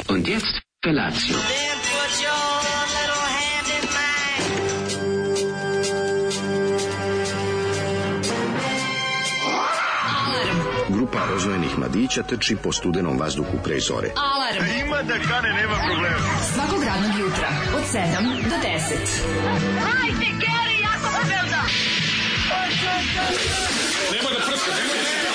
Und jetzt Felatio. Then put your little hand in mine. Grupa rozvojenih mladića trči po studenom vazduhu pre zore. Alarm. Ima da kane, nema problema. Svakog radnog jutra od 7 do 10. Hajde, Geri, jako se velda. Nema da prska, nema da prska.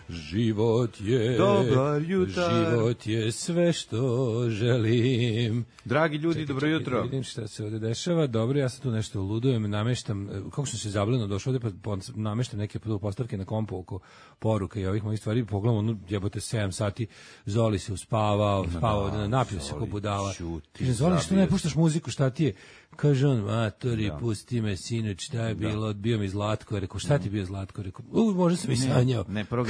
Život je dobar jutar. Život je sve što želim. Dragi ljudi, dobro jutro. Vidim šta se ovde dešava. Dobro, ja sam tu nešto ludujem, nameštam, kako sam se zableno došao ovde, pa nameštam neke postavke na kompu oko poruka i ovih mojih stvari. Pogledam, ono, jebote, 7 sati, Zoli se uspavao, spavao, napio se ko budala. Kažem, Zoli, što ne puštaš muziku, šta ti je? Kaže on, matori, pusti me, sinoć, šta je bilo, odbio mi Zlatko, rekao, šta ti bio Zlatko, rekao, možda sam i sanjao. Ne, prvo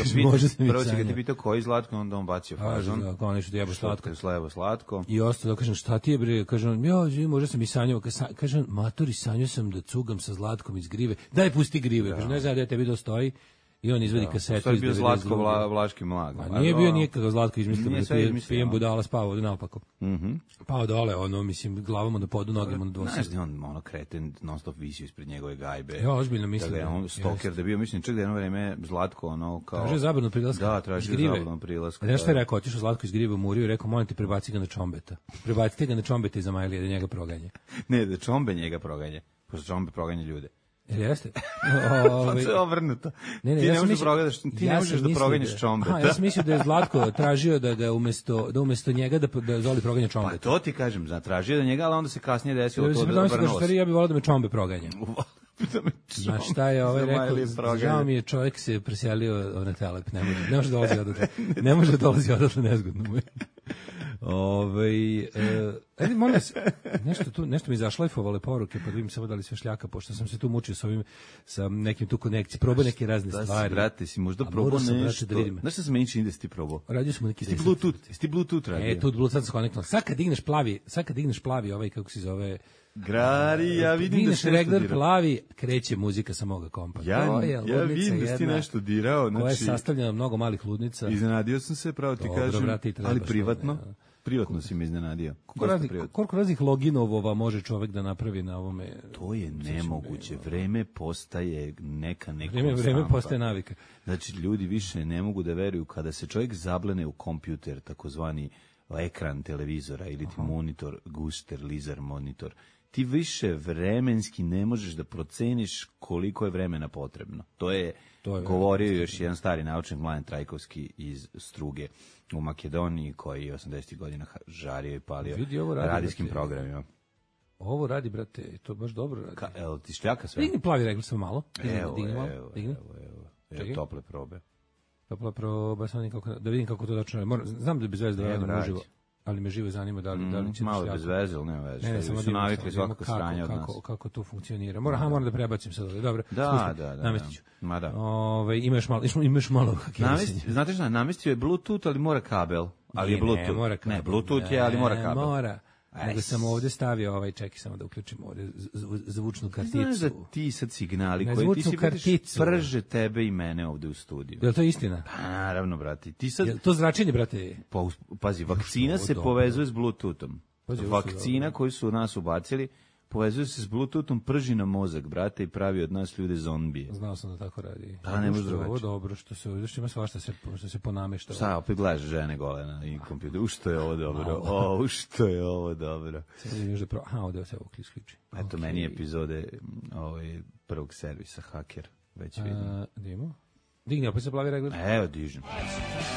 će ga ti pitao koji Zlatko, onda on bacio fazon. Da, kao nešto jebo Slatko. Slebo Slatko. I ostalo, da kažem, šta ti je, bre, kaže on, možda sam i sanjao, kaže on, matori, sanjao sam da cugam sa Zlatkom iz grive, daj pusti grive, kaže, ne znam da tebi dostoji. I on izvadi kasetu. To je bio Zlatko Vlaški mlag. A nije bio nikakav Zlatko izmislio, pijem budala, spavao naopako. Pao dole, ono, mislim, glavom na podu, nogama na dvosed. Znaš da on, ono, kreten, non stop visio ispred njegove gajbe. Ja, ozbiljno mislim. Da je on stoker, da je bio, mislim, čak da jedno vreme Zlatko, ono, kao... Tražio zabranu prilaska. Da, tražio zabranu prilaska. Znaš šta je rekao, otišao Zlatko iz grive u Muriju i rekao, molim te, prebaci ga na Čombeta. Prebacite ga na Čombeta iz Amajlije, da njega proganje. Ne, da Čombe njega proganje. Pošto Čombe proganje ljude. Jeste? Pa to je obrnuto. Ti ne možeš da proganjaš Čombeta. Ja sam mislio da je Zlatko tražio da ga umesto njega da Zoli proganja Čombeta. Pa to ti kažem, tražio da njega, ali onda se kasnije desilo to da obrnulo se. Ja bih volao da me Čombe proganja. Znaš šta je rekao, žao mi je, čovjek se preselio na Telep, ne može dolazi odatle, ne može dolazi odatle, nezgodno mu je. Molim vas, nešto mi zašlajfovale poruke, pa da vidim samo da li sve šljaka, pošto sam se tu mučio sa nekim tu konekcijom, probao neke razne stvari. Brate, si možda probao nešto, znaš šta se meni čini da si ti probao? Radio smo neki... Jesi ti Bluetooth radio? Tu Bluetooth se konektoval. Sad kad digneš plavi ovaj, kako se zove... Grari, ja vidim da si nešto regler plavi, kreće muzika sa moga kompa. Ja vidim da si ti nešto dirao. Koja je sastavljena mnogo malih ludnica. Iznenadio sam se, pravo ti kažem, ali privatno. Privatno si me iznenadio. Koliko raznih loginovova može čovjek da napravi na ovome? To je nemoguće. Vreme postaje neka Vreme postaje navika. Znači, ljudi više ne mogu da veruju kada se čovjek zablene u kompjuter, takozvani ekran televizora ili ti monitor, guster, laser monitor. Ti više vremenski ne možeš da proceniš koliko je vremena potrebno. To je govorio još jedan stari naučnik, Mladen Trajkovski iz Struge u Makedoniji, koji je 80. godina žario i palio radijskim programima. Ovo radi, brate, to baš dobro radi. Evo ti šljaka sve? Digni plavi regler samo malo. Evo, tople probe. Topla proba, da vidim kako to točno. Znam da je bez veze da radim uživo, ali me živo zanima da li će malo bez veze, ali nema veze. Ne, samo su navikli svakako sranje od nas. Kako to funkcionira. Moram da prebacim sad ovdje. Dobro. Da. Namestit ću. Ma da. Imaš malo. Znate šta, namestio je Bluetooth, ali mora kabel. Ali je Bluetooth. Ne, Bluetooth je, ali mora kabel. Mora. Nego sam ovdje stavio čekaj samo da uključim ovdje zvučnu karticu. Znaš da ti sad signali koji ti si karticu prže tebe i mene ovdje u studiju. Je li to istina? Pa naravno, brate. Ti sad... Je to zračenje, brate? Pazi, vakcina se povezuje s Bluetoothom. Vakcina koju su nas ubacili povezuje se s Bluetoothom, prži na mozak, brate, i pravi od nas ljude zombije. Znao sam da tako radi. Pa ne može drugačije. Ovo dobro, što ima svašta što se ponamešta. Šta, opet gledaš žene gole na kompjuteru. Što je ovo dobro? Što je ovo dobro? Ovdje se ovo isključi. Eto, meni epizode prvog servisa Haker. Već vidim. Dimo? Digni, opet se plavi regler. Evo, dižem.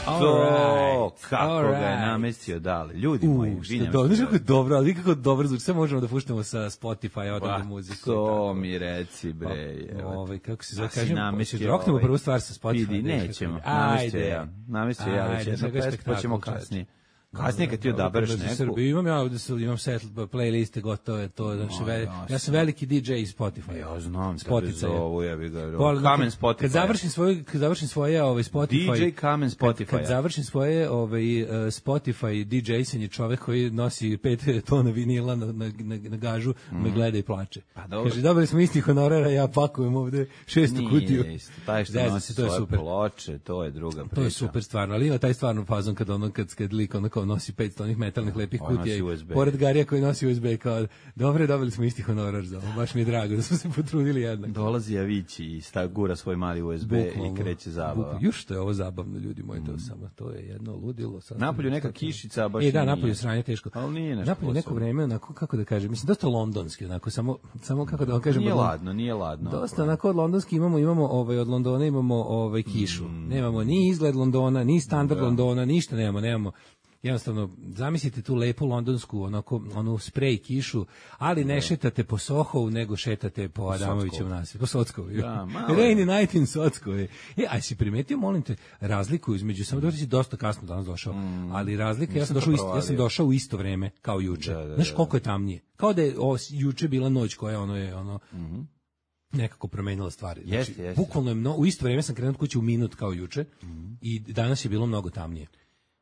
To, kako ga je namestio dale. Ljudi moji, znaš kako je dobro, ali kako dobro zvuči. Sve možemo da puštamo sa Spotify, odavde muziku. To mi reci, bre. Kako se zove, kažem, roknemo prvu stvar sa Spotify. Nećemo, namestio ja već jedno pest, pa ćemo kasnije. Kasnije kad ti odabereš neku... Srbiju, imam ja ovde, imam set playliste gotove, to, znači, ja sam veliki DJ iz Spotify. Ja znam, Spotify. zovu, ja bih ga... Kamen Spotify. Kad završim svoje Spotify... DJ Kamen Spotify. Kad završim svoje Spotify DJ-sanje, čovek koji nosi 5 tona vinila na gažu, me gleda i plače. Kaže, dobili smo isti honorara, ja pakujem ovde 600 kutiju. Nije isto, taj što nosi svoje ploče, to je druga priča. To je super stvarno, ali ima taj stvarno fazon kad lik onako nosi 500 onih metalnih lepih kutija i pored Garija koji nosi USB kao, dobre, dobili smo isti honorar za ovo, baš mi je drago da smo se potrudili jednako. Dolazi Avići i gura svoj mali USB i kreće zabava. Još što je ovo zabavno, ljudi moji, to je jedno ludilo. Napolju neka kišica, baš nije. Da, napolju sranje teško. Ali nije nešto napolju neko vreme, onako, kako da kažem, mislim, dosta londonski, onako, samo kako da vam kažem. Nije ladno. Dosta onako od londonski imamo od Londona imamo kišu. Nemamo ni izgled Londona, ni standard Londona, ništa nemamo. Jednostavno, zamislite tu lepu londonsku, onu sprej kišu, ali ne šetate po Sohovu, nego šetate po Adamovićevom naselju, po Sockovu. Rainy night in Sockovu. Aj si primetio, molim te, razliku između, samo da si dosta kasno danas došao, ali razlika, ja sam došao u isto vreme kao juče. Znaš koliko je tamnije? Kao da je juče bila noć koja nekako promenila stvari. Znači, bukvalno je u isto vreme sam krenuo od kuće u minut kao juče i danas je bilo mnogo tamnije.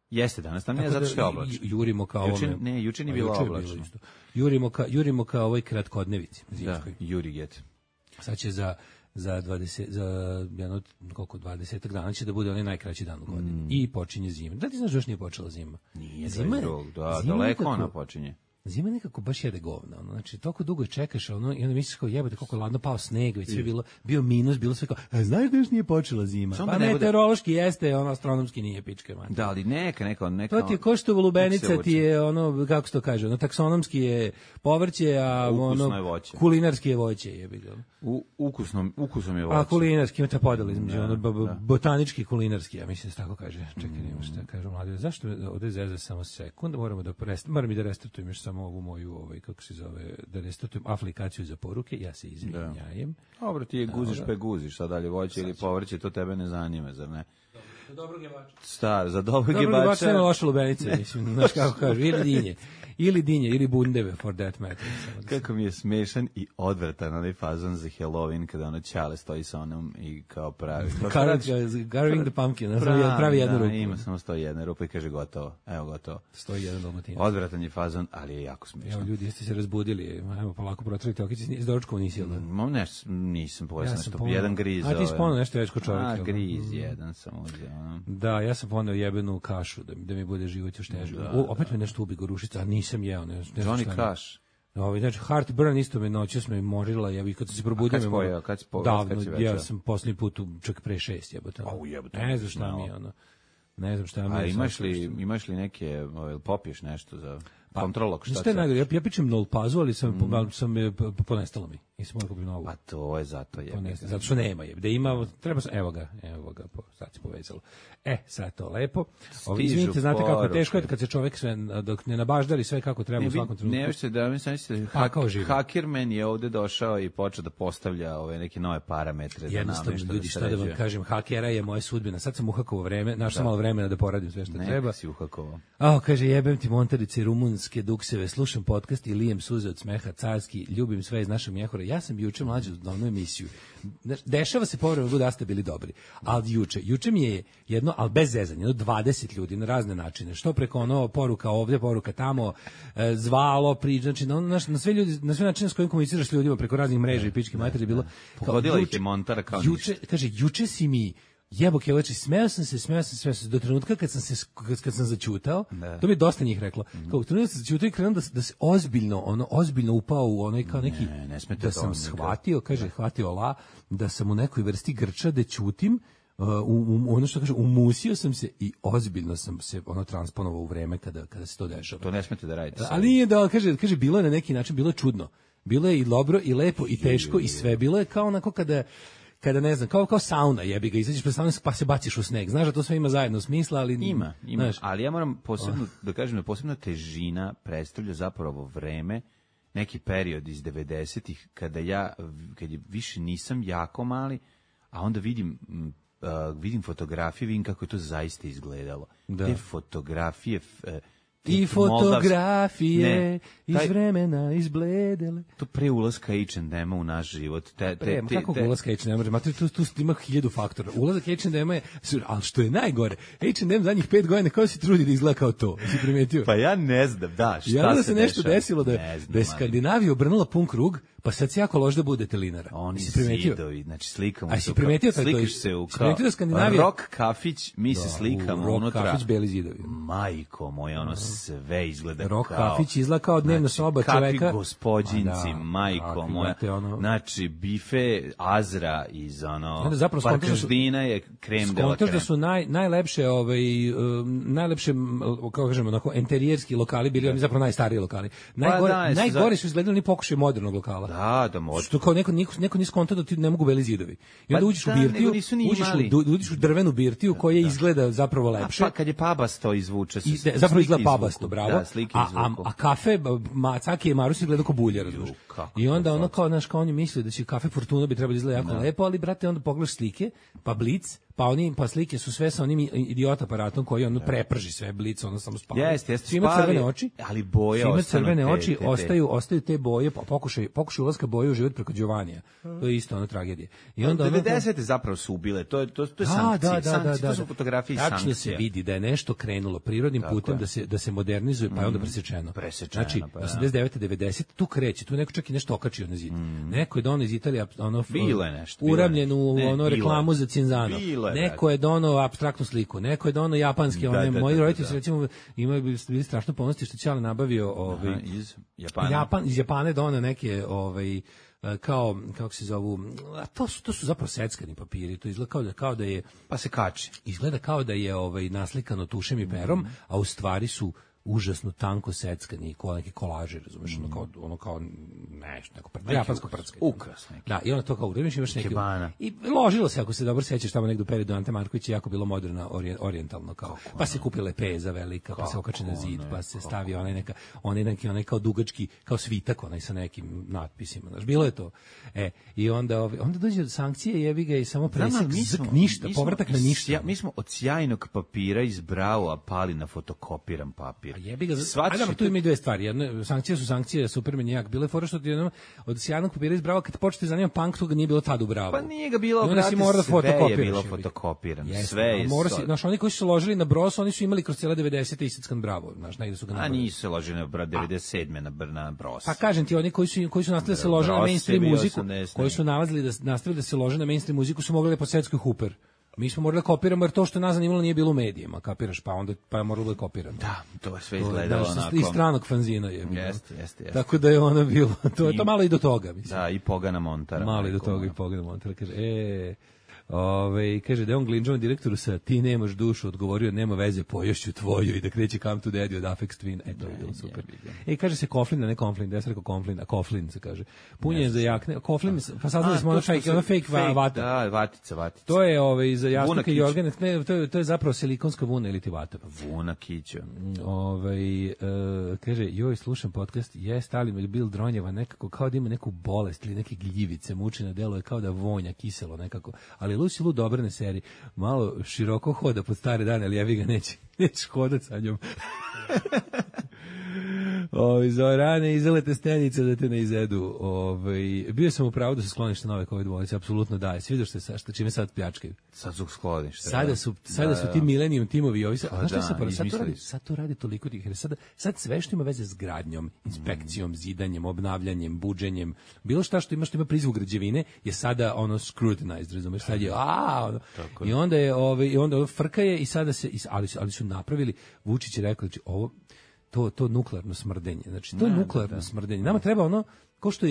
Jeste danas, tam nije zato što je oblačno. Jurimo kao ovome. Ne, juče nije bilo oblačno. Jurimo kao ovoj kratkodnevici. Da, Juriget. Sad će za 20 dana će da bude onaj najkraći dan u godini. I počinje zima. Da ti znaš da još nije počela zima? Nije, zima daleko ona počinje. Zima nekako baš jede govna, znači toliko dugo čekaš, i onda misliš kao jebote koliko je ladno, pao sneg, već sve bio minus, bilo sve kao, znaš da još nije počela zima, pa meteorološki jeste, astronomski nije pička man. Da, ali neka. To ti je ko što lubenica ti je kako se to kaže, taksonomski je povrće, a kulinarski je voće, jebi ga. Ukusom je voće. A kulinarski, ima ta podela između, botanički i kulinarski, ja mislim da se tako kaže. Čekaj, nemo šta kažu mladi, zašto ovde zeze samo sekund, moram i da restartujem još samo ovu moju, kako se zove, da restartujem aplikaciju za poruke, ja se izvinjajem. Dobro, ti je guziš, šta dalje, voće ili povrće, to tebe ne zanima, zar ne? Za dobrog jebača. Za dobrog jebača. Dobro nema loše lubenice, mislim, znaš kako kažu, ili dinje, ili bundeve, for that matter. Kako mi je smešan i odvratan onaj fazon za Halloween, kada Ćale stoji sa onom i kao pravi. Carving the pumpkin, pravi jednu rupu. Ima samo stoji jedna rupa i kaže gotovo. Evo gotovo. Stoji jedan Dalmatinac. Odvratan je fazon, ali je jako smešan. Evo ljudi, jeste se razbudili, ajmo polako protrljite okice, iz doručkova nisi jel da? Nisam pojela nešto, jedan griz. A ti si ponao nešto već ko čovjek. Griz, jedan sam uzeo. Da, ja sam ponao jebenu kašu, da mi bude život još teže. Opet me nešto ubi gorušica, a nisam jeo. Johnny Cash. Znači, Heartburn isto me noćas me morila, ja bih kad sam se probudio me morila. Davno, ja sam posljednji put čak pre 6 jebote. Ne znam šta mi je ono. Ne znam šta mi je. A imaš li neke, popiješ nešto za kontrolog? Šta je najgore? Ja pičem nolpazu, ali sam ponestalo mi. Nisam morao kupiti novu. Pa to je zato je. Zato što nema je. Da ima, treba sam, evo ga, sad se povezalo. Sad to lepo. Izvinite, znate kako teško je kad se čovjek sve, dok ne nabaždari sve kako treba u svakom trenutku. Ne možete da mi mislite, Hackerman je ovde došao i počeo da postavlja neke nove parametre. Jednostavno, ljudi, šta da vam kažem, hakera je moja sudbina. Sad sam uhakovao vreme, našao malo vremena da poradim sve što treba. Neka si uhakovao. Kaže, jebem ti montarice rumunske dukseve, slušam podcast i lijem suze od smeha, carski, ljubim sve iz našeg mjehura. Ja sam juče mlađu na onu emisiju. Dešava se povremeno da ste bili dobri. Ali juče mi je jedno, ali bez zezanja, 20 ljudi na razne načine. Što preko poruka ovdje, poruka tamo, zvalo, znači na sve ljudi, na sve načine s kojim komuniciraš s ljudima preko raznih mreža i pičke materije bilo. Pogodila ih je Montara kao ništa. Kaže, juče si mi jeboke, oči, smeo sam se do trenutka kad sam zaćutao. To mi je dosta njih reklo. Kao trenutka sam zaćutao i krenuo da se ozbiljno upao u onaj kao neki, da sam shvatio, kaže, hvatio da sam u nekoj vrsti grča da ćutim, ono što kaže, umusio sam se i ozbiljno sam se transponovao u vreme kada se to dešava. To ne smete da radite. Ali nije da, kaže, bilo je na neki način, bilo je čudno. Bilo je i dobro, i lepo, i teško, i sve. Bilo je kao onako kada ne znam, kao sauna, jebi ga, izađeš pred saunu pa se baciš u sneg. Znaš da to sve ima zajedno smisla, ali ima, ali ja moram posebno da kažem da posebno težina predstavlja zapravo vreme, neki period iz 90-ih kad je više nisam jako mali, a onda vidim fotografije, vidim kako je to zaista izgledalo. Te fotografije I fotografije iz vremena izbledele. To pre ulaska H&M-a u naš život. Kako ulaska H&M-a? Tu ima 1000 faktora. Ulazak H&M-a je, ali što je najgore, H&M zadnjih 5 godina kao se trudi da izgleda kao to. Si primetio? Pa ja ne znam, da, šta se nešto dešava? desilo da je Skandinavija obrnula pun krug, pa sad se jako loš da bude telinara. Oni zidovi, znači slikamo se. A si primetio tako? Slikaš se u kao rock kafić, mi se slikamo unutra. Rock kafić, beli zidovi. Majko moja, ono sve izgleda kao... Rock kafić izgleda kao dnevna soba čoveka. Kapi gospodinci, majko moja. Znači, bife Azra iz Parkaždina je krem de la krem. Da su najlepše, najlepše, kako kažemo, onako, enterijerski lokali bili, oni zapravo najstariji lokali. Najgore su izgledali ni pokušaj modernog lokala. Da, možda. Što kao neko nis konta da ti ne mogu beli zidovi. I onda uđeš u birtiju, uđeš u drvenu birtiju koja izgleda zapravo lepše. Pa kad je pabasto izvuče se. Zapravo izgleda pabasto, bravo. Da, slike izvuku. A kafe Macaki i Marusi izgleda kao bulja, razumiješ. I onda ono kao, znaš, kao oni misle da će kafe Fortuna bi trebalo izgleda jako lepo, ali brate, onda pogledaš slike, pa Blic, pa slike su sve sa onim idiot aparatom koji ono preprži sve, Blic, ono samo spali. Jeste, ima crvene oči, ali boje ima crvene oči, ostaju te boje, pokušaj ulaska boje u život preko Giovanija. To je isto ono tragedija. I onda 90-te zapravo su ubile, to je sankcije, to su fotografije i sankcije. Tačno se vidi da je nešto krenulo prirodnim putem da se modernizuje, pa je onda presečeno. Znači, 89. 90. tu kreće, tu neko čak i nešto okačio na zid. Neko je donao iz Italije uramljenu reklamu za Cinzano. Neko je donao apstraktnu sliku, neko je donao japanski, moji roditelji su recimo bili strašno ponosni što Ćale nabavio iz Japana. Iz Japana je donao neke kao kako se zovu, to su zapravo seckani papiri, to izgleda kao da je, pa se kači. Izgleda kao da je naslikano tušem i perom, a u stvari su užasno tanko seckani neki kolaži, razumeš, ono kao nešto, neko japansko prcke. Ukras neki. Da, i ono to kao imaš neki. I ložilo se, ako se dobro sećaš, tamo negdje u periodu Ante Marković je jako bilo moderno, orijentalno kao. Pa se kupile peza velika, pa se okače na zid, pa se stavi onaj kao dugački, kao svitak, onaj sa nekim natpisima, znaš, bilo je to. I onda dođe sankcije, jebi ga i samo presek, ništa, povratak na ništa. Mi smo od sjajnog papira iz Braua pali na fotokopiran papir. Jebi ga, ajde, tu ima i dve stvari. Jedno, sankcije su sankcije, Superman jak. Bile fora što ti od sjajnog papira izbrava, kad počete zanima punk, toga nije bilo tad u Bravo. Pa nije ga bilo, brate, sve je bilo fotokopirano. Sve je. Znaš, oni koji su se ložili na Bros, oni su imali kroz cijela 90. iseckan Bravo. Znaš, negde su ga napravili. A nisu se ložili na 97. na Bros. Pa kažem ti, oni koji su nastavili da se lože na mainstream muziku, koji su nastavili da se lože na mainstream muziku, su mogli po svetskoj Hooper. Mi smo morali da kopiramo, jer to što nas zanimalo nije bilo u medijima, kapiraš, pa je moralo da kopiramo. Da, to je sve izgledalo onako. I stranog fanzina je. Jeste. Tako da je ono bilo, to je to malo i do toga, mislim. Da, i Pogana Montara. Malo i do toga i Pogana Montara, kaže, kaže da je on Glinđovan direktoru sa ti nemaš dušu, odgovorio nema veze, poješću tvoju i da kreće Come to Daddy od Aphex Twin. To je bilo super. Kaže se Koflin, a ne Konflin, da ja sam rekao Konflin, a Koflin se kaže. Punjen za jakne, Koflin, pa saznali smo ono fake vata. Da, vatica. To je za jasnike i organe, to je zapravo silikonska vuna ili ti vata. Vuna kića. Kaže, joj, slušam podcast, ali mi Bill Dronjeva nekako kao da ima neku bolest ili neke gljivice, mučina deluje kao da vonja kiselo nekako, ali Lucy Liu dobrane serije, malo široko hoda pod stare dane, ali jevi ga neće hodati sa njom. Zorane, izalete stenice da te ne izedu. Bio sam u pravu da se skloniš na nove COVID bolnice, apsolutno daje. Sviđaš se sa čime sad pljačkaju? Sad su skloniš. Sada su ti Millennium timovi. Sad to radi toliko tih. Sad sve što ima veze s gradnjom, inspekcijom, zidanjem, obnavljanjem, buđenjem, bilo šta što ima prizvuk građevine je sada ono scrutinized, razumeš? Sad je i onda frka je i sada se, ali su napravili, Vučić je rekao, znači ovo to nuklearno smrdenje. Znači, to je nuklearno smrdenje. Nama treba ono, ko što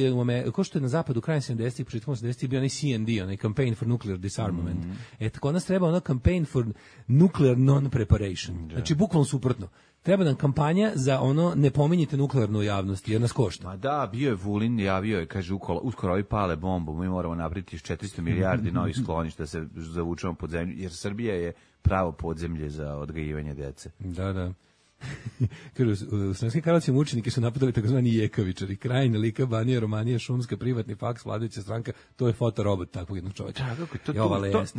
je na zapadu krajem 70-ih, početkom 80-ih bio onaj CND, onaj Campaign for Nuclear Disarmament. Tako nas treba ono Campaign for Nuclear Non-Preparation. Znači, bukvalno suprotno. Treba nam kampanja za ono ne pominjite nuklearnu javnost, jer nas košta. Ma da, bio je Vulin, javio je, kaže, uskoro ovi pale bombu, mi moramo napraviti 400 milijardi novih skloništa da se zavučemo pod zemlju, jer Srbija je pravo podzemlje za odgajivanje dece. Da. U Sremskim Karlovcima učenike su napadali takozvani jekavičari. Krajina, Lika, Banija, Romanija, Šumska, privatni faks, vladajuća stranka, to je fotorobot takvog jednog čovjeka.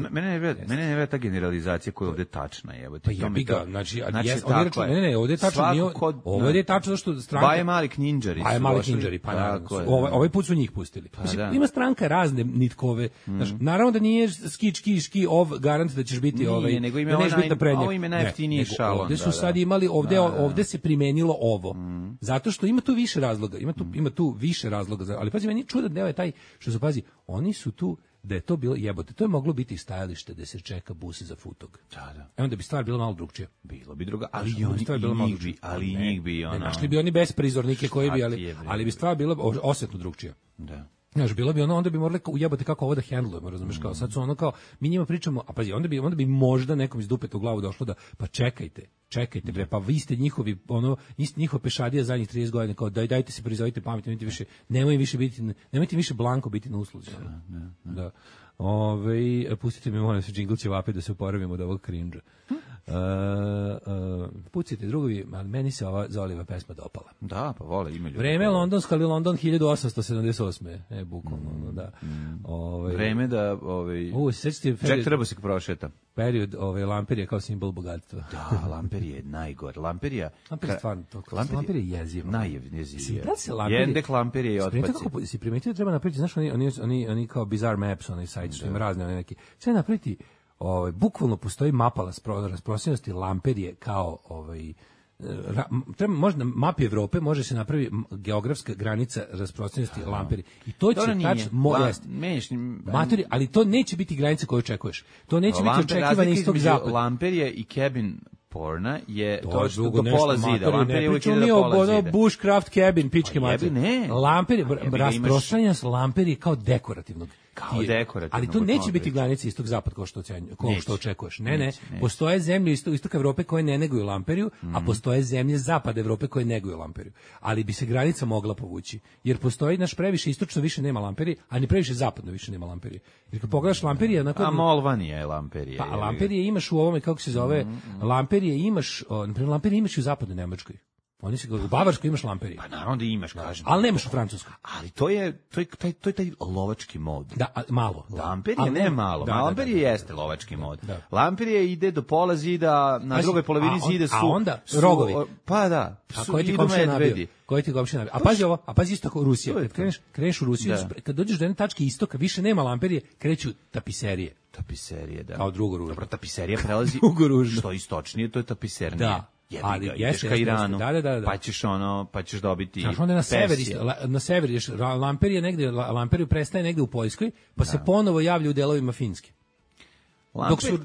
Mene ne vera ta generalizacija koja je ovde tačna. Pa jebi ga, znači ovdje je tačno, ovdje je tačno zašto stranka... Baje mali knjinđari. Baje mali knjinđari, pa naravno. Ovaj put su njih pustili. Ima stranka razne nitkove. Naravno da nije ski garant da ćeš biti da nećeš biti naprednjak. Ovo ime najjeftiniji šalon. Ovdje su sad imali, ovdje se primenilo ovo. Zato što ima tu više razloga. Ima tu više razloga. Ali pazi, meni je čudan deo je taj što su, pazi, oni su tu da je to bilo jebote, to je moglo biti stajalište da se čeka bus za Futog. Da. Onda bi stvar bila malo drugčija. Bilo bi druga, ali njih bi ono. Našli bi oni besprizornike koji bi, ali bi stvar bila osetno drugčija. Da. Znaš, bilo bi ono, onda bi morali ujebati kako ovo da hendlujemo, razumeš, kao sad su ono kao, mi njima pričamo, a pazi, onda bi možda nekom iz dupeta u glavu došlo da, pa čekajte bre, pa vi ste njihovi, njihova pešadija zadnjih 30 godina, kao dajte se prizovite pametno, nemojte više blanko biti na usluzi. Da. Pustite mi, molim se, džingl će vape da se oporavimo od ovog cringe-a. Pucite drugovi, ali meni se ova Zoliva pesma dopala. Da, pa vole, ima ljudi. Vreme londonska ali London 1878. Bukvalno, da. Vreme da, Jack treba se prošeta. Period lamperije kao simbol bogatstva. Da, lamperije je najgore. Lamperija stvarno to. Lamperije je jezivo. Najjezivije. Jendek lamperije je otpaci. Si primetio da treba napraviti, znaš, oni kao Bizarre Maps, oni sajt što im razne, oni neki. Sve napraviti, bukvalno postoji mapa rasprostranjenosti lamperije kao možda na mapi Evrope može se napravi geografska granica rasprostranjenosti lamperije. I to će tačno ali to neće biti granica koju očekuješ. To neće biti očekivanje istog zapada. Lamperije i cabin porna je to što do pola zida. Lamperije uvijek ide do pola zida. Bushcraft cabin, pičke mater. Ne. Rasprostranjenost lamperije kao dekorativnog. Ali to neće biti granica istog zapad kao što očekuješ. Ne. Postoje zemlje istoka Evrope koje ne neguju lamperiju, a postoje zemlje zapada Evrope koje neguju lamperiju. Ali bi se granica mogla povući. Jer postoji naš previše istočno više nema lamperije, a ni previše zapadno više nema lamperije. Jer kad pogledaš lamperije... A Molvanija je lamperije. Pa lamperije imaš u ovome, kako se zove, lamperije imaš, naprimjer, lamperije imaš i u zapadnoj Nemačkoj. U Bavarskoj imaš lamperije. Pa naravno da imaš, kažem. Ali nemaš u Francuskoj. Ali to je taj lovački mod. Da, malo. Lamperije ne malo. Lamperije jeste lovački mod. Lamperije ide do pola zida, na drugoj polovini zida su... A onda rogovi. Pa da. A koji ti komšija nabio? A pazi ovo, isto kao Rusija. Kad kreneš u Rusiju, kad dođeš do jedne tačke istoka, više nema lamperije, kreću tapiserije. Tapiserije, da. Kao drugo ružno. Dobro, tapiserija prelazi... Što istočnije, to je tapisernije. Da. Ali ideš ka Iranu, pa ćeš dobiti na sever ideš, lamperiju prestaje negde u Poljskoj, pa se ponovo javlja u delovima Finske.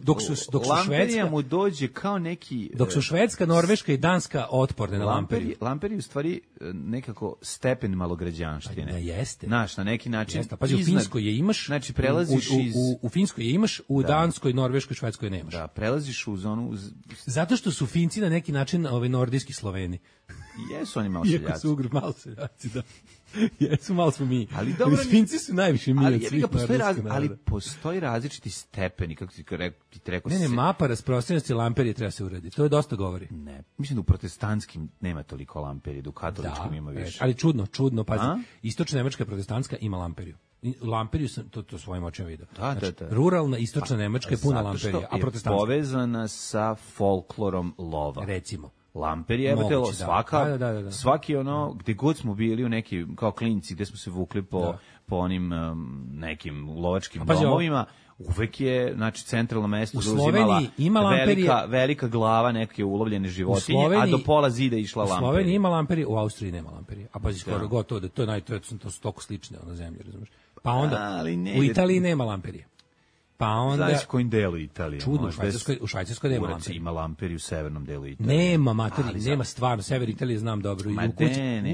Dok su Švedska mu dođe kao neki... Dok su Švedska, Norveška i Danska otporne na lamperiju. Lamperiju u stvari nekako stepen malograđanštine. Jeste. Znaš, na neki način... Jeste, pazi, u Finskoj je imaš, znači, prelaziš u Finskoj je imaš, u Danskoj, Norveškoj, Švedskoj nemaš. Da, prelaziš u zonu... Zato što su Finci na neki način nordijski Sloveni. Jesu oni malo seljaci. Iako su malo seljaci, da. Jesu, malo smo mi. Ali dobro, Finci su najviše mi od svih narodskih naroda. Ali postoji različiti stepeni, kako ti rekao. Ne, mapa rasprostranjenosti lamperije treba se uraditi. To je dosta govori. Ne, mislim da u protestantskim nema toliko lamperije, da u katoličkim ima više. Ali čudno, pazi. Istočna Nemačka protestantska ima lamperiju. Lamperiju sam to svojim očima vidio. Da. Ruralna istočna Nemačka je puna lamperija, a protestantska je povezana sa folklorom lova. Recimo. Lamperije, svaki gde god smo bili u neki, kao klinci, gde smo se vukli po onim nekim lovačkim domovima, uvek je, znači, centralno mesto zauzimala velika glava neke ulovljene životinje, a do pola zida išla lamperija. U Sloveniji ima lamperije, u Austriji nema lamperije. A pazi, skoro gotovo, to su toliko slične zemlje, razumiješ? Pa onda, u Italiji nema lamperije. Pa onda... Znaš kojim delu Italije? Čudno, u Švajcarskoj nema lamperije. Ima lamperiju u severnom delu Italije. Nema, nema stvarno, sever Italije znam dobro.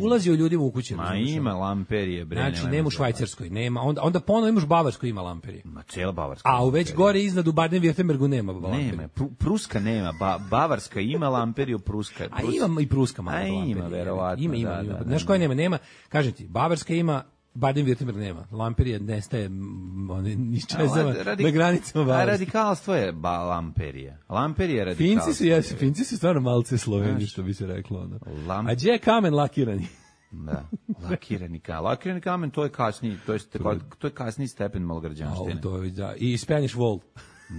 Ulazi u ljudima u kuće. Ma ima lamperije, bre. Znači, nema u Švajcarskoj, nema. Onda ponovo imaš u Bavarskoj ima lamperije. Ma cijela Bavarska. A u već gore iznad u Baden-Württembergu nema lamperije. Nema, Pruska nema, Bavarska ima lamperiju, Pruska. A ima i Pruska malo lamperije. Ima, verovatno. Ima. Znaš koje nema? Kažem ti, Bavarska ima Baden-Württemberg nema. Lamperija nestaje iščezava na granicama A Bavarske. radikalstvo je lamperija. Lamperija je radikalstvo. Finci su stvarno malce Sloveni, što bi se reklo. Ono. Lam- A gdje je kamen lakirani? Da, lakirani kamen, to je kasniji, to je kasniji stepen malgrađanštine. To je, da. I Spanish wall.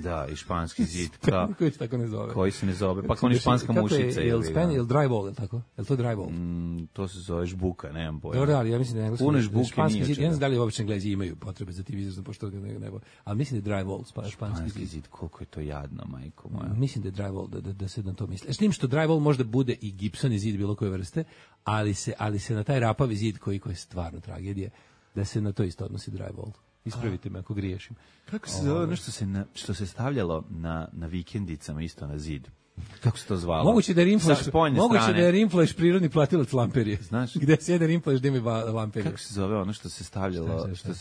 Da, i španski zid. Koji se tako ne zove. Koji se ne zove. Pa kao ni španska mušica. Je li dry wall, je li tako? Je li to dry wall? To se zove žbuka, nemam pojma. Dobro, ali ja mislim da engleski. Puno žbuke nije zid, čega. ja ne znam da li obični Englezi imaju potrebe za tim izrazom, pošto ga nebo. Ali mislim da je dry wall, španski zid. Koliko je to jadno, majko moja. Mislim da je dry wall, da se na to misli. S tim što dry wall možda bude i gipsoni zid bilo koje vrste, ali se na taj rapavi zid koji je stvarno tragedija, da se na to isto odnosi dry wall. Ispravite me ako griješim. Kako se zove ono što se stavljalo na vikendicama isto na zid? Kako se to zvalo? Moguće da je Rimflash prirodni platilac lamperije. Znaš? Gde se jedan Rimflash da ima lamperije. Kako se zove ono što se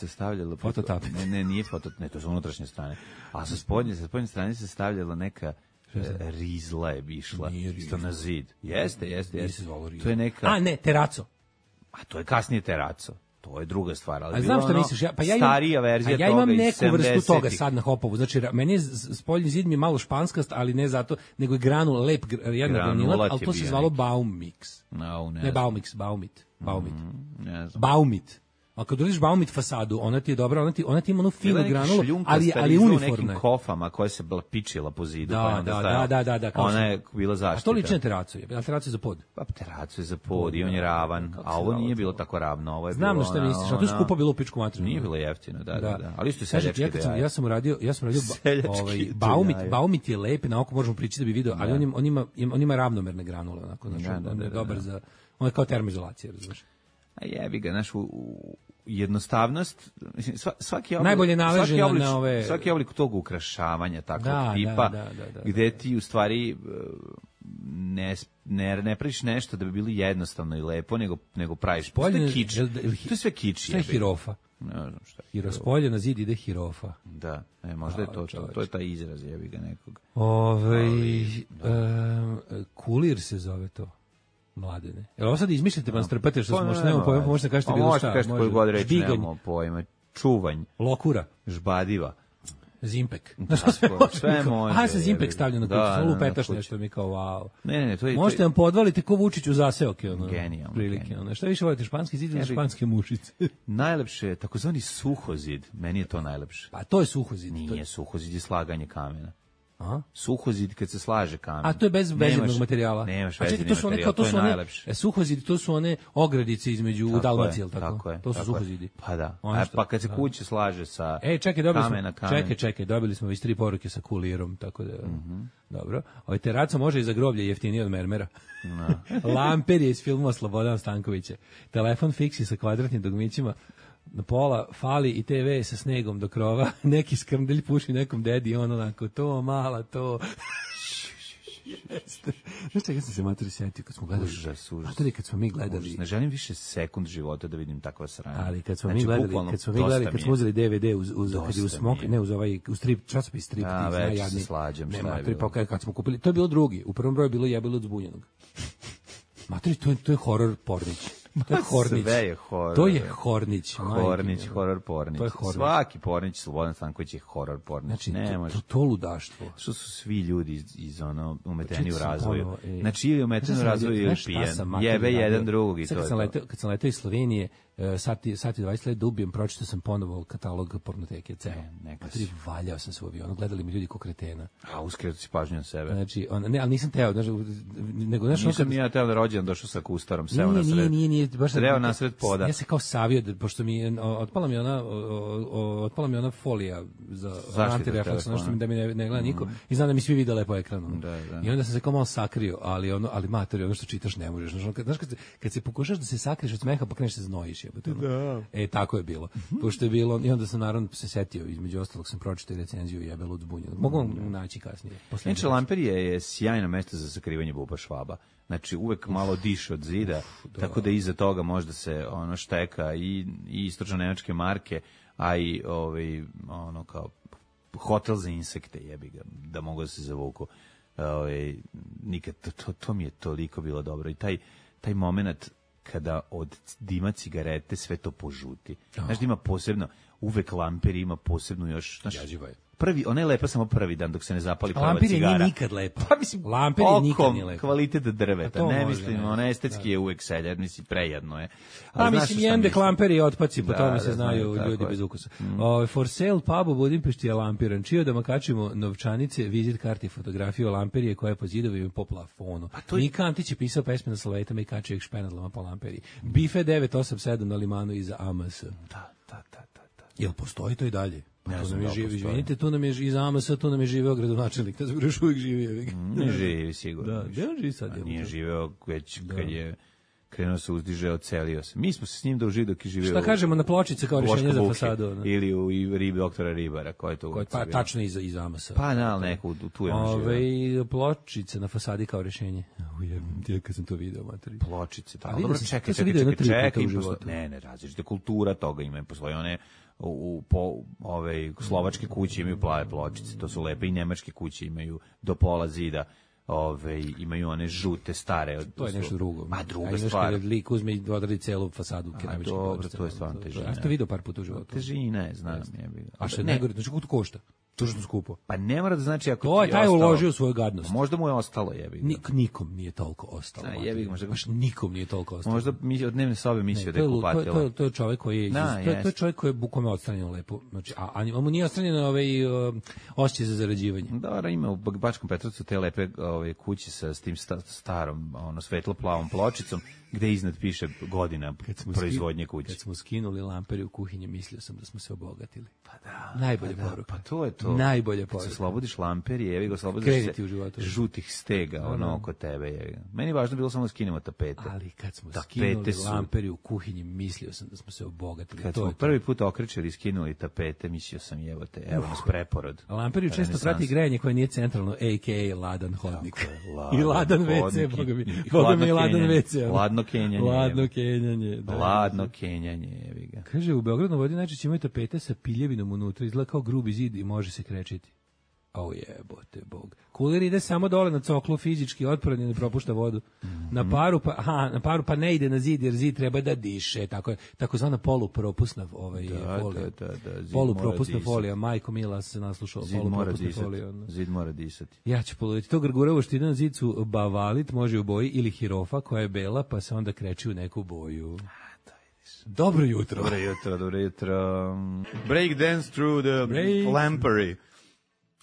stavljalo? Fototap. Ne, nije fototap, ne, to su unutrašnje strane. A sa spoljne strane se stavljala neka rizla je išla isto na zid. Jeste. To je neka... A ne, teraco. A to je kasnije teraco. To je druga stvar, ali znam što misliš, starija verzija toga. Ja imam neku vrstu toga sad na Hopovu. Znači meni je spoljni zid mi je malo španskast, ali ne zato, nego je granul lep, jedna granula, ali to se zvalo Baumix. Ne Baumix, Baumit. A kad uđeš Baumit fasadu, ona ti je dobra, ona ti ima onu finu granulu, ali uniformna. U nekim kofama koja se pičila po zidu. Da. Ona je bila zaštita. A to liči na teracu, a teracu je za pod. Pa teracu je za pod i on je ravan, a ovo nije bilo tako ravno. Ovo je znam bilo na što misliš, a to je skupo bilo u pičku materinu. Nije bilo jeftino, da. Ali isto seljački ideja. Ja sam radio Baumit je lep, na oko možemo pričati da bi video, ali on ima ravnomerne granule, onako, on je dobar za, on je kao termoizolacija, razumiješ. A jebi ga, naš jednostavnost, svaki oblik tog ukrašavanja takvog tipa, gde ti u stvari ne praviš nešto da bi bilo jednostavno i lepo, nego praviš. To je kič. To je sve kič. Šta je hirofa? Ne znam šta. Spolje na zid ide hirofa. Da, možda je to je taj izraz, jebi ga nekog. Kulir se zove to. Mladene. Jel ovo sad izmišljate, pa strpate što smo možda nemamo pojma, pa možete kažete bilo šta. Možete kažete koju god reći, nemamo pojma. Čuvanj. Lokura. Žbadiva. Zimpek. Sve može. A se Zimpek stavlja na kuću, samo lupetaš nešto mi kao wow. Ne, to je... Možete vam podvaliti ko Vučić u zaseoke. Genijalno. Prilike. Šta više volite, španski zid ili španske mušice? Najlepše je takozvani suhozid. Meni je to najlepše. Pa to je suhozid. Nije suhozid, je slaganje kamena. Aha. Suhozid kad se slaže kamen. A to je bez vezivnog materijala. Nemaš vezivni materijal, to je najlepše. Suhozidi, to su one ogradice između Dalmacije, ili tako? To su suhozidi. Pa da. Pa kad se kuće slaže sa kamena. Čekaj, dobili smo već 3 poruke sa kulirom, tako da... Dobro. Teraco može i za groblje jeftinije od mermera. Lamper je iz filmova Slobodana Stankovića. Telefon fiksi sa kvadratnim dugmićima. Na pola fali i TV sa snegom do krova, neki skrmdelj puši nekom dedi, on onako, to mala, to... Znaš čega sam se materi setio kad smo gledali? Užas. Materi kad smo mi gledali... Ne želim više sekund života da vidim takva sranja. Ali kad smo mi gledali, kad smo uzeli DVD uz strip, časopis strip, a, već se slađam, šta je bilo. Kad smo kupili, to je bilo drugi, u prvom broju je bilo Jebilo od zbunjenog. Materi, to je horor pornić. To je Hornić. Sve je horor. To je Hornić. Horor pornić. Svaki pornić, Slobodan Stanković je horor pornić. Znači, to ludaštvo. Što su svi ljudi iz umeteni u razvoju. Znači, ili umeteni u razvoju ili pijan. Jebe jedan drugog i to je to. Kad sam letao iz Slovenije, sati 20 let da ubijem, pročitao sam ponovo katalog pornoteke, ceo. Materi, valjao sam se u avionu, gledali mi ljudi ko kretena. A uskreto si pažnju na sebe. Znači, ne, ali nisam teo, nego nisam ja teo da rođen došao sa kustarom, seo na sred. Nije, baš sreo na sred poda. Ja se kao savio, pošto mi otpala mi ona folija za antirefleks, nešto da mi ne gleda niko, i znam da mi svi vide lepo ekranom. I onda sam se kao malo sakrio, ali matori, ono što čitaš ne možeš. Znaš, kad se pokušaš da se sakriješ od smeha, pa kreneš se znojiš. Tako je bilo. Pošto je bilo, i onda sam naravno se setio, između ostalog sam pročitao recenziju Jebelo od zbunjenog. Mogu vam naći kasnije. Znači, Lamperija je sjajno mesto za sakrivanje buba Švaba. Znači, uvek malo diše od zida, tako da iza toga možda se šteka i istočno-nemačke marke, a i kao hotel za insekte, jebi ga, da mogu da se zavuku. Nikad, to mi je toliko bilo dobro. I taj moment kada od dima cigarete sve to požuti. Znaš da ima posebno, uvek lamper ima posebno još, znaš, prvi, ona je lepa samo prvi dan dok se ne zapali prva Lampir cigara. Lampir je nikad lepa. Pa mislim, Lampir je nikad nije lepa. Kvalitet drveta, ne može, mislim, ona estetski je uvek seljar, mislim, prejedno je. A mislim, jende Lampir i otpaci, po tome se znaju ljudi bez ukusa. For sale pub u Budimpešti je lampiran. Čio da makačimo novčanice, vizit karti i fotografiju Lampirije koja je po zidovima i po plafonu. Mika Antić je pisao pesme na slavetama i kačio ih špenadlama po Lampiriji. Bife 987 na limanu iza AMS. Da. Jel postoji to i dalje? Ne tu znam nam je da živi, postoji. izvinite, tu nam je iz AMS, tu nam je živeo gradonačelnik, da još uvijek živi. Ne živi sigurno. Da, gde on živi sad? Nije živeo već kad je krenuo se uzdiže, ocelio se. Mi smo se s njim dožili dok je živeo. Šta kažemo na pločice kao rješenje za fasadu? Ne? Ili u ribi doktora Ribara, koja je to Pa tačno iz AMS. Pa na, neku tu je on živeo. Pločice na fasadi kao rješenje. Ujebem, kad sam to video, materi. Pločice, A da. vidio Dobro, sam, čekaj, to sam vidio jedno 3 puta u im životu. Ne, različite kultura toga ima, postoje one slovačke kuće imaju plave pločice, to su lepe, i nemačke kuće imaju do pola zida. Imaju one žute stare. To je nešto drugo. Ma druga stvar. Kada lik uzme i odradi celu fasadu keramičke pločice. To je stvarno težina. Ja sam to vidio par puta u životu. Težina je, znam. A što je najgore, znači koliko to košta? To što skupo. Pa ne mora da znači ako to je taj uložio svoju gadnost. Možda mu je ostalo, jebi ga. Nikom nije toliko ostalo. Jebi ga, možda baš nikom nije toliko ostalo. Možda mi od dnevne sobe mislio da je kupatila. To je čovjek koji je to je čovjek koji je bukvalno odstranjeno lepo. Znači a mu nije odstranjeno osjećaj za zarađivanje. Da, ima u Bačkom Petrovcu te lepe kuće sa tim starom, svetlo plavom pločicom gde iznad piše godina proizvodnje kuće. Kad smo skinuli lampere u kuhinji, mislio sam da smo se obogatili. Pa da. Najbolja poruka. Pa to je to. Najbolja poruka. Kad se oslobodiš lamperi, jevi ga, oslobodiš se u životu. Žutih stega, oko tebe, jevi ga. Meni je važno bilo samo da skinemo tapete. Ali kad smo skinuli lamperi u kuhinji, mislio sam da smo se obogatili. Kad smo prvi put okrećali i skinuli tapete, mislio sam, evo nas preporod. Lamperi često prati grejanje koje nije centralno, a.k.a. ladan hodnik. I ladan WC, boga mi ladan WC. Ladno kenjanje. Ladno kenjanje, jevi ga. Kaže, u Beogradu vodi najčešće imaju tapete sa piljevinom unutra, izgleda kao grubi zid i može se krečiti. Jebote bog. Kuler ide samo dole na coklu, fizički otporan i ne propušta vodu. Na paru pa ne ide na zid, jer zid treba da diše. Takozvana polupropusna folija. Polupropusna folija. Majko Mila se naslušao. Zid mora disati. Ja ću položiti. To grguravo što ide na zid su bavalit, može u boji, ili hirofa koja je bela, pa se onda kreći u neku boju. Dobro jutro. Dobro jutro. Break dance through the lampery.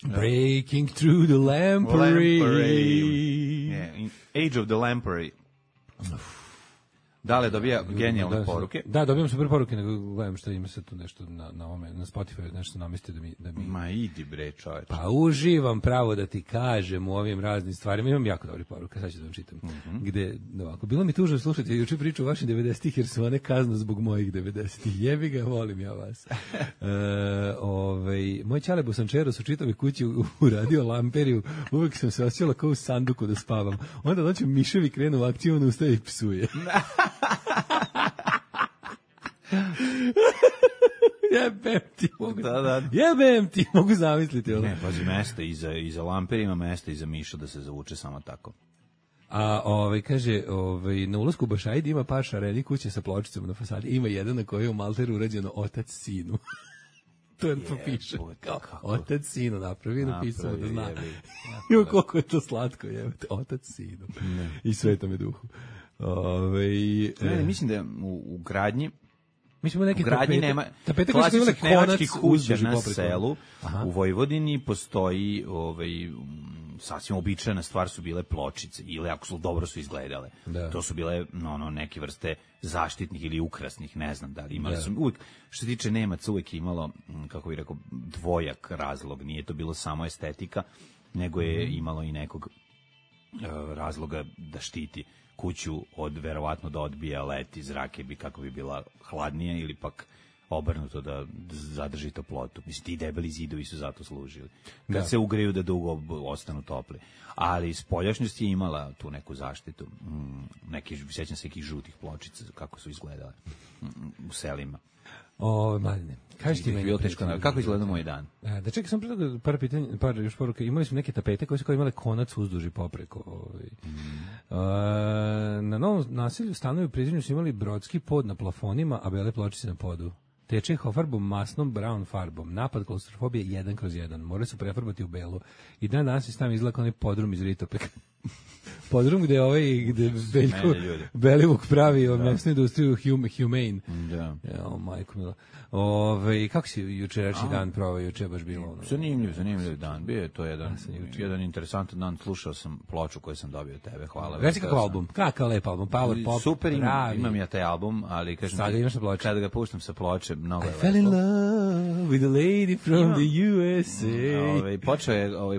Breaking through the lampery. Yeah, Age of the Lampery. Dale dobija genijalne poruke. Da, dobijam super poruke, nego gledam što ima se tu nešto na Spotify, nešto namesti da mi... Ma idi bre, čoveče. Pa uživam pravo da ti kažem u ovim raznim stvarima. Imam jako dobre poruke, sad ću da vam čitam. Gde, ovako, bilo mi tužno slušati juče priču o vašim 90-ih, jer su one kazna zbog mojih 90-ih. Jebi ga, volim ja vas. Moj ćale Bosančeros u čitavoj kući uradio lamperiju. Uvek sam se osjećala kao u sanduku da spavam. Onda noću miševi krenu u akciju, on ustaje i psuje. Jebem ti, mogu zamisliti. Ne, pazi, mesta iza lamperima, mesta iza miša da se zavuče samo tako. A kaže, na ulasku u Bašajdi ima par šareni kuće sa pločicama na fasadi. Ima jedan na kojoj je u Malteru urađeno otac sinu. To je to piše. Otac sinu napravi, napisao da zna. Ima koliko je to slatko, otac sinu. I Svetome Duhu. Mislim da u gradnji u gradnji nema klasičnih nemačkih kuća na selu. U Vojvodini postoji sasvim običajna stvar su bile pločice, ili ako su dobro su izgledale. To su bile neke vrste zaštitnih ili ukrasnih, ne znam da li imali su uvijek, što se tiče Nemaca, uvijek imalo, kako bih rekao, dvojak razlog, nije to bilo samo estetika, nego je imalo i nekog razloga da štiti kuću od, verovatno da odbija let iz zrake, kako bi bila hladnija, ili pak obrnuto da zadrži toplotu. Mislim, ti debeli zidovi su zato služili. Kad se ugreju da dugo ostanu topli. Ali spoljašnjost je imala tu neku zaštitu. Sjećam se nekih žutih pločica, kako su izgledale u selima. Mladine, kažeš ti meni... Kako izgleda moj dan? Da čekaj, sam pre toga par pitanja, par još poruka. Imali smo neke tapete koje su kao imale konac uzduž i popreko. Na novom naselju stanovi u Prizrenju su imali brodski pod na plafonima, a bele pločice na podu. Teče farbom masnom brown farbom. Napad klaustrofobije 1/1. Morali su prefarbati u belo. I danas je tam izlako onaj podrum iz Ritopeka. Podrum gde Belivuk pravi mesnu industriju Humane. Da. Majko mila. Kako si jučerašnji dan proveo? Juče baš bilo? Zanimljiv dan. Bio je to jedan interesantan dan. Slušao sam ploču koju sam dobio od tebe. Hvala. Reci kakav album? Kakav lep album? Power pop. Super, imam ja taj album, ali kažem ti, kada ga puštam sa ploče, mnogo je lepo. I fell in love with a lady from the USA.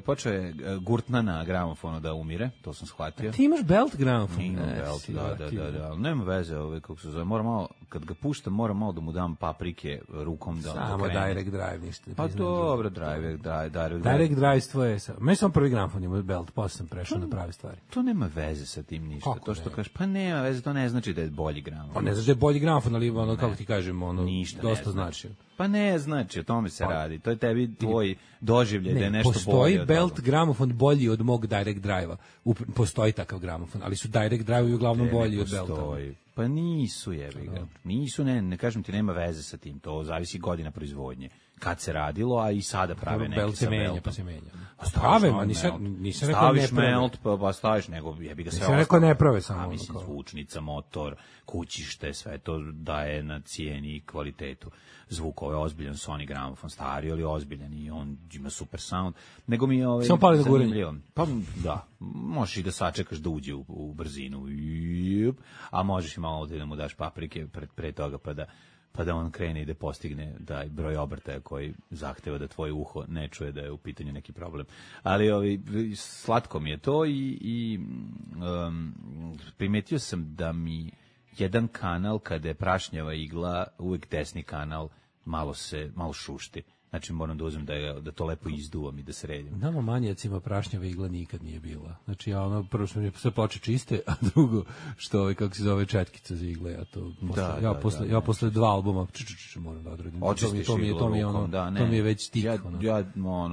Počeo je Gurtna na gramofonu da umire, to sam shvatio. Ti imaš belt gramofon? Imam belt, da. Nema veze, kako se zove. Moram malo, kad ga puštam, moram malo da mu dam paprike rukom da samo krene. Direct Drive, ništa. Pa dobro, Direct Drive tvoje. Meni sam prvi gramofon imao belt, posle sam prešao na prave stvari. To nema veze sa tim ništa. Kako to što kažeš, pa nema veze, to ne znači da je bolji gramofon. Pa ne znači da je bolji gramofon, ali kako ti kažem, dosta znači. Pa ne znači, o tome se radi. To je tebi tvoj doživljaj da je nešto bolje. Postoji belt gramofon bolji od mog Direct Drive-a. Postoji takav gramofon, ali su Direct Drive-ovi uglavnom bolji od belta. Pa nisu, jebi ga. Nisu, ne kažem ti, nema veze sa tim. To zavisi godina proizvodnje. Kad se radilo, a i sada prave neki sa beltom. Pa se menja. Prave, nisam rekao ne prave. Staviš melt, pa staviš, nego jebi ga sve ostalo. Nisam rekao ne prave samo. Mislim, zvučnica, motor, kućište, sve to daje na cijeni i kvalitetu. Zvuk, ovo je ozbiljan Sony gramofon, stari, ali ozbiljan i on ima super sound. Nego mi je samo pali da gurenje. Pa da, možeš i da sačekaš da uđe u brzinu, a možeš i malo da mu daš paprike pre toga pa da on krene i da postigne taj broj obrtaja koji zahteva da tvoje uho ne čuje da je u pitanju neki problem. Ali slatko mi je to i primetio sam da mi jedan kanal, kada je prašnjava igla, uvek desni kanal malo šušti. Znači moram da uzmem da to lepo izduvam i da sredim. Nama manjacima prašnjava igla nikad nije bila. Znači prvo što mi je sve ploče čiste, a drugo što kako se zove četkica za igle, ja posle 2 albuma moram da odradim. To mi je već tik.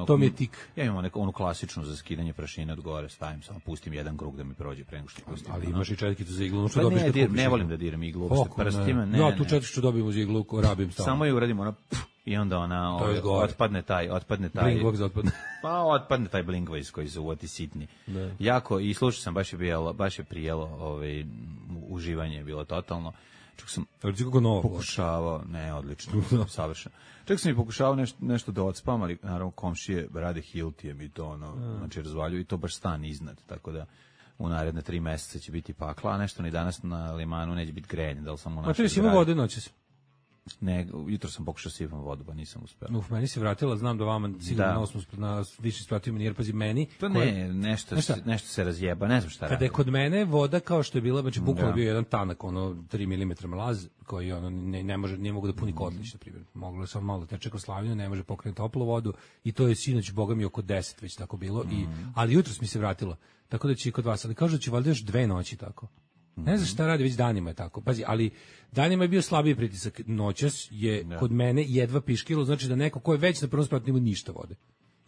To mi je tik. Ja imam onu klasičnu za skidanje prašine od gore, stavim samo, pustim jedan krug da mi prođe pre nego što pustim. Ali imaš i četkicu za iglu, ne volim da diram iglu uopšte prstima. Ja tu četkicu dobijem uz iglu, rabim stalno. Samo je uradim ono i onda ona otpadne taj Blinkvox otpadne. Pa otpadne taj Blinkvox koji se uvoti sitni. Jako, i slušao sam, baš je prijelo uživanje je bilo totalno. Čak sam pokušavao, odlično, savršeno. Čak sam i pokušavao nešto da odspavam, ali naravno komšije rade hiltijem i to znači razvaljuju i to baš stan iznad, tako da u naredne 3 meseca će biti pakla, a nešto ni danas na limanu neće biti grejanje, da li sam u našoj zgradi. A ti si imao vode noćas? Ne, jutro sam pokušao sipam vodu, pa nisam uspeo. Meni se vratila, znam da vama sigurno na više spratio manijer, pazi meni. To nešto se razjeba, ne znam šta radi. Kada je kod mene voda kao što je bila, znači bukvalno bio jedan tanak, 3 mm mlaz, koji nije mogu da puni kotlić, na primjer. Moglo je samo malo teče kroz slavinu, ne može pokrenuti toplu vodu i to je sinoć, boga mi, oko 10 već tako bilo. Ali jutros mi se vratilo, tako da će i kod vas, ali kažu da će valjda još 2 noći tako. Ne znam šta radi, već danima je tako. Pazi, ali danima je bio slabiji pritisak. Noćas je kod mene jedva piškilo, znači da neko ko je već na prvom spratu nema ništa vode.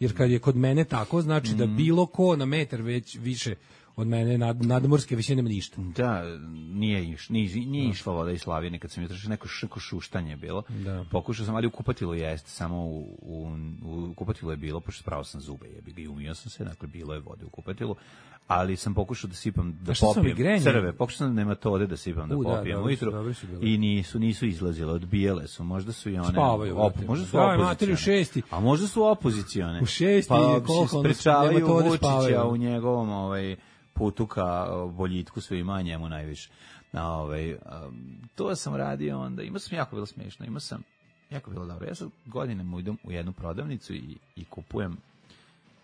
Jer kad je kod mene tako, znači da bilo ko na metar već više od mene nadmorske visine nema ništa. Da, nije išla voda iz slavine, kad sam je tražio neko šuštanje bilo. Pokušao sam, ali u kupatilu jeste, samo u kupatilu je bilo, pošto spravo sam zube, i umio sam se, dakle bilo je vode u kupatilu. Ali sam pokušao da sipam, da popijem crve, pokušao sam nematode da sipam, da popijem ujutru i nisu izlazile, odbijele su, možda su i one možda su opozicione, a možda su opozicione, u 6 pa sprečavaju Vučića u njegovom putu ka boljitku svima, njemu najviše. To sam radio onda, imao sam jako bilo smiješno, jako bilo dobro. Ja sad godinama idem u jednu prodavnicu i kupujem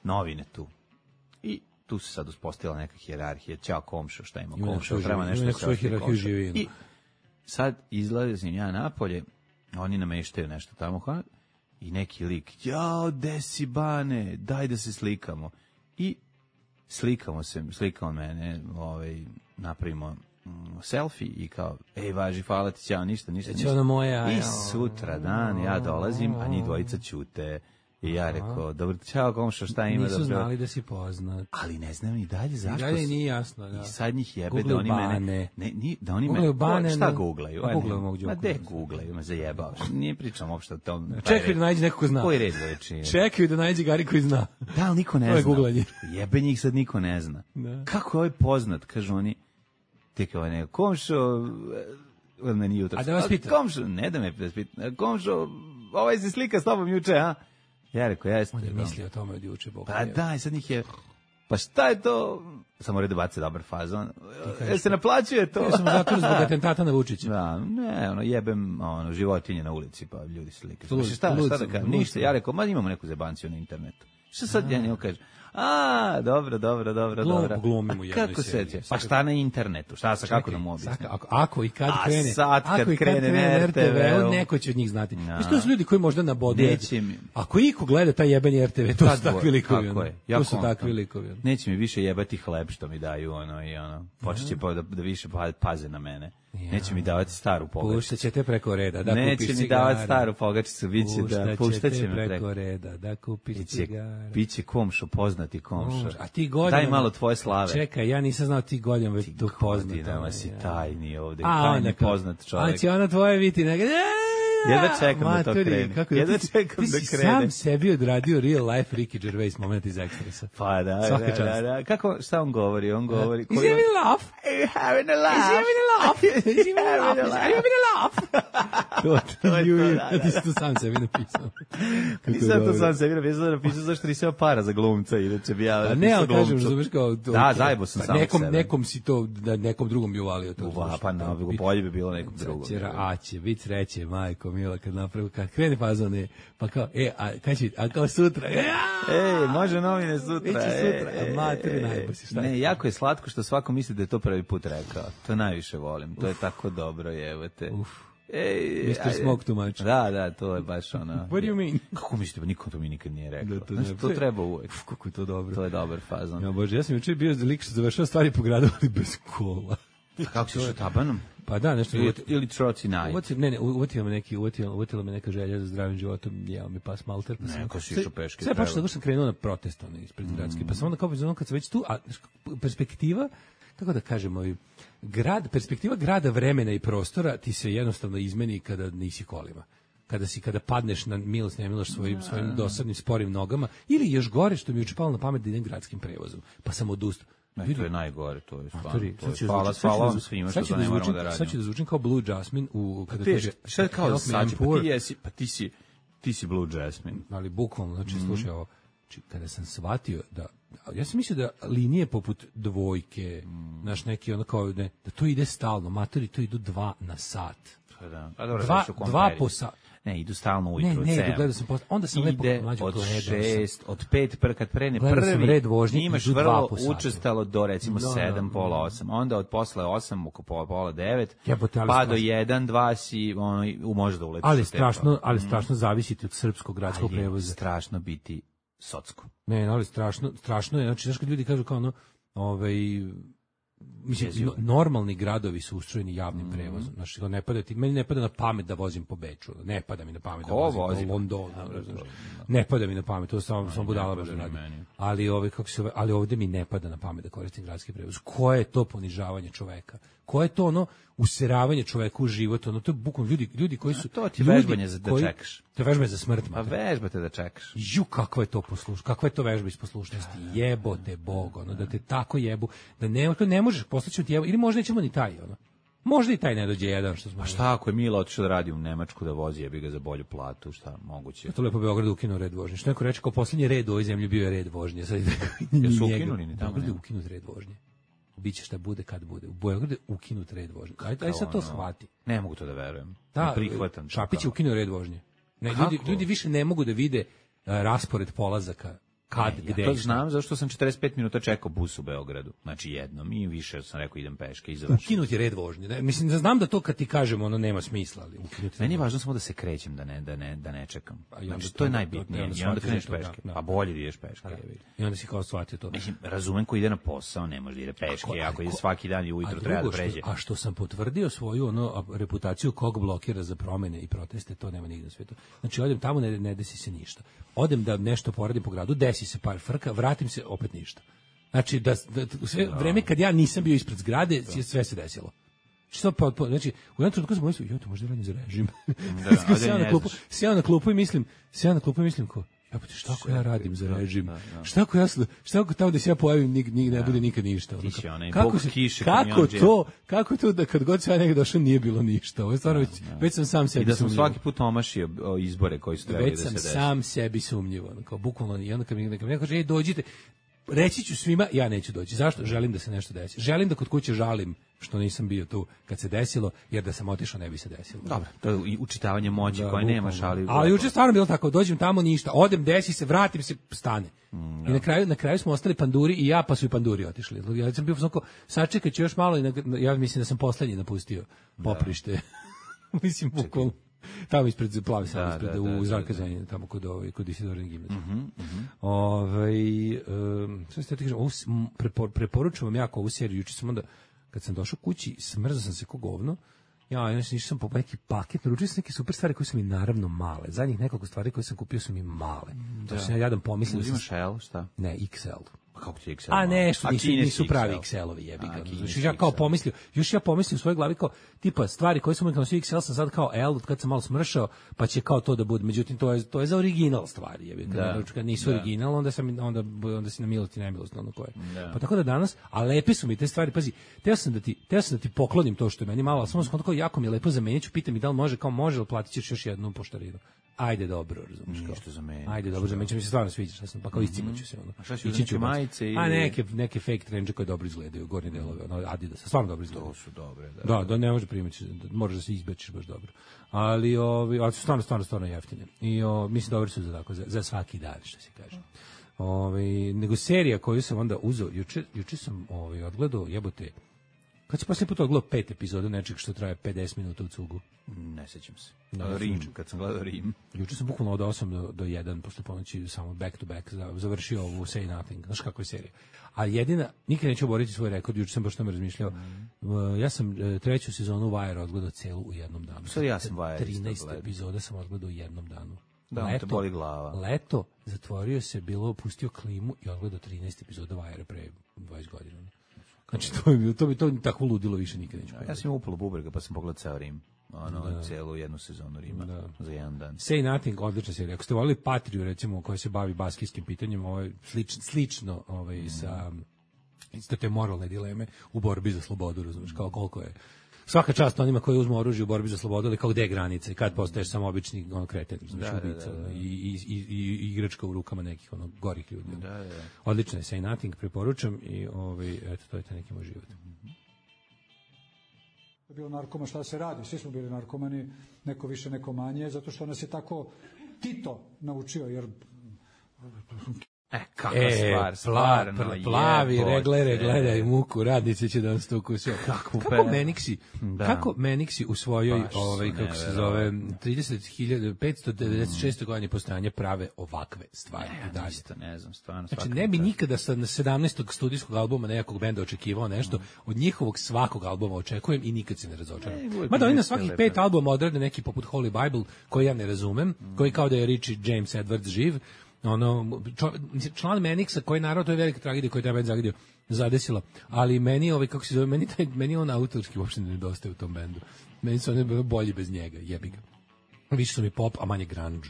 novine tu. I tu se sad uspostavila neka hijerarhija, ćao komšo, šta ima komšo, treba nešto se ošli komšo. I sad izlazim ja napolje Oni nameštaju nešto tamo, i neki lik, jao, desi Bane, daj da se slikamo. I slikao mene, napravimo selfie i kao, ej, važi, hvala ti, ćao, ništa. Ona moja, I sutra dan ja dolazim, a njih dvojica ćute. I ja rekao, dobro, ćao komšo, šta ima? Nisu znali da si poznat. Ali ne znam i dalje zašto. I dalje nije jasno, da. I sad njih jebe Google da oni mene... Da oni mene... Bane, šta googlaju? Ma de googlaju, me zajebao. Nije pričam uopšte o tom... Čekaju da nađe neko ko zna. Koji red veličine? Čekaju da nađe Gari koji zna. Da, ali niko ne zna. To je googlanje. Jebe njih sad niko ne zna. Da. Kako je ovaj poznat, kažu oni, ti kao neko, komšo... Meni jutro. A da vas pitam? Komšo, ne da me pitam. Komšo, ovaj se slika s tobom juče, a? Ja rekao, jeste. On je mislio o tome od juče, Bog. Pa da, sad njih je... Pa šta je to? Samo redu bace dobar fazon. Jel se naplaćuje to? Ja sam zatvor zbog atentata na Vučića. Da, ne, jebem životinje na ulici, pa ljudi slikaju. Šta da kažem? Ništa, ja rekao, ma imamo neku zebanciju na internetu. Šta sad ja njemu kažem? Dobro. Glumimo jednu kako se? Pa šta na internetu? Šta sa kako da mu objasnim? Ako i kad krene. Sad kad krene na RTV, neko će od njih znati. To su ljudi koji možda na bodu. Ako iko gleda taj jebeni RTV, to su takvi likovi. To su takvi likovi. Neće mi više jebati hleb što mi daju počeće da više paze na mene. Neće mi davati staru pogačicu. Puštat ćete preko reda da kupiš cigare. Neće mi davati staru pogačicu, biće da puštat će me preko reda da kupiš cigare. Biće komšo, poznati komšo. A ti godinama... Daj malo tvoje slave. Čekaj, ja nisam znao ti godinama već tu poznat. Ti godinama si tajni ovde, tajni poznat čovjek. A će ona tvoje biti nekada... Jedva čekam da to krene. Jedva čekam da krene. Ti si sam sebi odradio real life Ricky Gervais moment iz Expressa. Pa da. Kako, šta on govori? On govori... Is he having a laugh? Is he having a laugh? Is he having a laugh? Ti si to sam sebi napisao. Nisam to sam sebi napisao zašto nisam para za glumca, inače bi ja... Ne, ali kažem, razumeš kao... Da, zajebo sam samo sebe. Nekom si to, nekom drugom bi uvalio to. Pa bolje bi bilo nekom drugom. A će biti sreće, majko mila, kad krene fazone, pa kao, a kao sutra, može novine sutra, a materi najbolj si, šta je? Ne, jako je slatko što svako misli da je to prvi put rekao, to najviše volim, to je tako dobro, jevate. Mr. Smoke too much. Da, to je baš ono. What do you mean? Kako mislite, pa niko to mi nikad nije rekao. To treba uvek. Kako je to dobro. To je dobar fazon. Ja, Bože, ja sam jučer bio lik što završao stvari po gradu, ali bez kola. Kako si štabanom? Pa da, nešto... Ili troci naj. Uvotila me neka želja za zdravim životom, jeo mi pas malter. Neko si išao peške. Sve počeo da sam krenuo na protest ispred gradske, pa sam onda kao kad sam već tu, a perspektiva, kako da kažemo, perspektiva grada, vremena i prostora ti se jednostavno izmeni kada nisi kolima. Kada padneš na milost i nemilost svojim dosadnim sporim nogama, ili još gore što mi je palo na pamet da idem gradskim prevozom, pa sam odustao. To je najgore, to je stvarno. Hvala vam svima što to ne moramo da radimo. Sad ću da zvučim kao Blue Jasmine kada kaže... Šta je kao sad, pa ti si Blue Jasmine. Ali bukvalno, znači slušaj ovo, kada sam shvatio da, ja sam mislio da linije poput dvojke, naš neki ono kao da to ide stalno, matori to idu 2 na sat. Dva po sat. Ne, idu stalno ujutru. Ne, gledao sam onda sam lepo mlađo od 6, od 5, kad prene red vožnje, imaš vrlo učestalo do recimo 7, pola 8, onda od posle 8, oko pola 9, pa do 1, 2 si može da uletiš. Ali strašno zavisiti od srpskog gradskog prevoza. Strašno biti socsko. Ne, ali strašno je, znači zašto ljudi kažu kao mislim, normalni gradovi su ustrojeni javnim prevozom. Znači, meni ne pada na pamet da vozim po Beču. Ne pada mi na pamet da vozim po Londonu. Ne pada mi na pamet, to samo budala može raditi. Ali ovde mi ne pada na pamet da koristim gradski prevoz. Koje je to ponižavanje čoveka? Koje je to useravanje čoveka u život? To je bukvalno ljudi koji su... To ti vežbanje da čekaš. To je vežbanje za smrt. Pa vežbate da čekaš. Kakva je to poslušnost? Kakva je to vežba iz poslušnosti? Jebote Bog, da te tako jebu, da ne možeš poslaći ti jebu, ili možda nećemo ni taj, Možda i taj ne dođe jedan, što smo... A šta ako je Mila otišao da radi u Nemačku da vozi, jebi ga za bolju platu, šta moguće? To lepo Beogradu ukinuo red vožnje. Što neko reče, kao posljednji red u ovoj zemlji bio je red vožnje. Jesu ukinuli ni tamo? Beogradu je ukinut red vožnje. Biće šta bude kad bude. U Beogradu je ukinut red vožnje. Aj sad to shvati. Ne mogu to da verujem. Da, Šapić je ukinuo red vožnje. Ljudi više ne mogu da vide raspored polazaka kad, gde. Ja to i šta. znam, zašto sam 45 minuta čekao bus u Beogradu. Znači jednom i više sam rekao idem peške i završim. Ukinuti red vožnje. Ne? Mislim da znam da to kad ti kažem ono nema smisla, ali ukinuti. Meni je važno samo da se krećem, da ne čekam. A i onda Znači, to je to- najbitnije. i onda I onda shvatiš kreneš da je to, peške. da. Pa bolje da ideš peške. I onda si kao shvatio to. Mislim, razumem ko ide na posao, ne može da ide peške. Ako ide svaki dan i ujutro treba da pređe. Što sam potvrdio svoju reputaciju kog blokira za promene i proteste, to nema nigde na svetu. Znači, odem tamo, ne desi se ništa. Odem da nešto poradim po gradu, desi se par frka, vratim se, opet ništa. Znači, sve vreme kad ja nisam bio ispred zgrade, sve se desilo. Što znači u jednom trenutku sam mislio, to možda radim za režim. Sjeo na klupu i mislim ko, šta ako ja radim za režim? Šta ako tamo da se ja pojavim ne bude nikad ništa? Kako to da kad god se ja negdje došao nije bilo ništa? Ovo je stvarno već sam sam sebi i da sam sumnjivo. svaki put omašio izbore koji su trebali da se desi. Već sam sam sebi sumnjivo. Kao bukvalno, i onda kad mi neko kaže, dođite, reći ću svima, ja neću doći. Zašto? Želim da se nešto desi. Želim da kod kuće žalim što nisam bio tu kad se desilo, jer da sam otišao ne bi se desilo. Dobro, to je i učitavanje moći koje nemaš, ali juče stvarno bilo tako, dođem tamo ništa, odem, desi se, vratim se, stane. I na kraju smo ostali panduri i ja, pa su i panduri otišli. Ja sam bio onako, sačekat ću još malo i ja mislim da sam poslednji napustio poprište. Mislim, bukvalno. Tamo ispred Plavi sam, u Zakazanju, tamo kod Isidorine gimnazije. Sve ste ti kažem, preporučujem vam jako ovu seriju. Juče sam onda, kad sam došao kući, smrzao sam se ko govno. Išao sam po neki paket, naručio sam neke super stvari koje su mi naravno male. Zadnjih nekoliko stvari koje sam kupio su mi male. To sam ja jadan pomislio. Uzimaš L, šta? Ne, XL. Kako ti XL? A nešto, nisu pravi XL-ovi, jebi ga. Ja kao pomislio, još ja pomislio u svojoj glavi kao, tipa, stvari koje sam nosio XL sam sad kao L, kad sam malo smršao, pa će kao to da bude. Međutim, to je za original stvari, jebi ga. Kad nisu original, onda si na milost i nemilost, ono koje. Pa tako da danas, a lepe su mi te stvari, pazi, teo sam da ti poklonim to što je meni malo, ali samo sam kao jako mi je lepo zamenit ću, pitam i da li može, kao može, ali platit ćeš još jednu poštarinu. Ajde dobro, razumiješ kao. Ništa za mene. Ajde dobro, za mene mi se stvarno sviđa, pa kao iscimaću se ono. A šta ću uzeti majice ili... A neke fake trenče koje dobro izgledaju, gornje delove, ono Adidas, stvarno dobro izgledaju. To su dobre, da ne može primiti, moraš da se izbečiš baš dobro. Ali su stvarno jeftine. I mislim dobri su za svaki dan, što se kaže. Nego serija koju sam onda uzeo, juče sam odgledao, jebote. Kad si posljednji put odgledao 5 epizoda nečeg što traje 50 minuta u cugu? Ne sećam se. Rim, kad sam gledao Rim. Juče sam bukvalno od 8 do 1 posle ponoći samo back to back završio ovu Say Nothing. Znaš kako je serija? A jedina, nikad neću oboriti svoj rekord, juče sam baš tome razmišljao. Ja sam treću sezonu Wire odgledao celu u jednom danu. Sad ja sam Wire 13 epizoda sam odgledao u jednom danu. Da, te boli glava. Leto, zatvorio se, pustio klimu i odgledao 13 epizoda Wire pre 20 godina. Znači, to bi tako ludilo više nikad neću. Ja sam upalo bubrega, pa sam pogledao ceo Rim. Celu jednu sezonu Rima za jedan dan. Say Nothing, odlična serija. Ako ste volili Patriju, recimo, koja se bavi baskijskim pitanjem, slično sa isto te moralne dileme u borbi za slobodu, razumiješ, kao koliko je. Svaka čast onima koji uzmu oružje u borbi za slobodu, ali kao gde je granica i kad postaješ samo obični kreten, ubica i igračka u rukama nekih gorih ljudi. Odlično je Say Nothing, preporučam i eto, to je taj neki moj život. Bio narkoman, šta se radi? Svi smo bili narkomani, neko više, neko manje, zato što nas je tako Tito naučio, jer... Kakva stvar, stvarno. Plavi, gledaj muku, radnici će da nas to ukusio. Kako Meniksi u svojoj, kako se zove, 30.596. godini postojanja prave ovakve stvari. Ne znam, stvarno. Znači, ne bi nikada sa 17. studijskog albuma nekog benda očekivao nešto, od njihovog svakog albuma očekujem i nikad se ne razočaram. Mada oni na svakih 5 albuma odrade neki poput Holy Bible, koji ja ne razumem, koji kao da je Richie James Edwards živ, član Meniksa, koji naravno, to je velika tragedija koju treba bend zadesila, ali meni kako se zove, meni on autorski uopšte ne nedostaje u tom bendu. Meni su oni bolji bez njega, jebi ga. Više su mi pop, a manje grunge.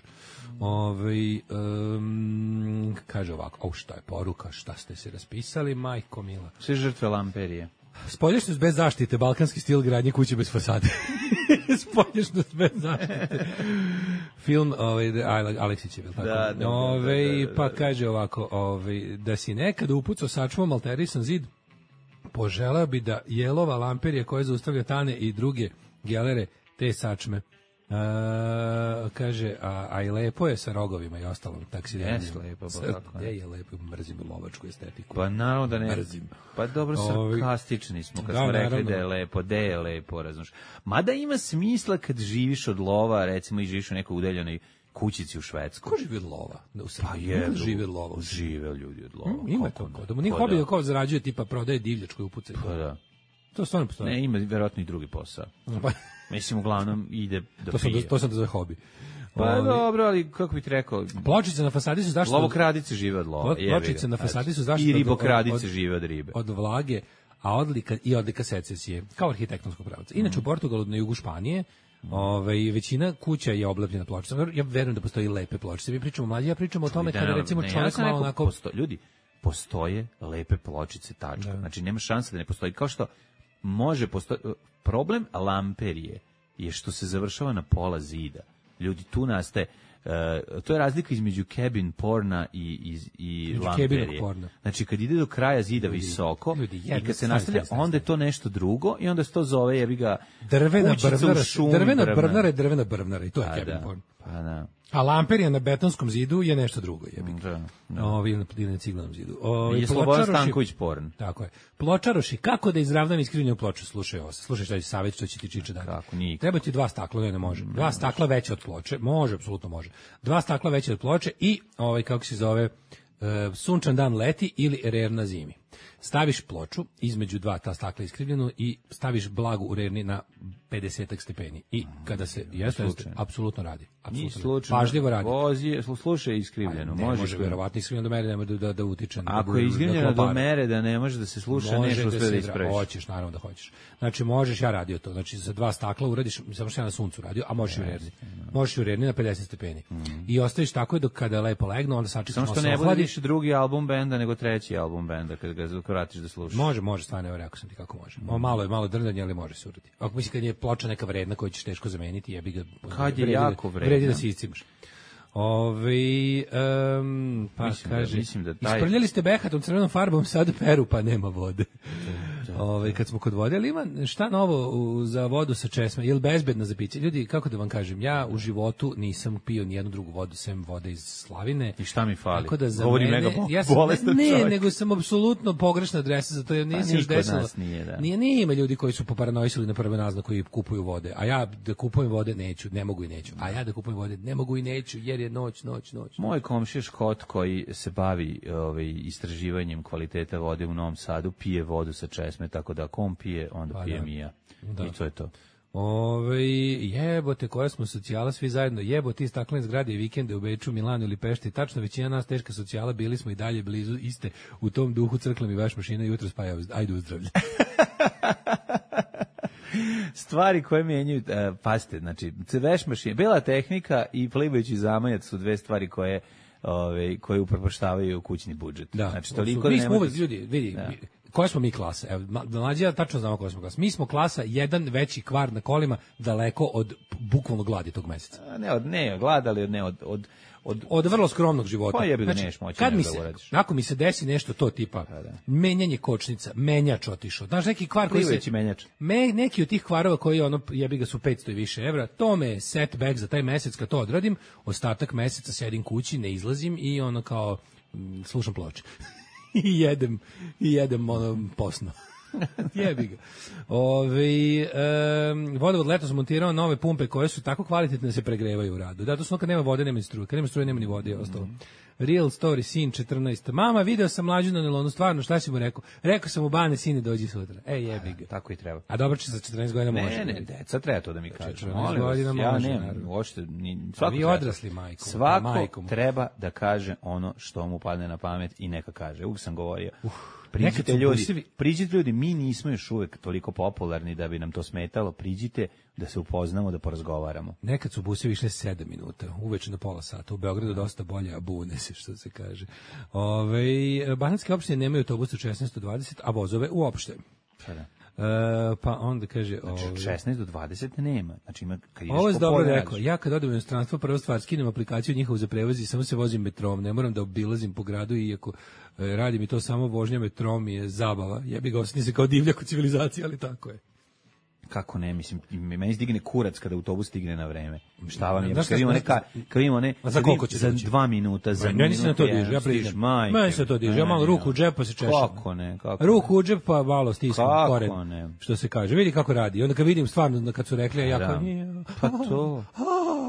Kaže ovako, šta je poruka, šta ste se raspisali, majko mila. Sve žrtve lamperije. Spolješnost bez zaštite, balkanski stil gradnje kuće bez fasade. Spolješnost bez zaštite. Film Aleksić je, tako? Da. Pa kaže ovako, da si nekad upucao sačvom alterisan zid, poželeo bi da jelova lamperija koja zaustavlja tane i druge gelere te sačme Kaže, a i lepo je sa rogovima i ostalom taksidermijom. Jes lepo, pa kako ne je lepo, mrzim lovačku estetiku. Pa naravno da ne. Mrzim. Pa dobro, sarkastični smo kad smo rekli da je lepo, da je lepo, razumiješ. Mada ima smisla kad živiš od lova, recimo i živiš u nekoj udaljenoj kućici u Švedskoj. Ko živi od lova? Pa je, živi od lova. Žive ljudi od lova. Ima to. Da mu nije hobi da kao zarađuje, tipa prodaje divljač koju upucaju. Pa da. To stvarno postoji. Ne, ima vjerojatno i drugi posao. Mislim, uglavnom ide da pije. To sam da zove hobi. Pa dobro, ali kako bih ti rekao... Pločice na fasadi su zašto... Lovokradice žive od lova. Pločice na fasadi su zašto... I ribokradice žive od ribe. Od vlage, a odlika secesije, kao arhitektonsko pravce. Inače, u Portugalu, na jugu Španije, većina kuća je oblepljena pločicama. Ja verujem da postoji lepe pločice. Mi pričamo mlađi, ja pričamo o tome kada recimo čovjek malo onako... Ljudi, postoje lepe pločice, tačka. Znači, nema šanse da ne postoji. Kao što može postoji... Problem lamperije je što se završava na pola zida. Ljudi, tu nastaje... to je razlika između cabin porna i lamperije. Znači, kad ide do kraja zida visoko i kad se nastavlja, onda je to nešto drugo i onda se to zove, jebi ga, kućica u šumi. Drvena brvnara i to je cabin porn. Pa da. A lamperija na betonskom zidu je nešto drugo, jebi ga. Ili na ciglanom zidu. Je Slobodan Stanković porn. Tako je. Pločaroši, kako da izravnam iskrivljenu ploču? Slušaj šta je savjet, što će ti Čiča dati. Kako, nikad. Treba ti 2 stakla, ne može. 2 stakla veće od ploče, može, apsolutno može. 2 stakla veće od ploče i, kako se zove, sunčan dan leti ili rer na zimi. Staviš ploču između 2 ta stakla iskrivljenu i staviš blagu u rerni na 50 stepeni. I kada se apsolutno radi. Pažljivo radi. Slušaj iskrivljeno. Ne može verovatno iskrivljeno do mere da utiče. Ako je iskrivljeno do mere da ne može da se sluša, nešto sve da ispraviš. Hoćeš, naravno da hoćeš. Znači možeš, ja radio to. Znači za 2 stakla uradiš, samo što ja na suncu radio, a možeš i u rerni. Možeš i u rerni na 50 stepeni. I ostaviš tako dok kada lepo legnu, onda sačekaš malo se ohladi. Samo što ne bude više drugi album benda nego treći album benda kad ga vratiš da slušaš. Može, stvarno, evo rekao sam ti kako može. Malo drndanje, ali može se uraditi. Ako misli kad je ploča neka vredna koju ćeš teško zameniti, jebi ga. Kad je jako vredna. Vredi da se iscimaš. Pa kaže, isprljali ste behatom crvenom farbom, sad peru, pa nema vode. Kad smo kod vode, ali ima šta novo za vodu sa česme? Je li bezbedna za piće? Ljudi, kako da vam kažem, ja u životu nisam pio ni jednu drugu vodu sem vode iz Slavine. I šta mi fali? Tako da za mene, ne, nego sam apsolutno pogrešna adresa, zato ja nisam još desilo. Nije ima ljudi koji su poparanoisali na prve naznaku i kupuju vode, a ja da kupujem vode neću, ne mogu i neću. A ja da kupujem vode ne mogu i neću, jer je noć. Moj komšija Škot koji se bavi istraživanjem kvaliteta vode u Novom Sadu pije vodu sa česme, tako da kom pije, onda pijem i ja. I to je to. Jebote, koja smo socijala svi zajedno, jebote, staklene zgrade i vikende u Beču, Milanu ili Pešti, tačno većina nas teška socijala, bili smo i dalje blizu iste, u tom duhu crkla mi veš mašina jutro spaja, ajde uzdravlje. Stvari koje menjaju, pazite, znači, veš mašina, bela tehnika i plivajući zamajac su 2 stvari koje upropaštavaju kućni budžet. Da, znači, toliko mi smo uvek, ljudi, vidi, koja smo mi klasa? Evo, mlađi, ja tačno znamo koja smo klasa. Mi smo klasa, jedan veći kvar na kolima, daleko od bukvalno gladi tog meseca. Ne glad, ali od vrlo skromnog života. Pa jebi da neš moći kad da uradiš. Ako mi se desi nešto to tipa menjanje kočnica, menjač otišao. Znaš, neki kvar koji se... menjač. Neki od tih kvarova koji jebi ga su 500 i više evra, to me setback za taj mesec kad to odradim, ostatak meseca sedim kući, ne izlazim i kao slušam ploče. I jedem posno. Jebi ga. Vodovod letos montirao nove pumpe koje su tako kvalitetne da se pregrevaju u radu. Da, to su kad nema vode, nema ni struje. Kad nema struje, nema ni vode i ostalo. Real story, sin 14. Mama, video sam Mlađu na nelonu, stvarno, šta si mu rekao? Rekao sam mu, Bane, sine, dođi sutra. Jebi ga. Tako i treba. A dobro će za 14 godina može. Ne, deca treba to da mi kaže. 14 godina može. Ja nemam, uopšte, vi odrasli majkom. Svako treba da kaže ono što mu padne na pamet i neka kaže. Uvijek sam govorio. Priđite ljudi, mi nismo još uvek toliko popularni da bi nam to smetalo, priđite da se upoznamo, da porazgovaramo. Nekad su busevi išle 7 minuta, uveče na pola sata, u Beogradu dosta bolje, a bune se, što se kaže. Banatske opštine nemaju autobus od 16 do 20, a vozove uopšte. Pa onda kaže... Znači, 16 do 20 nema. Znači, kad ideš ovo je dobro rekao. Ja kad odem u inostranstvo, prvo stvar, skinem aplikaciju njihovu za prevoz i samo se vozim metrom. Ne moram da obilazim po gradu, iako radi mi to samo vožnja metrom je zabava. Jebi ga, osjetim se kao divljak u civilizaciji, ali tako je. Kako ne, mislim, meni stigne kurac kada autobus stigne na vreme. Šta vam je? Znaš Kad imamo one, A za koliko će za doći? 2 minuta, za Meni se na to diže, ja stiž, priđem. majke. Meni se to diže, ja malo ruku u džep pa se češam. Kako ne, kako Ruku u džep pa malo stisnem Kako koren, ne? što se kaže. Vidi kako radi. I onda kad vidim stvarno, kad su rekli, ja kao nije. Pa to.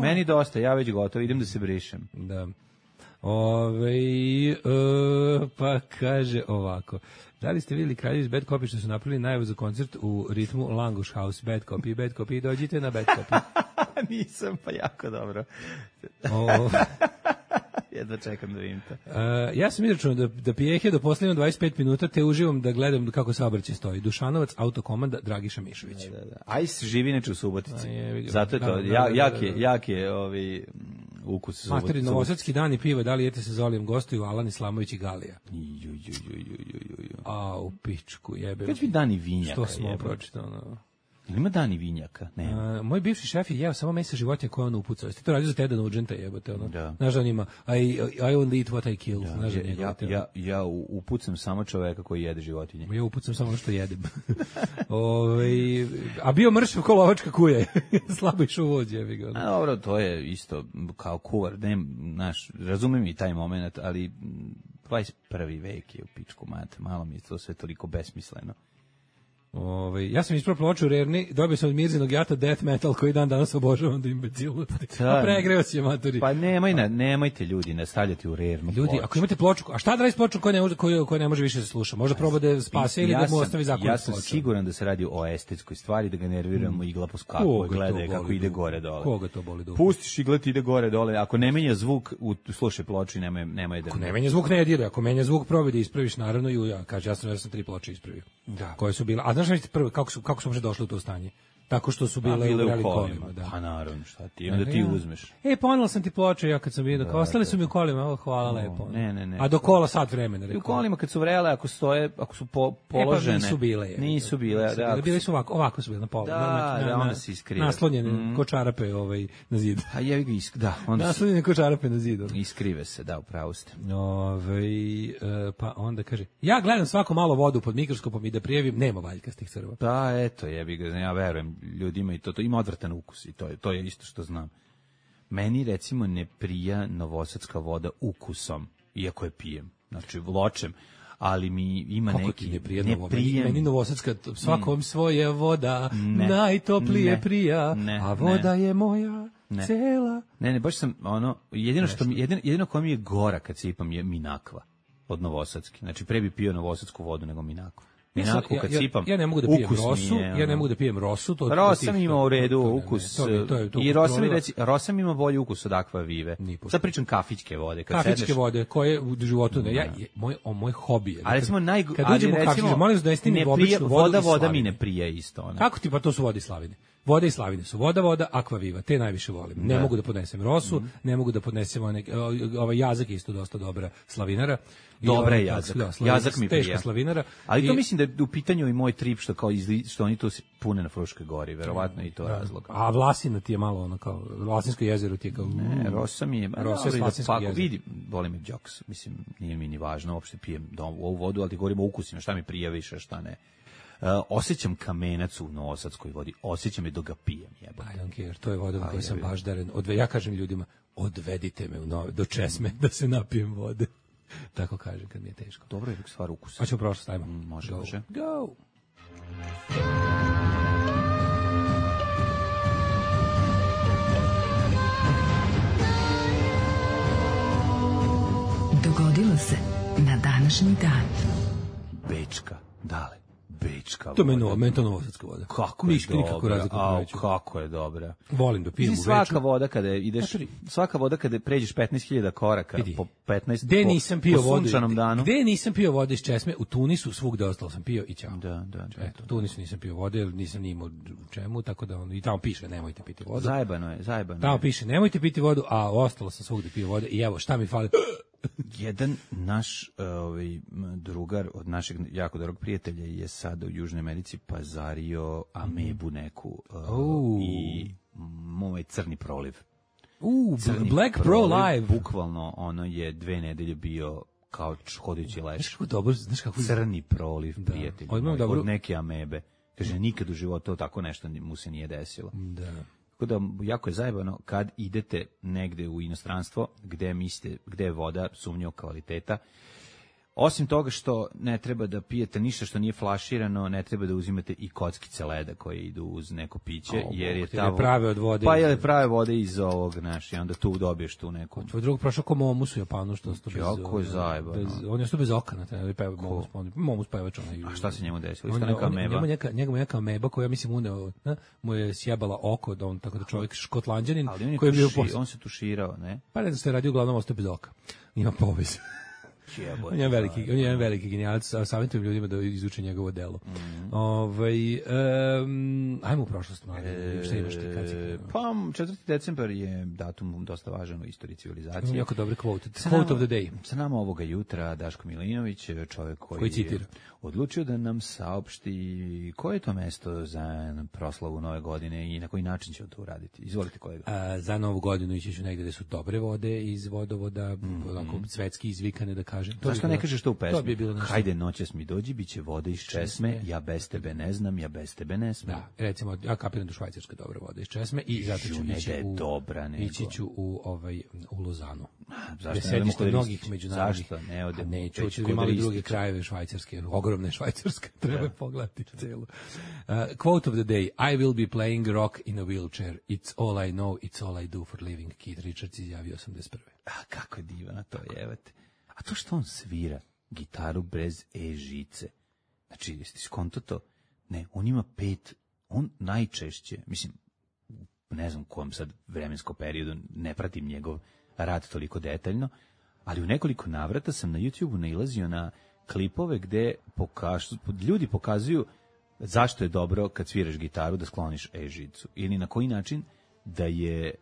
Meni dosta, ja već gotovo, idem da se brišem. Da. Pa kaže ovako. Da li ste vidjeli Kraljevi iz Bad Copy što su napravili najavu za koncert u ritmu Langush House? Bad Copy, dođite na Bad Copy. Nisam, pa jako dobro. Jedva čekam da vidim to. Ja sam izračunao da pijehe do posljednjeg 25 minuta, te uživam da gledam kako saobraćaj stoji. Dušanovac, autokomanda, Dragiša Mišović. Da. Ajs živi neče u Subotici. je, Zato je to, jak je ukus Subotici. Materi, novosadski dan i piva, da li jete se Zolijem, gostuju Alan Islamović i Galija. A, u pičku, jebe. Kad bi dani vinjaka, što smo jebe. pročitano? Ili ima dani vinjaka? Ne. Moj bivši šef je jeo samo mesa životinja koje on upucao. Jeste to radio za Teda Nugenta, jebote, ono. Da. Znaš da on ima I only eat what I kill. Znaš da njegov te, Ja upucam samo čoveka koji jede životinje. ja upucam samo ono što jedem. A bio mršav ko lovačka kuja. Slabo išao u vođe, jebi ga. A dobro, to je isto kao kuvar. Znaš, razumem i taj moment, ali 21. vek je u pičku mat. Malo mi je to sve toliko besmisleno. Ja sam ispravo ploču u Rerni, dobio sam od Mirzinog jata death metal koji dan danas obožavam do imbecilnosti. A pregreo si je, maturi. Pa nemojte ljudi nastavljati u Rernu Ljudi, ploču. ako imate ploču, a šta da radi s pločom koja ne može više da sluša? Možda proba da spase ili da mu ostavi zakon. Ja sam siguran da se radi o estetskoj stvari, da ga nerviramo igla po skaku, gleda kako ide gore dole. Koga to boli dupe? Pustiš iglet, ide gore dole. Ako ne menja zvuk, slušaj ploču i nemoj da... Ako ne menja zvuk, ne dira. Ako menja zvuk, probi da ispraviš, naravno, i ja. Kaže, ja sam 3 ploče ispravio. Da. Koje su bile. A znaš prvo, kako su uopšte došli u to stanje? Tako što su bile u kolima. Da. Pa naravno, šta ti, onda ti uzmeš. Ponela sam ti ploče, ja kad sam vidio, kao ostali su mi u kolima, hvala lepo. Ne. A do kola sat vremena, rekao. I u kolima kad su vrele, ako su položene. Pa nisu bile. Nisu bile, da. Bile su ovako su bile na polu. Da, onda se iskrive. Naslonjene ko čarape na zidu. A jevi ga da. Naslonjene ko čarape na zidu. Iskrive se, da, upravo ste. Pa onda kaže, ja gledam svako malo vodu pod mikroskopom i da prijavim, nema valjkastih crva. Pa eto, jebi ga, ja verujem ljudima i to ima odvratan ukus i to je isto što znam. Meni recimo ne prija novosadska voda ukusom, iako je pijem, znači ločem, ali mi ima kako neki... Kako ti ne prija meni novosadska, svakom svoje voda, najtoplije prija, a voda je moja cela. Ne, baš sam, jedino koja mi je gora kad se ipam je Minakva od novosadski, znači pre bi pio novosadsku vodu nego Minakvu. Minako kad sipam. Ja ne mogu da pijem rosu, ja ne mogu da pijem rosu, to Rosa mi ima u redu ukus. I Rosa mi ima bolji ukus od Aqua Vive. Sad pričam kafićke vode, kad sedneš. Kafićke vode koje u životu ne. Moj hobi je. A recimo kad uđemo u kafić, molim vas da jeste mi običnu vodu. Voda mi ne prija isto ona. Kako ti pa to su vode iz Slavine? Voda i Slavine su voda, Aqua Viva, te najviše volim. Ne mogu da podnesem rosu, ne mogu da podnesem ovaj Jazak isto dosta dobra slavinara. Dobra je Jazak. Jazak mi prija. Teška slavinara. Ali to mislim da je u pitanju i moj trip što oni tu pune na Fruškoj gori, verovatno i to razlog. A Vlasina ti je malo ono kao Vlasinsko jezero ti je kao. Ne, Rosa mi je. Rosa je Vlasinsko jezero. Vidi, boli me džoks, mislim, nije mi ni važno, uopšte pijem ovu vodu, ali ti govorimo o ukusima, šta mi prija više, šta ne. Osjećam kamenac u novosadskoj vodi, osjećam je dok ga pijem. I don't care, to je voda u kojoj sam baždaren. Ja kažem ljudima, odvedite me do Česme da se napijem vode. Tako kažem kad mi je teško. Dobro je stvar ukusa. Pa ćemo prošlo stavimo. Može. Go! Dogodilo se na današnji dan. Bečka, dale. Bečka. To meni to novosadska voda. Kako je dobra. Kako je dobra. Volim da pijem u Beču. Svaka voda kada pređeš 15.000 koraka po 15 gde nisam pio vodu, sunčanom danu. Gde nisam pio vode iz Česme, u Tunisu svugde ostalo sam pio i ćao. Da. Eto, u Tunisu nisam pio vode, jer nisam ni imao u čemu, tako da i tamo piše nemojte piti vodu. Zajebano je. Tamo piše nemojte piti vodu, a ostalo sam svugde pio vode i evo šta mi fali. Jedan naš drugar od našeg jako dobrog prijatelja je sada u Južnoj Americi pazario amebu neku i moj crni proliv. Black Pro Live. Bukvalno ono je 2 nedelje bio kao hodajući leš. Znaš kako crni proliv, prijatelj. Od neke amebe. Kaže, nikad u životu tako nešto mu se nije desilo. Da. Tako da, jako je zajebano kad idete negde u inostranstvo gde je voda sumnjivog kvaliteta. Osim toga što ne treba da pijete ništa što nije flaširano, ne treba da uzimate i kockice leda koje idu uz neko piće, jer je ta prave od vode. Pa je prave vode iz ovog, i onda tu dobiješ tu neku. Tvoj drug prošao ko Momus u Japanu, što sto bez... Jako je zajebano. On je sto bez okana, peva Momus pevač. A šta se njemu desilo? Isto neka ameba? Njemu neka ameba koja, mislim, uneo, mu je sjebala oko, tako da čovjek škotlanđanin koji je bio on se tuširao, ne? Pa ne da se radi, uglavnom ostao bez oka. Ima povez. On je jedan veliki genijalac, savjetujem ljudima da izuče njegovo delo. Ajmo u prošlost, šta imaš ti? Pa 4. decembar je datum dosta važan u istoriji civilizacije. Imam jako dobre quote. Quote of the day. Sa nama ovoga jutra Daško Milinović, čovjek koji citira. Odlučio da nam saopšti koje je to mesto za proslavu Nove godine i na koji način će to uraditi. Izvolite, kolega. Za Novu godinu ići ću negde gde su dobre vode iz vodovoda, onako svetski izvikane, da kažem. Zašto ne kažeš to u pesmi? To bi bilo nešto. Hajde noćas mi dođi, bit će vode iz česme, ja bez tebe ne znam, ja bez tebe ne smem. Da, recimo, ja kapiram da Švajcarska dobra voda iz česme i zato ću ići ću u Lozanu. Zašto ne idemo kod mnogih međunarodnih. Zašto ne odemo? Neću i malo druge krajeve Švajcarske, ogromne Švajcarske, treba pogledati celu. Quote of the day: I will be playing rock in a wheelchair. It's all I know, it's all I do for living. Keith Richards izjavio 81. Kako je divano to, jevate. A to što on svira gitaru bez žice. Znači, jeste skonto to? Ne, on ima 5, on najčešće, mislim, ne znam u kojem sad vremenskom periodu, ne pratim njegov rad toliko detaljno, ali u nekoliko navrata sam na YouTubeu nailazio na klipove gde ljudi pokazuju zašto je dobro kad sviraš gitaru da skloniš žicu. Ili na koji način da je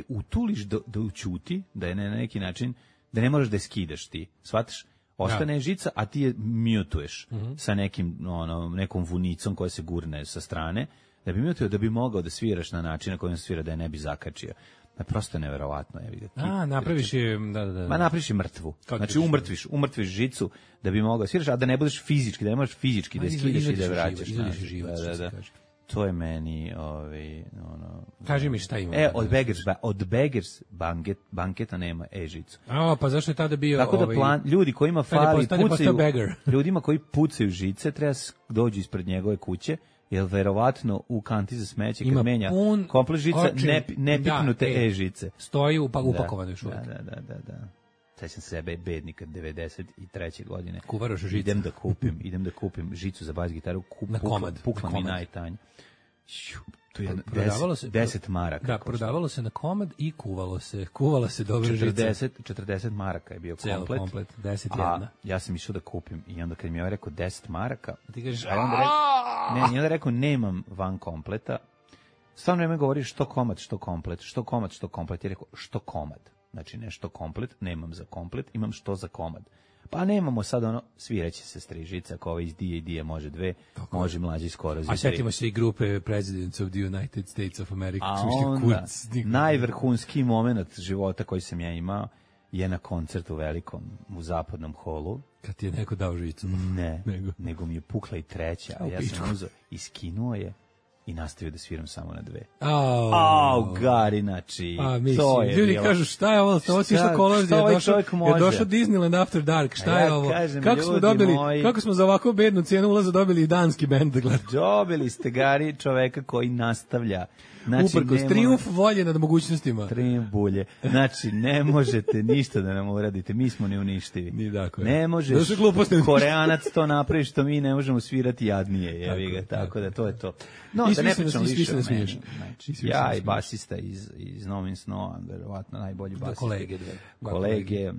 utuliš, da ućuti, da je na neki način da ne možeš da je skidaš ti, shvataš? Ostane žica, a ti je mutuješ sa nekom vunicom koja se gurne sa strane, da bi mutio, da bi mogao da sviraš na način na kojem se svira, da je ne bi zakačio. Prosto je neverovatno. Napraviš je... Ma napraviš je mrtvu. Znači umrtviš žicu da bi mogao sviraš, a da ne budeš fizički, da ne možeš fizički da je skidaš i da je vraćaš. To je meni... Kaži mi šta ima. Od Beggars banketa nema žicu. Pa zašto je tada bio... Tako da ljudi kojima fali pucaju... Ljudima koji pucaju žice treba dođu ispred njegove kuće, jer verovatno u kanti za smeće kad menja komplet žica ne piknute žice. Stoji upakovane još uvijek. Da. Sećam se sebe bednika 93. godine. Kuvaraš žicu. Idem da kupim žicu za bas gitaru, pukla mi najtanje. To je 10 maraka. Da, prodavalo se na komad i kuvala se dobra žica. 40 maraka je bio komplet. 10 jedna. Ja sam išao da kupim i onda kad mi je rekao 10 maraka, ti kažeš, i onda rekao nemam van kompleta. Stvarno vreme govori što komad, što komplet. Je rekao što komad. Znači ne što komplet, nemam za komplet, imam što za komad. Pa nemamo sad sviraće se strižica, ako ovo iz D.A.D. može 2, može mlađi skoro za 3. A setimo se i grupe Presidents of the United States of America. A onda, najvrhunski moment života koji sam ja imao je na koncertu velikom u Zapadnom holu. Kad ti je neko dao žicu? Ne, nego mi je pukla i treća, a ja sam uzeo i skinuo je i nastavio da sviram samo na 2. Gari, znači, to je ljudi bilo. Kažu, šta je ovo? Ovo si išao kolozi, je došao Disneyland After Dark, šta je ovo? Kako smo za ovako bednu cijenu ulaza dobili i danski bend da gledamo? Dobili ste, Gari, čoveka koji nastavlja. Znači, uprkos trijumf volje nad mogućnostima. Trijumf bulje. Znači, ne možete ništa da nam uradite, mi smo neuništivi. Ne možeš Koreanac to napravi što mi ne možemo svirati jadnije. Tako da to je to. No, da ne pričam više o meni. Ja i basista iz Novin Snow, verovatno najbolji basista. Kolege,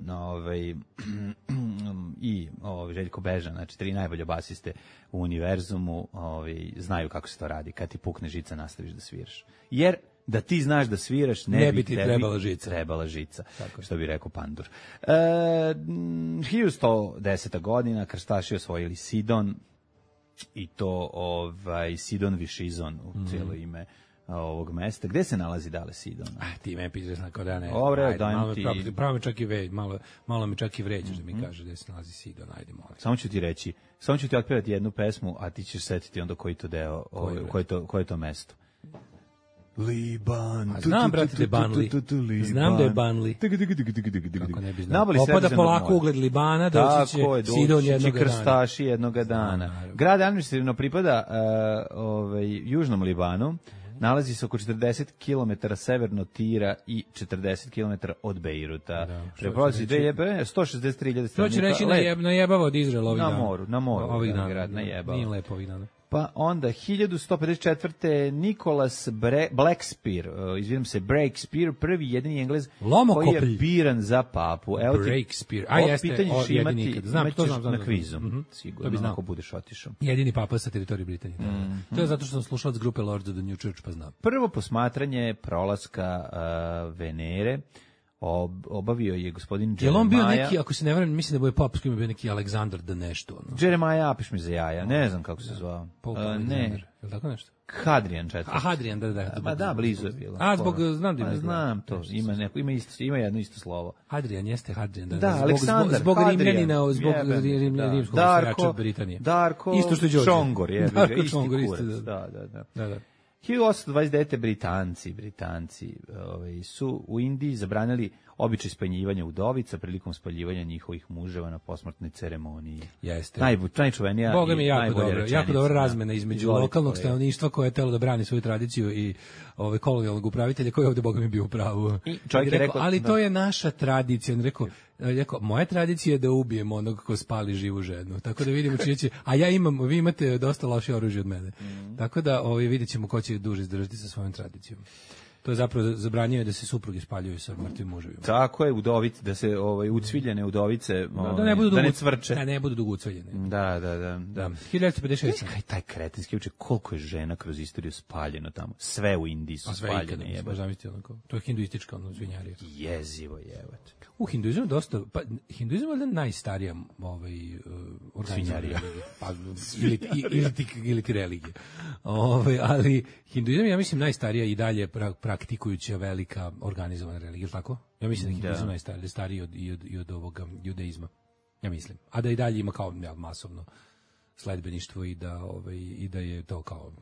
i Željko Bežan, znači 3 najbolje basiste u univerzumu, znaju kako se to radi. Kad ti pukne žica, nastaviš da sviraš. Jer da ti znaš da sviraš, ne bi ti trebala žica. Što bi rekao Pandur. 1110. godina krstaši osvojili Sidon, i to Sidon Višizon u cijelo ime ovog mesta. Gde se nalazi Dale Sidon? Ti me pitaš na kao da ne. Dobre, dajem ti. Pravo me čak i malo me čak i vređaš da mi kaže gde se nalazi Sidon, ajde molim. Samo ću ti otpevati jednu pesmu, a ti ćeš setiti onda koji to deo, koje je to mesto. Liban. Znam, brate, da je Banli. Znam da je Banli. Kako ne bi znao. Opada polako ugled Libana, doći će Sidon jednog dana. Krstaši jednog dana. Grad administrativno pripada Južnom Libanu. Nalazi se oko 40 km severno Tira i 40 km od Bejruta. Prepolazi 163.000 stanovnika. To će reći najebava od Izraela ovih dana. Na moru. Ovih dana. Grad najebava. Nije lepo ovih dana. Pa onda 1154. Nicholas Breakspere, prvi jedini Englez koji je biran za papu. Breakspere. Pitanje ćeš imati na kvizu. Sigurno, ako budeš otišao. Jedini papa sa teritorije Britanije. To je zato što sam slušalac grupe Lords of the New Church, pa znam. Prvo posmatranje prolaska Venere obavio je gospodin Jeremiah. Je on bio neki, ako se ne varam, mislim da je pop s kojim je bio neki Aleksandar da nešto. Ono. Jeremiah, apiš mi za jaja, ne znam kako se zvao. Ne. Je li tako nešto? Hadrian četvrti. Hadrian, da. Pa da, blizu je bilo. Znam da ima. Znam to, ima jedno isto slovo. Hadrian jeste Hadrian, da. Da, Aleksandar, zbog Rimljanina, zbog rimskog osvajača Britanije. Darko, isto što je Đorđe. Čongor, je. Darko Čongor, isto, da. 1829. Britanci su u Indiji zabranili običaj spanjivanja udovica prilikom spaljivanja njihovih muževa na posmrtnoj ceremoniji. Jeste. Najčuvenija Boga mi jako dobra razmena između Izvolite, lokalnog stanovništva koje je telo da brani svoju tradiciju i kolonijalnog upravitelja koji je ovde Boga mi bio u pravu. Ali to je naša tradicija. On rekao, moja tradicija je da ubijemo onog ko spali živu ženu. Tako da vidimo čije će, a vi imate dosta loše oružje od mene. Tako da vidjet ćemo ko će duže izdržati sa svojom tradicijom. To je zapravo zabranjuje da se supruge spaljuju sa mrtvim muževima. Tako je, udovice, da se ucviljene udovice da ne cvrče. Da ne budu dugo ucviljene. Da. 1956. Kaj taj kretenski uče, koliko je žena kroz istoriju spaljeno tamo. Sve u Indiji su spaljene. To je hinduistička svinjarija. Jezivo jebate. U hinduizmu dosta, pa hinduizam je najstarija organizirana ili ti religija. Ali hinduizam je, ja mislim, najstarija i dalje praktikujuća velika organizovana religija, tako? Ja mislim da je hinduizam najstariji, stariji i od ovoga judeizma. Ja mislim. A da i dalje ima kao masovno sledbeništvo i da je to kao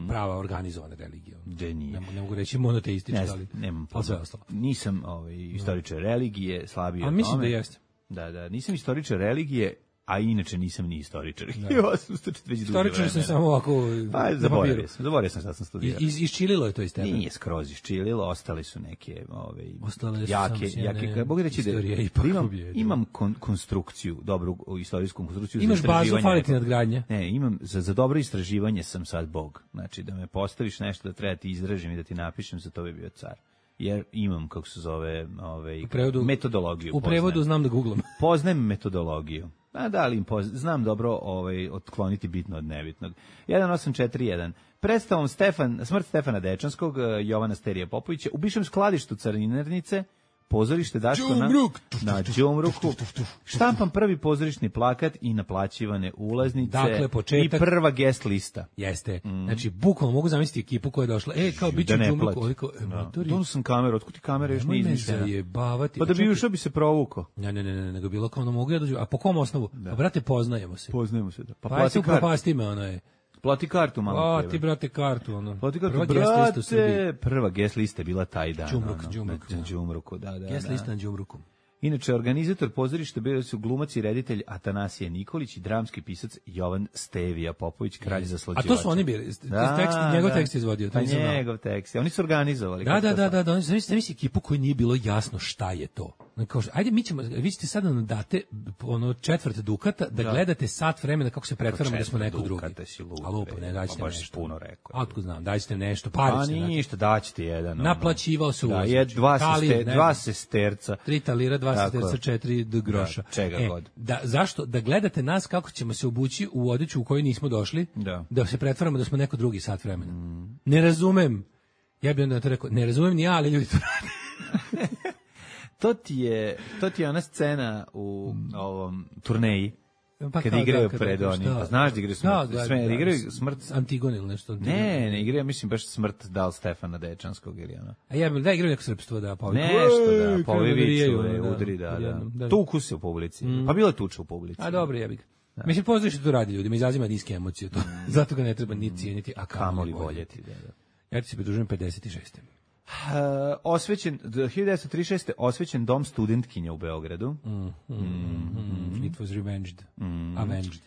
prava organizovana religija. Ne mogu reći monoteistička, ali sve ostalo. Nisam istoričar religije, slabiji od tome. A mislim da jeste. Da, nisam istoričar religije, a inače nisam ni istoričar. Istoričar sam samo ovako na papiru. Zaboravio sam šta sam studirao. Iščililo je to iz tebe? Nije skroz iščililo, ostali su neke jake. Mogu reći da imam konstrukciju, dobru istorijsku konstrukciju. Imaš bazu, fali ti nadgradnja? Ne, imam, za dobro istraživanje sam sad Bog. Znači, da me postaviš nešto da treba ti izražim i da ti napišem, za to bi bio car. Jer imam, kako se zove, metodologiju. U prevodu znam da googlam. Poznajem metodologiju. Znam dobro otkloniti bitno od nebitnog. 1841. Predstavom Smrt Stefana Dečanskog, Jovana Sterija Popovića, u bivšem skladištu Carinarnice, pozorište Daško na Đumruku, štampan prvi pozorišni plakat i naplaćivane ulaznice, dakle, početak, i prva guest lista. Jeste. Znači, bukvalno mogu zamisliti ekipu koja je došla. Kao biće Đumruku. Dono sam kameru, otkud ti kamera još nije izmišljena? Pa da bi ušao bi se provukao. Ne, nego bilo kao mogu ja dođu. A po kom osnovu? Pa brate, poznajemo se. Da. Pa se upropasti me, ono je. Plati kartu malo. Plati, brate, kartu, ono. Plati kartu, prva guest lista je bila taj dan. Đumruku, da. Guest lista na Đumruku. Inače, organizator pozorišta bili su glumac i reditelj Atanasije Nikolić i dramski pisac Jovan Stevija Popović, kralj zaslađivača. A to su oni bili, njegov tekst izvodio. Pa njegov tekst, oni su organizovali. Da, oni zamisli ekipu koji nije bilo jasno šta je to. Ajde, vi ćete sada nam date četvrt dukata da gledate sat vremena kako se pretvaramo da smo neko drugi. A lupo, ne, daćete nešto. Puno rekao. Otkud znam, daćete nešto, parice. Pa ništa, daćete jedan. Naplaćivao se ulaz. Dva sesterca. 3 talira, 2 sesterca, 4 groša. Čega god. Zašto? Da gledate nas kako ćemo se obući u odeću u kojoj nismo došli, da se pretvaramo da smo neko drugi sat vremena. Ne razumem. Ja bih onda to rekao, ne razumem ni ja, ali ljudi to rade. To ti je ona scena u ovom turneji Pa kad kao igraju da, pred kad- onim, šta? pa znaš da igraju smrt, sve igraju smrt. Antigon ili nešto. Ne igraju, mislim baš smrt Dal Stefana Dečanskog ili ono. A jebem, da igraju neko srpstvo, da, pa Nešto da, Ej, pa ovi rijaju, viču, udri, da. odjednom, Tuku se u publici. Pa bilo je tuča u publici. A dobro, jebi ga. Mislim, poznaš što to radi ljudima, izaziva niske emocije. To. Zato ga ne treba ni cijeniti, a Kamoli kamoli voljeti, voljeti. da. Ja ti se pridružujem 56. Osvećen 1936. osvećen dom studentkinja u Beogradu. It was revenged. Avenged.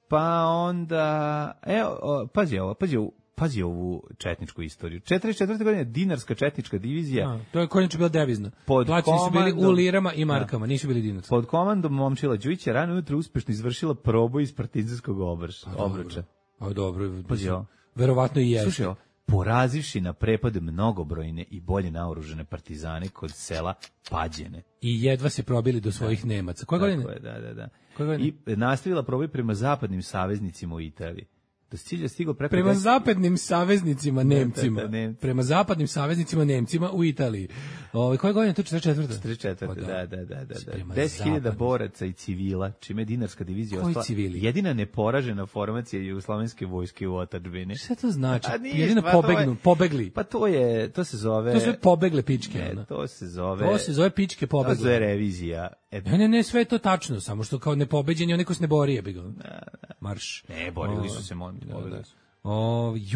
Pa onda pazi ovu četničku istoriju. 44. godine dinarska četnička divizija To je konječe bila devizna. Pod Plaćeni su bili komandom- u lirama i markama, nisu bili dinarski. pod komandom Momčila Đujića rano ujutro uspešno izvršila proboj iz partizanskog obruča. A dobro, Pazi ovo. verovatno i jeste. Slušaj, ovo, porazivši na prepad mnogobrojne i bolje naoružane partizane kod sela Pađene. I jedva se probili do svojih Nemaca. Koje godine? Tako je, da. Koje godine? I nastavila proboj prema zapadnim saveznicima u Italiji. Do cilja stigao preko... Prema zapadnim saveznicima Nemcima. da, Nemci. Prema zapadnim saveznicima Nemcima u Italiji. Koje godine? To 44. 44. Pa Da. Prema 10.000 zapadnim. boraca i civila, čime je dinarska divizija Koji ostala civili? jedina neporažena formacija jugoslovenske vojske u otadžbini. Šta to znači? A ništa, Jedino pa to je- pobegli. Pa to se zove... To sve pobegle pičke. Ne, ono. to se zove... To se zove pičke To se zove pobegle. revizija. Ne, sve je to tačno, samo što kao nepobeđen je onaj ko se ne bori, jebi ga. Marš. Ne, borili su se, borili su.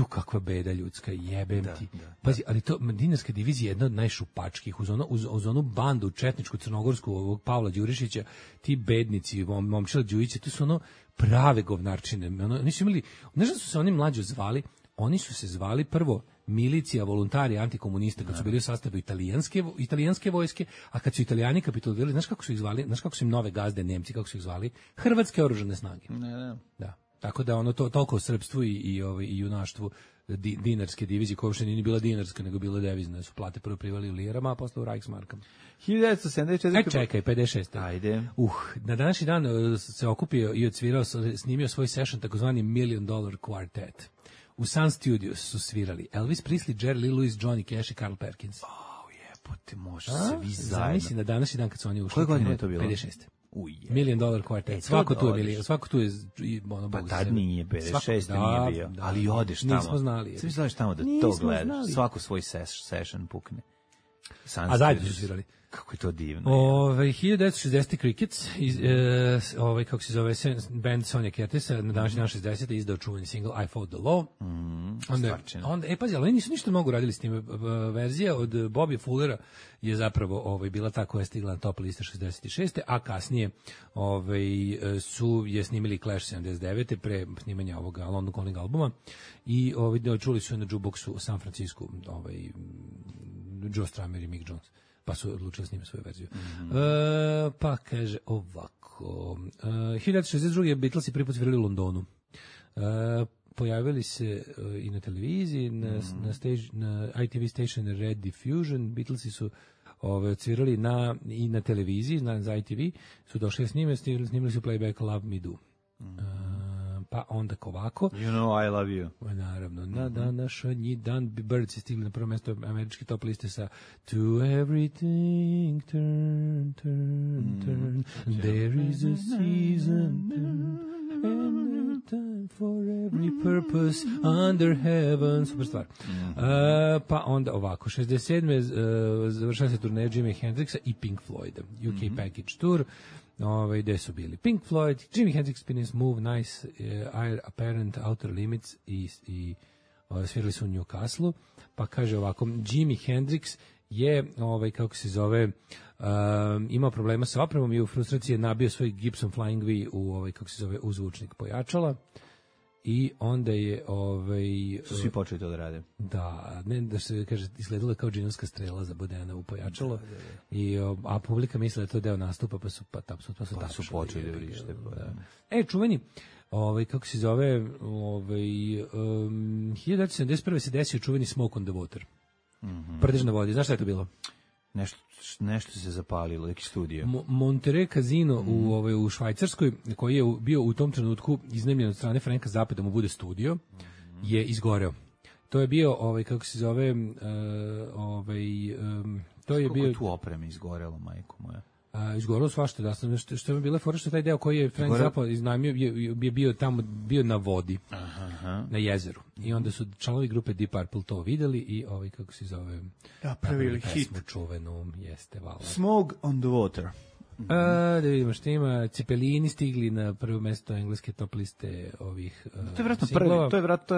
Kakva beda ljudska, jebem ti. Pazi, ali to dinarska divizija je jedna od najšupačkih, uz onu bandu četničku, crnogorsku, ovog Pavla Đurišića, ti bednici, Momčila Đujića, to su ono prave govnarčine. Oni su imali, znaš da su se oni mlađo zvali? Oni su se zvali prvo milicija, volontari, antikomunista, kad su bili u sastavu italijanske vojske, a kad su Italijani kapitulirali, znaš kako su ih zvali? Znaš kako su im nove gazde Nemci, kako su ih zvali? Hrvatske oružane snage. Da. Tako da ono toliko o srpstvu i junaštvu dinarske divizije, koja uopšte nije bila dinarska, nego bila devizna, su plate prvo privali u lirama, a posle u Reichsmarkama. 1974. Čekaj, 56. Ajde. Na današnji dan se okupio i odsvirao, snimio svoj session, takozvani $1 Million Quartet. U Sun Studios su svirali Elvis Presley, Jerry Lee Lewis, Johnny Cash i Carl Perkins. Jebote, može se vi zajedno. Zamisli na današnji dan kad su oni ušli. Koje godine je to bilo? 56. Uje. $1 Million Quartet. Svako tu je milion, svako tu je ono Pa Bog tad sebe. nije, 56. Da, nije bio. da. Ali odeš tamo. Nismo znali. Svi znaš tamo da to Nismo gledaš. znali. Svako svoj session pukne. A zajedno su svirali. Kako je to divno. 1960. Crickets, kako se zove, band Sonja Curtisa, na današnji dan 60. izdao čuveni single I Fought the Law. Onda, pazi, ali oni nisu ništa mnogo radili s tim. Verzija od Bobby Fullera je zapravo bila ta koja je stigla na top liste 66. A kasnije je snimili Clash 79. pre snimanja ovoga London Calling albuma i čuli su na jukeboxu u San Francisco Joe Strummer i Mick Jones, pa su odlučili snimati svoju verziju. Pa kaže ovako, 1962. Beatlesi prvi put svirali u Londonu. Pojavili se i na televiziji, na ITV station Red Diffusion. Beatlesi su odsvirali i na televiziji, za ITV, su došli s njime, snimili su playback Love Me Do. Pa onda ovako. You know I love you. Naravno, na današnji dan Birds je stigli na prvo mjesto američke top liste sa To everything turn, turn, turn, there is a season and a time for every purpose under heaven. Super stvar. Pa onda ovako, 67. Završava se turneja Jimi Hendrixa i Pink Floyda. UK Package Tour. Gde su bili Pink Floyd, Jimi Hendrix, Spinning Smooth, Nice, Air Apparent, Outer Limits i svirali su u Newcastle. Pa kaže ovako, Jimi Hendrix je, kako se zove, imao problema sa opremom i u frustraciji je nabio svoj Gibson Flying V u zvučnik pojačala. I onda je su svi počeli to da rade. Da, ne da se kaže izgledalo kao džinovska strela za Bodena u pojačalo. I a publika misle da je to deo nastupa, pa su počeli da vrište. Čuveni kako se zove 1971. se desio čuveni Smoke on the Water. Prdež na vodi, znaš šta je to bilo? Nešto se zapalilo, neki studio. Monterey Casino u Švajcarskoj, koji je bio u tom trenutku iznajmljen od strane Franka Zappa da mu bude studio, je izgoreo. To je bio, kako se zove, to je bio... tu opreme izgorelo, majko moja? Izgorilo svašta, da sam što je bila fora što taj deo koji je Frank Zappa iznajmio je bio tamo na vodi. Na jezeru. I onda su članovi grupe Deep Purple to videli i kako se zove, napravili hit čuvenu, jeste vala. Smoke on the Water. Da vidimo što ima. Cepelini stigli na prvo mesto engleske top liste ovih to je vjerojatno prvi, to je vjerojatno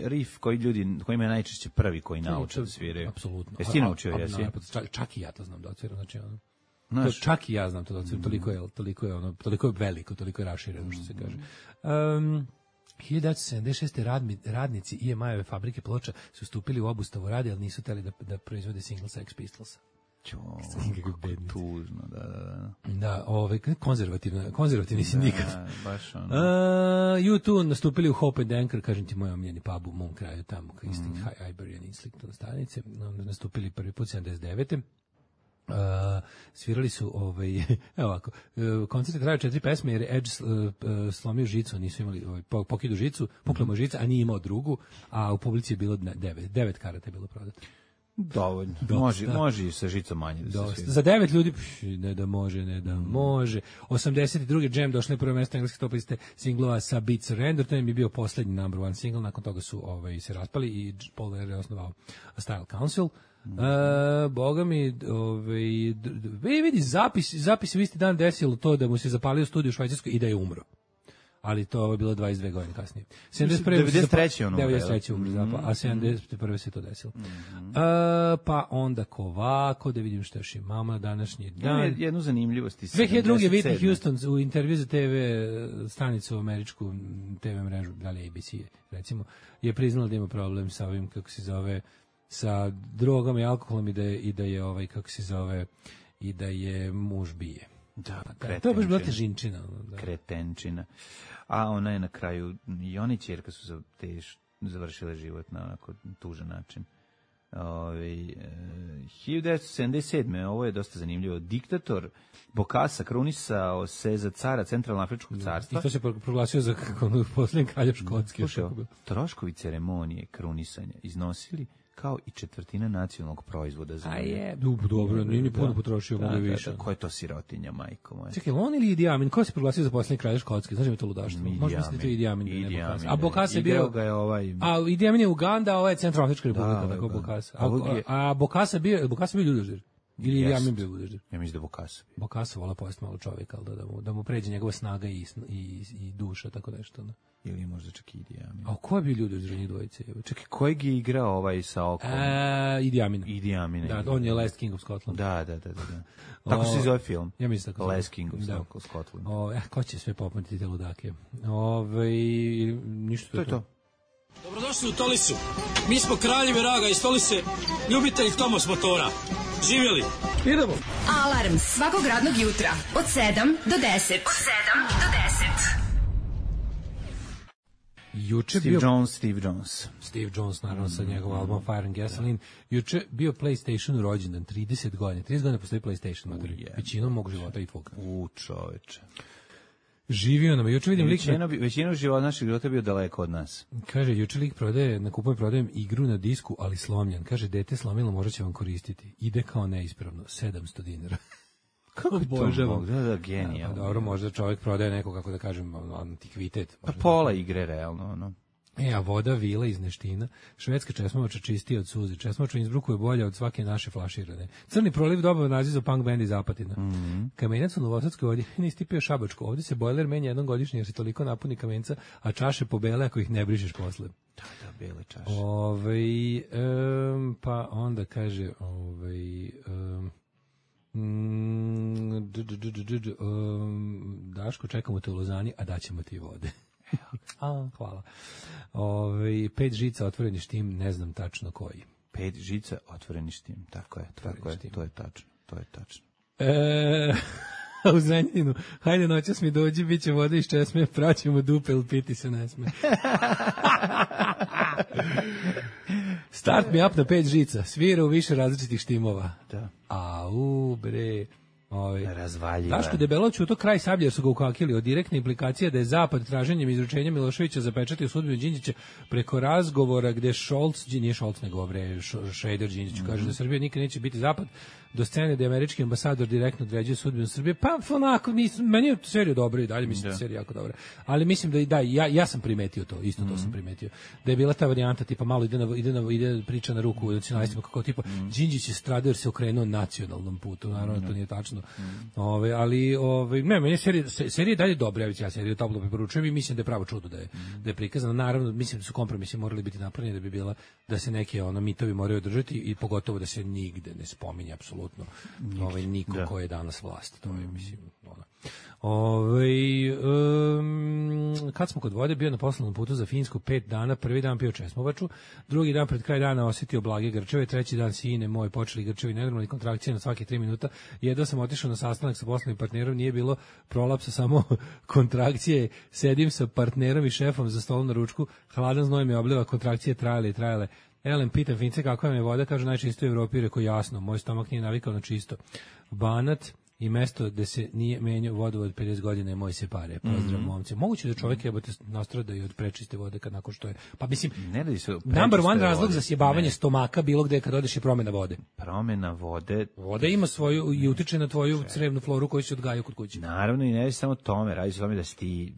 riff koji ljudi, kojima je najčešće prvi koji nauče da sviraju. Apsolutno. Jesi ti naučio, jesi? Čak i ja to znam da odsviram, znači ono. Čak i ja znam to da odsviram, toliko je veliko, toliko je rašireno, što se kaže. 1976. radnici EMI-ove fabrike ploča su stupili u obustavu radi, ali nisu hteli da proizvode single Sex Pistolsa. Tužno, da. Da, konzervativni sindikat. Baš ono. U2 nastupili u Hope and Anchor, kažem ti, moj omiljeni pub u mom kraju, tamo, isti Iberian Islington stanice, nastupili prvi put 79. Svirali su evo ovako, koncert trajao 4 pesme jer je Edge slomio žicu, nisu imali pokidu žicu, pukla mu žica, a nije imao drugu, a u publici je bilo 9 karata je bilo prodato. Dovoljno. Može i sa žicom manje da se svira. Za 9 ljudi, ne da može. 82. Jam došli na prvo mesto engleske top liste singlova sa Beat Surrender, to je bio poslednji number one single, nakon toga su se raspali i Paul Weller je osnovao Style Council. Boga mi, vidi, zapis u isti dan desilo to da mu se zapalio studij u Švajcarskoj i da je umro. Ali to je bilo 22 godine kasnije. 93. ono. 93. umro Zappa, a 71. se to desilo. Pa onda ovako, da vidim što još imamo na današnji dan. Jednu zanimljivost. 2002. Whitney Houston u intervju za TV stanicu u američku TV mrežu, da li ABC, recimo, je priznala da ima problem sa ovim, kako se zove, sa drogama i alkoholom i da je kako se zove, i da je muž bije. Da, to je baš bila težinčina. Kretenčina. A ona je na kraju, i ona i ćerka su završile život na onako tužan način. 1977. Ovo je dosta zanimljivo. Diktator Bokassa krunisao se za cara Centralnoafričkog carstva. I to se proglasio za posljednji kralj Škotske. Troškovi ceremonije krunisanja iznosili kao i četvrtina nacionalnog proizvoda za dobro, nije puno potrošio, mogu više. Ko je to sirotinja, majko moja? Čekaj, on ili Idi Amin? Ko se proglasio za posljednji kralj Škotske? Znaš mi je to ludaštvo? Možda mislite to Idi Amin. A Bokassa je bio... A Idi Amin je Uganda, a ovo je Centralnoafrička republika, tako Bokassa. A Bokassa bio ljudožder? Ili Idi Amin bio ljudožder? Ja mislim da Bokassa. Bokassa vola pojesti malo čovjeka, da mu pređe njegova snaga i duša, tako nešto. Ili možda čak i Idi Amin. A ko je bio ljudožder njih dvojice? Čekaj, kojeg je igrao sa okom? Idi Amin. Idi Amin. Da, on je Last King of Scotland. Da. Tako se zove film. Ja mislim tako. Last King of Scotland. Ko će sve popamtiti te ludake? Ništa to je to. Dobrodošli u Tolisu. Mi smo kraljevi raga iz Tolise, ljubitelji Tomos motora. Živjeli. Idemo. Alarm svakog radnog jutra od 7 do 10. Juče Steve Jones, naravno, sa njegovom albumom Fire and Gasoline. Juče bio PlayStation rođendan, 30 godina. 30 godina postoji PlayStation. Većinom mog života i tvog. Čoveče. Živio nam. Juče vidim većinu života naših života bio daleko od nas. Kaže, juče lik prodajem igru na disku, ali slomljen. Kaže, dete slomilo, možda će vam koristiti. Ide kao neispravno, $700. Kako obožavam. Da, genijalno. Dobro, možda čovjek prodaje neko, kako da kažem, antikvitet. Pa pola igre, realno, ono. A voda vila iz Neština, švedska česmovača čistija od suze, česmovača u Innsbrucku je bolja od svake naše flaširane. Crni proliv dobar naziv za punk band iz Apatina. Kamenjac u Novosadskoj vodi ne istipio Šabačko. Ovdje se bojler menja jednom godišnje jer se toliko napuni kamenca, a čaše pobele ako ih ne brišeš posle. Da, bele čaše. Pa onda kaže, Daško, čekamo te u Lozani, a daćemo ti vode. Hvala. 5 žica otvoreni štim, ne znam tačno koji. 5 žica otvoreni štim, tako je, to je tačno. U Zrenjaninu, hajde noćas mi dođi, bit će voda iz česme, praćemo dupe, ili piti se ne sme. Start me up na 5 žica, svira u više različitih štimova. Da. Bre... Razvaljiva. Daško debelo ćuto kraj Sablje jer su ga ukakili od direktne implikacije da je Zapad traženjem izručenja Miloševića zapečatio sudbinu Đinđića preko razgovora gde Šolc, nije Šolc nego Šreder Đinđiću kaže da Srbija nikad neće biti Zapad, do scene da američki ambasador direktno određuje sudbinu Srbije, pa onako, meni je serija dobra i dalje, mislim da je serija jako dobra. Ali mislim da ja sam primetio to, isto to sam primetio. Da je bila ta varijanta, tipa malo ide priča na ruku nacionalistima, kako tipa Đinđić je stradao jer se okrenuo nacionalnom putu, naravno to nije tačno. Ali ne, meni serija je dalje dobra, ja seriju toplo preporučujem i mislim da je pravo čudo da je prikazana. Naravno, mislim da su kompromisi morali biti napravljeni da bi bila, da se neki mitovi moraju održati i pogotovo da se nigde ne spominje apsolutno niko ko je danas vlast. To je, mislim, kad smo kod vode, bio na poslovnom putu za Finsku 5 dana, prvi dan pio česmovaču, drugi dan pred kraj dana osjetio blage grčeve, treći dan sine moji počeli grčevi, nenormalni kontrakcije na svake 3 minuta, jedva sam otišao na sastanak sa poslovnim partnerom, nije bilo prolapsa, samo kontrakcije, sedim sa partnerom i šefom za stolom na ručku, hladan znoj me obliva, kontrakcije trajale. Elem, pitam Fince kako vam je voda, kažu najčisto u Evropi, rekao jasno, moj stomak nije navikao na čisto. Banat i mesto gde se nije menjao vodovod 50 godina je moj se pare. Pozdrav momci. Moguće da čovjek jebote nastrada i od prečiste vode kad nakon što je. Pa mislim, number one razlog za sjebavanje stomaka bilo gde kad odeš je promena vode. Promena vode. Voda ima svoju i utiče na tvoju crevnu floru koju se odgaja kod kuće. Naravno i ne samo tome, radi se o tome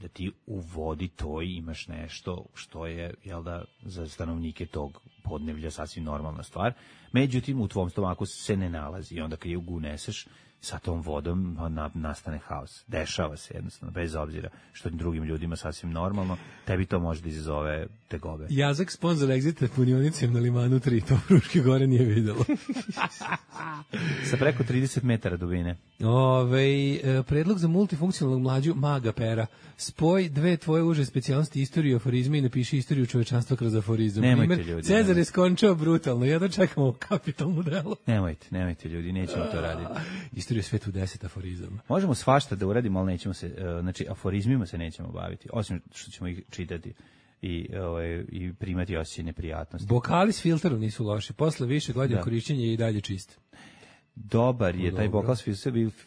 da ti u vodi toj imaš nešto što je, jel da, za stanovnike tog podneblja sasvim normalna stvar. Međutim, u tvom stomaku se ne nalazi i onda kad je uneseš sa tom vodom nastane haos. Dešava se jednostavno, bez obzira što drugim ljudima sasvim normalno, tebi to može da izazove tegobe. Jazak sponsor Exita punionicem na Limanu 3, to Fruške gore nije videlo. Sa preko 30 metara dubine. Predlog za multifunkcionalnog mlađu maga pera. Spoj dve tvoje uže specijalnosti, istoriju i aforizme i napiši istoriju čovečanstva kroz aforizam. Nemojte ljudi. Cezar je skončao brutalno, jedno čekamo kapitalnu delu. Nemojte ljudi, nećemo to raditi. Istoriju svetu 10 aforizama. Možemo svašta da uradimo, ali nećemo se, znači aforizmima se nećemo baviti, osim što ćemo ih čitati i primati osjećaj neprijatnosti. Bokali s filterom nisu loši, posle više godina korišćenja je i dalje čist. Dobar je taj bokal s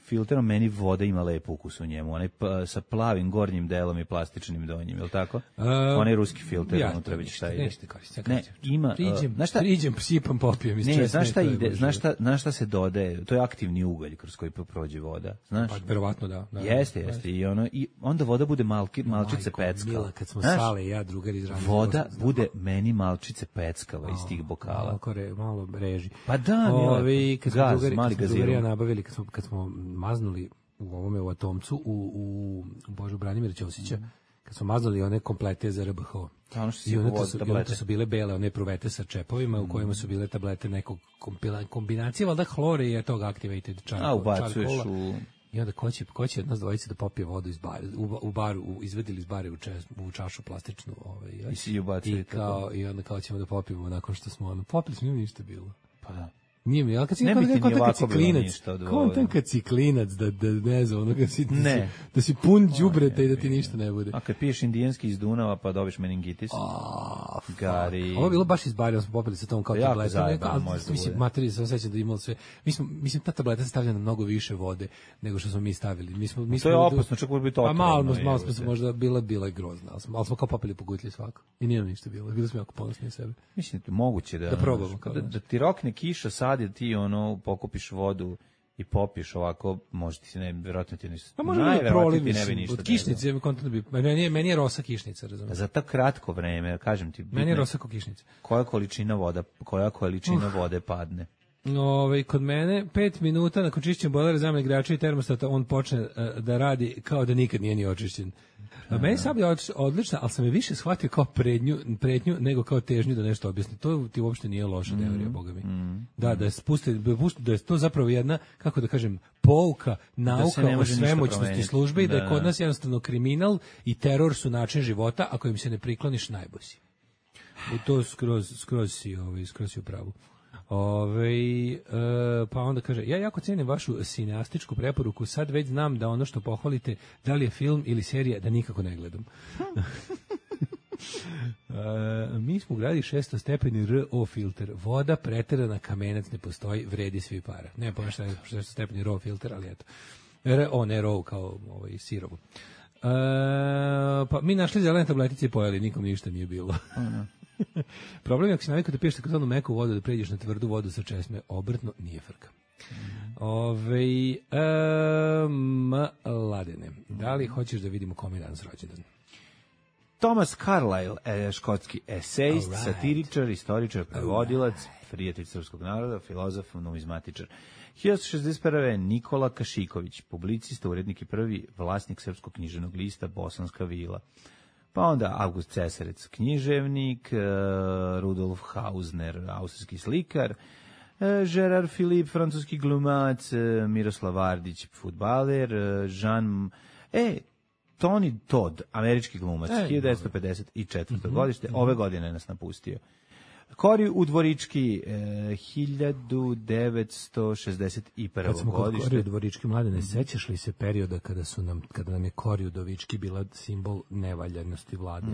filterom, meni voda ima lep ukus u njemu, onaj sa plavim gornjim delom i plastičnim donjim, je li tako? Onaj ruski filter, unutra već šta ide. Ne, ima, priđem, sipam, popijem iz česme. Znaš šta se dodaje? To je aktivni ugalj kroz koji prođe voda, znaš? Pa, verovatno da. Jeste, i onda voda bude malčice peckala. Mila, kad smo sale, ja drugar iz Ranja. Voda bude meni malčice peckala iz tih bokala. Malo reži. Pa da, gaz, mali gazirom. Nabavili kad smo maznuli u Atomcu u Božu Branimira Ćosića, kad smo maznuli one komplete za RBH. I onda su bile bele one pruvete sa čepovima u kojima su bile tablete nekog kombinacije, valjda hlore je tog activated charcoal. Ubacuješ u... I onda ko će od nas dvojice da popije vodu iz bara, u baru, izvedili iz bare u čašu plastičnu. I onda kao ćemo da popijemo nakon što smo popili smo, ništa bilo. Pa da. Nije mi, ali kad si kontan kad si klinac, da ne znam, ono da si pun đubreta i da ti ništa ne bude. A kad piješ indijanski iz Dunava pa dobiš meningitis. Gari. Ovo je bilo baš iz Barija, smo popili sa tom kao tabletom. Mislim, materije sam sećam da imalo sve. Mislim, ta tableta se stavlja na mnogo više vode nego što smo mi stavili. To je opasno, čak može biti otrovno. Malo smo se možda bila je grozna, ali smo kao popili po gutlji svako. I nije nam ništa bilo. Bili smo jako ponosni na sebe. Mislim, moguće da probamo. Da ti rokne kiša sad je ti pokupiš vodu i popiješ ovako, može ti se verovatno ti ništa. Pa može da proliv, od kišnice, meni je rosa kišnica, razumiješ. Za tako kratko vreme, kažem ti. Meni je rosa ko kišnica. Koja količina vode padne? Kod mene 5 minuta nakon čišćenja bojlera, zamene igrača i termostata on počne da radi kao da nikad nije ni očišćen. Meni Sablja je odlična, ali sam je više shvatio kao pretnju nego kao težnju da nešto objasni. To ti uopšte nije loša teorija, boga mi. Da je to zapravo jedna, kako da kažem, pouka, nauka o svemoćnosti službe i da je kod nas jednostavno kriminal i teror su način života, ako im se ne prikloniš najbosi. To skroz si u pravu. Pa onda kaže, ja jako cijenim vašu sineastičku preporuku, sad već znam da ono što pohvalite, da li je film ili serija, da nikako ne gledam. Mi smo ugradili 600 stepeni RO filter, voda preterana, kamenac ne postoji, vredi svi para. Ne pa šta je 600 stepeni RO filter, ali eto. Ne RO kao sirovu. Pa mi našli zelene tabletice i pojeli, nikom ništa nije bilo. Problem je ako si navikao da piješ takozvanu meku vodu, da pređeš na tvrdu vodu sa česme, obrtno nije frka. Mladene, da li hoćeš da vidimo kom je danas rođendan? Thomas Carlyle, škotski esejist, satiričar, istoričar, prevodilac, prijatelj srpskog naroda, filozof, numizmatičar. 1961. Nikola Kašiković, publicista, urednik i prvi vlasnik srpskog književnog lista Bosanska vila. Pa onda August Cesarec, književnik, Rudolf Hausner, austrijski slikar, Gerard Philippe, francuski glumac, Miroslav Vardić, fudbaler, Tony Todd, američki glumac, 1954. godište, ove godine nas napustio. Kori Udvorički, 1961. Kad smo godište. kod Kori Udvorički, Mladene, sećaš li se perioda kada nam je Kori Udvorički bila simbol nevaljanosti vlade?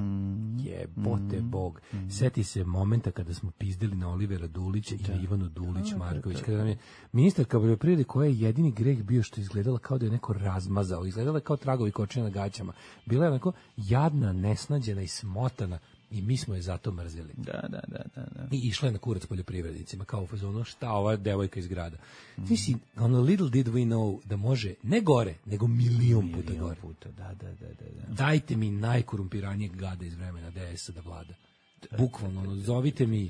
Jebote Bog. Seti se momenta kada smo pizdili na Olivera Dulića i na Ivanu Dulić-Marković, kada nam je ministarka poljoprivrede, koja je jedini greh bio što izgledala kao da je neko razmazao, izgledala kao tragovi kočija na gaćama. Bila je onako jadna, nesnađena i smotana. I mi smo je zato mrzeli. Da. I išla je na kurac poljoprivrednicima, kao u fazonu, šta ova devojka iz grada. Mislim, ono little did we know da može, ne gore, nego milion puta gore. Da. Dajte mi najkorumpiranijeg gada iz vremena DS-a da vlada. Bukvalno, zovite mi...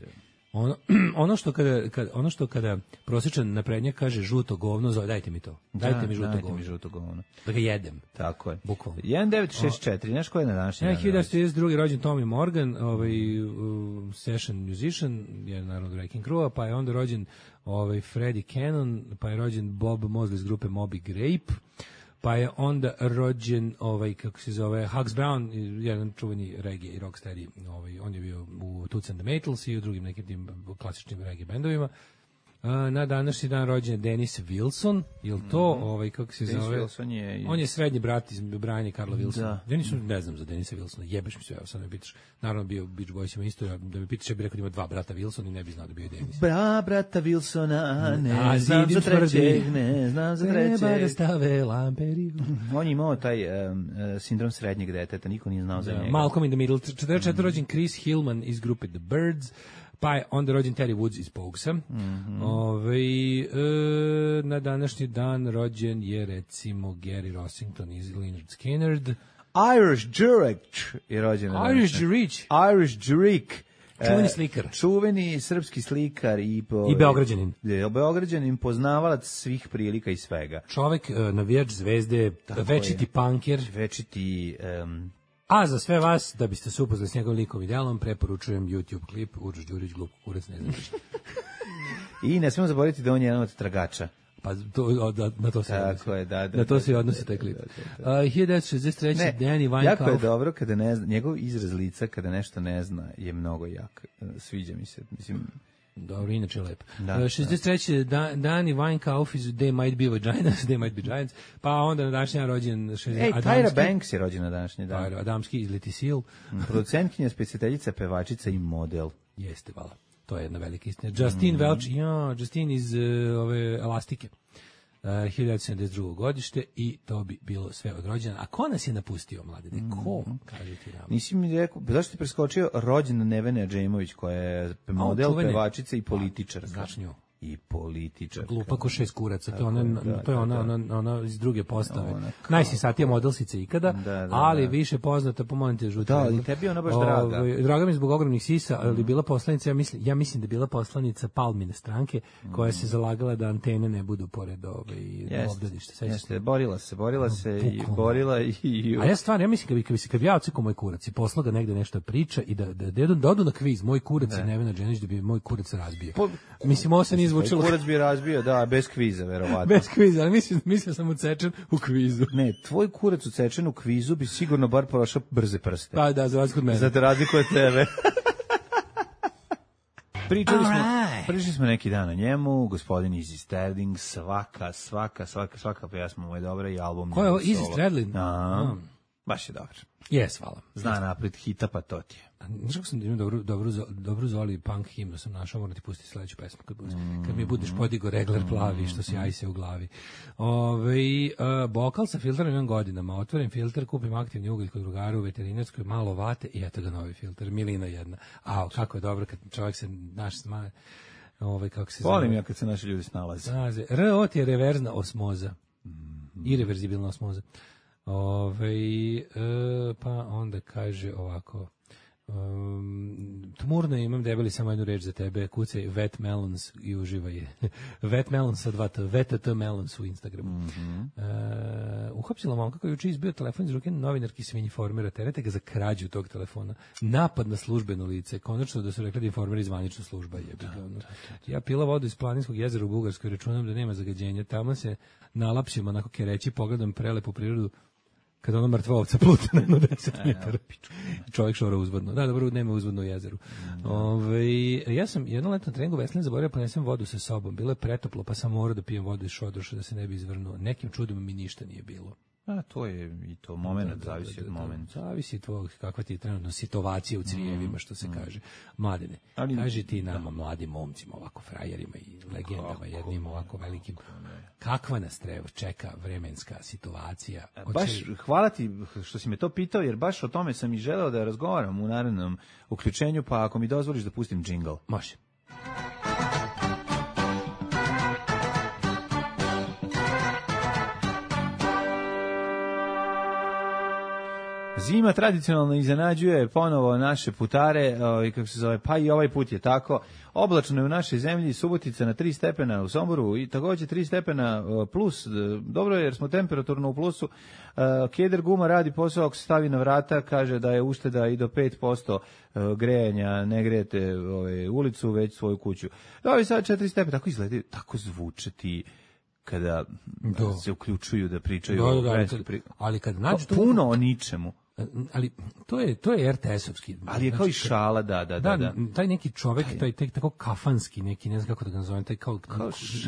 Ono što kada prosječan naprednjak kaže žuto govno, dajte mi to. Dajte mi žuto govno. Da ga jedem. Tako je. Bukvalno. 1964, znaš ko je na današnji dan? 1932. rođen Tommy Morgan, session musician, je naravno Wrecking Crew, pa je onda rođen Freddie Cannon, pa je rođen Bob Mosley iz grupe Moby Grape, pa je onda rođen kako se zove Hugs Brown, jedan čuveni reggae i rocksteady, on je bio u Toots and the Maytals i u drugim nekim tim klasičnim reggae bendovima. Na današnji dan rođen je Dennis Wilson, je to kako se Dennis zove? Wilson je On je srednji brat iz Briana i Karla Wilsona. Da. Ne znam za Denisa Wilsona, jebeš mi sve, evo sad me pitaš. Naravno bio Beach Boysima isto, da me pitaš, ja bih rekao da ima dva brata Wilson i ne bi znao da bio Denis. Brata Wilsona, ne znam za trećeg, ne znam za trećeg. Treba da stave lamperiju. On je imao taj sindrom srednjeg deteta, niko nije znao za njega. Malcolm in the Middle, 44. rođen Chris Hillman iz grupe The Byrds, pa je onda rođen Terry Woods iz Pogsa. Na današnji dan rođen je recimo Gary Rossington iz Lynyrd Skynyrd. Irish Jurek je rođen. Irish Jurek. Irish Jurek. Čuveni slikar. Čuveni srpski slikar i Beograđanin. Beograđanin, poznavalac svih prilika i svega. Čovek, navijač Zvezde, večiti punker. Večiti... A za sve vas, da biste se upoznali s njegovim likom i delom, preporučujem YouTube klip Uroš Đurić, glup kurac, ne znam ništa. I ne smemo zaboraviti da on je jedan od tragača. Pa na to se odnosi. Tako je, da. Na to se odnosi taj klip. 1963. Danny Weinkauf. Jako je dobro kada ne zna, njegov izraz lica kada nešto ne zna je mnogo jak. Sviđa mi se, mislim... Dobro, inače lep. 63. Danny Weinkauf iz They Might Be Vaginas, They Might Be Giants, pa onda na današnji dan rođen Tyra Banks je rođena na današnji dan. Adamski iz Leti Seal. Producentkinja, specijaljica, pevačica i model. Jeste, hvala. To je jedna velika istina. Justin Welch, Justin iz Elastike. 1972. godište i to bi bilo sve od rođena. A ko nas je napustio, mladine? Ko? Kaži ti nam. Nisi mi rekao, zašto ti preskočio rođena Nevena Adžemović, koja je model, pevačica i političarka. Znaš nju. I političarka. Glupa ko šest kuraca, to je ona iz druge postave. Najsisatija modelsica ikada, ali više poznata po momente žuti. Da, i tebi je ona baš draga. Draga mi zbog ogromnih sisa, ali bila poslanica, ja mislim da je bila poslanica Palmine stranke, koja se zalagala da antene ne budu pored obdaništa. Jeste, borila se i borila i... A ja stvarno, ja mislim kad bi ja ocekao moj kurac i poslao ga negde nešto priča i da odu na kviz, moj kurac i Nevena Dženić, da bi moj kurac razbio. Mislim, ovo se nije zvučilo. Kurac bi razbio, da, bez kviza, verovatno. Bez kviza, ali mislim sam ucečen u kvizu. Ne, tvoj kurac ucečen u kvizu bi sigurno bar prošao brze prste. Pa da, za razliku od mene. Za razliku od tebe. Pričali smo neki dan o njemu, gospodin Izzy Stradlin, svaka pjesma mu je dobra i album. Ko je ovo, Izzy Stradlin? Baš je dobro. Jes, hvala. Zna napred hita, pa to ti je. Znaš kako sam imao dobru Zoli punk himnu sam našao, moram ti pustiti sledeću pesmu kad mi budeš podigo regler plavi što si ajse u glavi. Bokal sa filterom imam godinama, otvorim filter, kupim aktivni ugalj kod drugara u veterinarskoj, malo vate i eto ga novi filter, milina jedna. Kako je dobro kad čovjek se naš smaje. Kako se volim ja kad se naši ljudi snalaze. RO ti je reverzna osmoza. Irreverzibilna osmoza. Pa onda kaže ovako, tmurno imam debeli samo jednu reč za tebe, kucaj Wet Melons i uživaj je. Wet Melons sa 2 VTT Melons u Instagramu. Uhapsila momka koji juče izbio telefon iz ruke novinarki s Informera, terete ga za krađu tog telefona. Napad na službeno lice, konačno da su rekli da Informer je zvanična služba. Ja pila vodu iz Planinskog jezera u Bugarskoj, računam da nema zagađenja, tamo se nalapšimo onako kereći, pogledam prelepu prirodu, kada ono mrtva ovca pluta na 10 metara. Čovjek šora uzvodno. Da, dobro, nema uzvodno u jezeru. Ja sam jedno letno treningu veslanja zaboravio ponesem vodu sa sobom. Bilo je pretoplo, pa sam morao da pijem vodu iz šodroša da se ne bi izvrnuo. Nekim čudom mi ništa nije bilo. To je i to moment, zavisi od momenta. Zavisi tvojeg, kakva ti je trenutno situacija u crijevima, što se kaže. Mladine, kaži ti nama, mladim momcima, ovako frajerima i legendama, jednim ovako velikim, kakva nas čeka vremenska situacija? Baš, hvala ti što si me to pitao, jer baš o tome sam i želeo da razgovaram u narednom uključenju, pa ako mi dozvoliš da pustim džingl. Može. Zima tradicionalno iznenađuje ponovo naše putare, kako se zove, pa i ovaj put je tako. Oblačno je u našoj zemlji, Subotica na 3 stepena u Somboru i također 3 stepena plus. Dobro je jer smo temperaturno u plusu. Keder guma radi posao ako se stavi na vrata, kaže da je ušteda i do 5% grejanja, ne grejete ulicu, već svoju kuću. Dobro, sad 4 stepena, tako izgledaju, tako zvuče ti kada se uključuju da pričaju o vremenskoj ali kad nađu puno o ničemu. Ali to je RTS-ovski. Ali je kao i šala, da. Taj neki čovek, taj tako kafanski neki, ne znam kako da ga nazovem, taj kao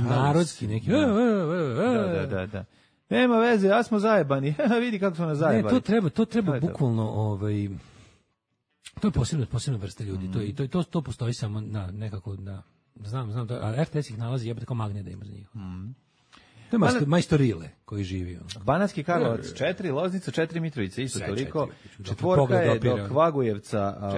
narodski neki. Da. Nema veze, ja smo zajebani. Vidi kako smo nas zajebani. Ne, to treba bukvalno to je posebna vrsta ljudi. To postoji samo nekako znam da RTS ih nalazi jebate kao magnet da ima za njih. To je majstorile koji živi. Banatski Karlovac 4, Loznica 4, Mitrovica isto toliko. 4 je do Kragujevca,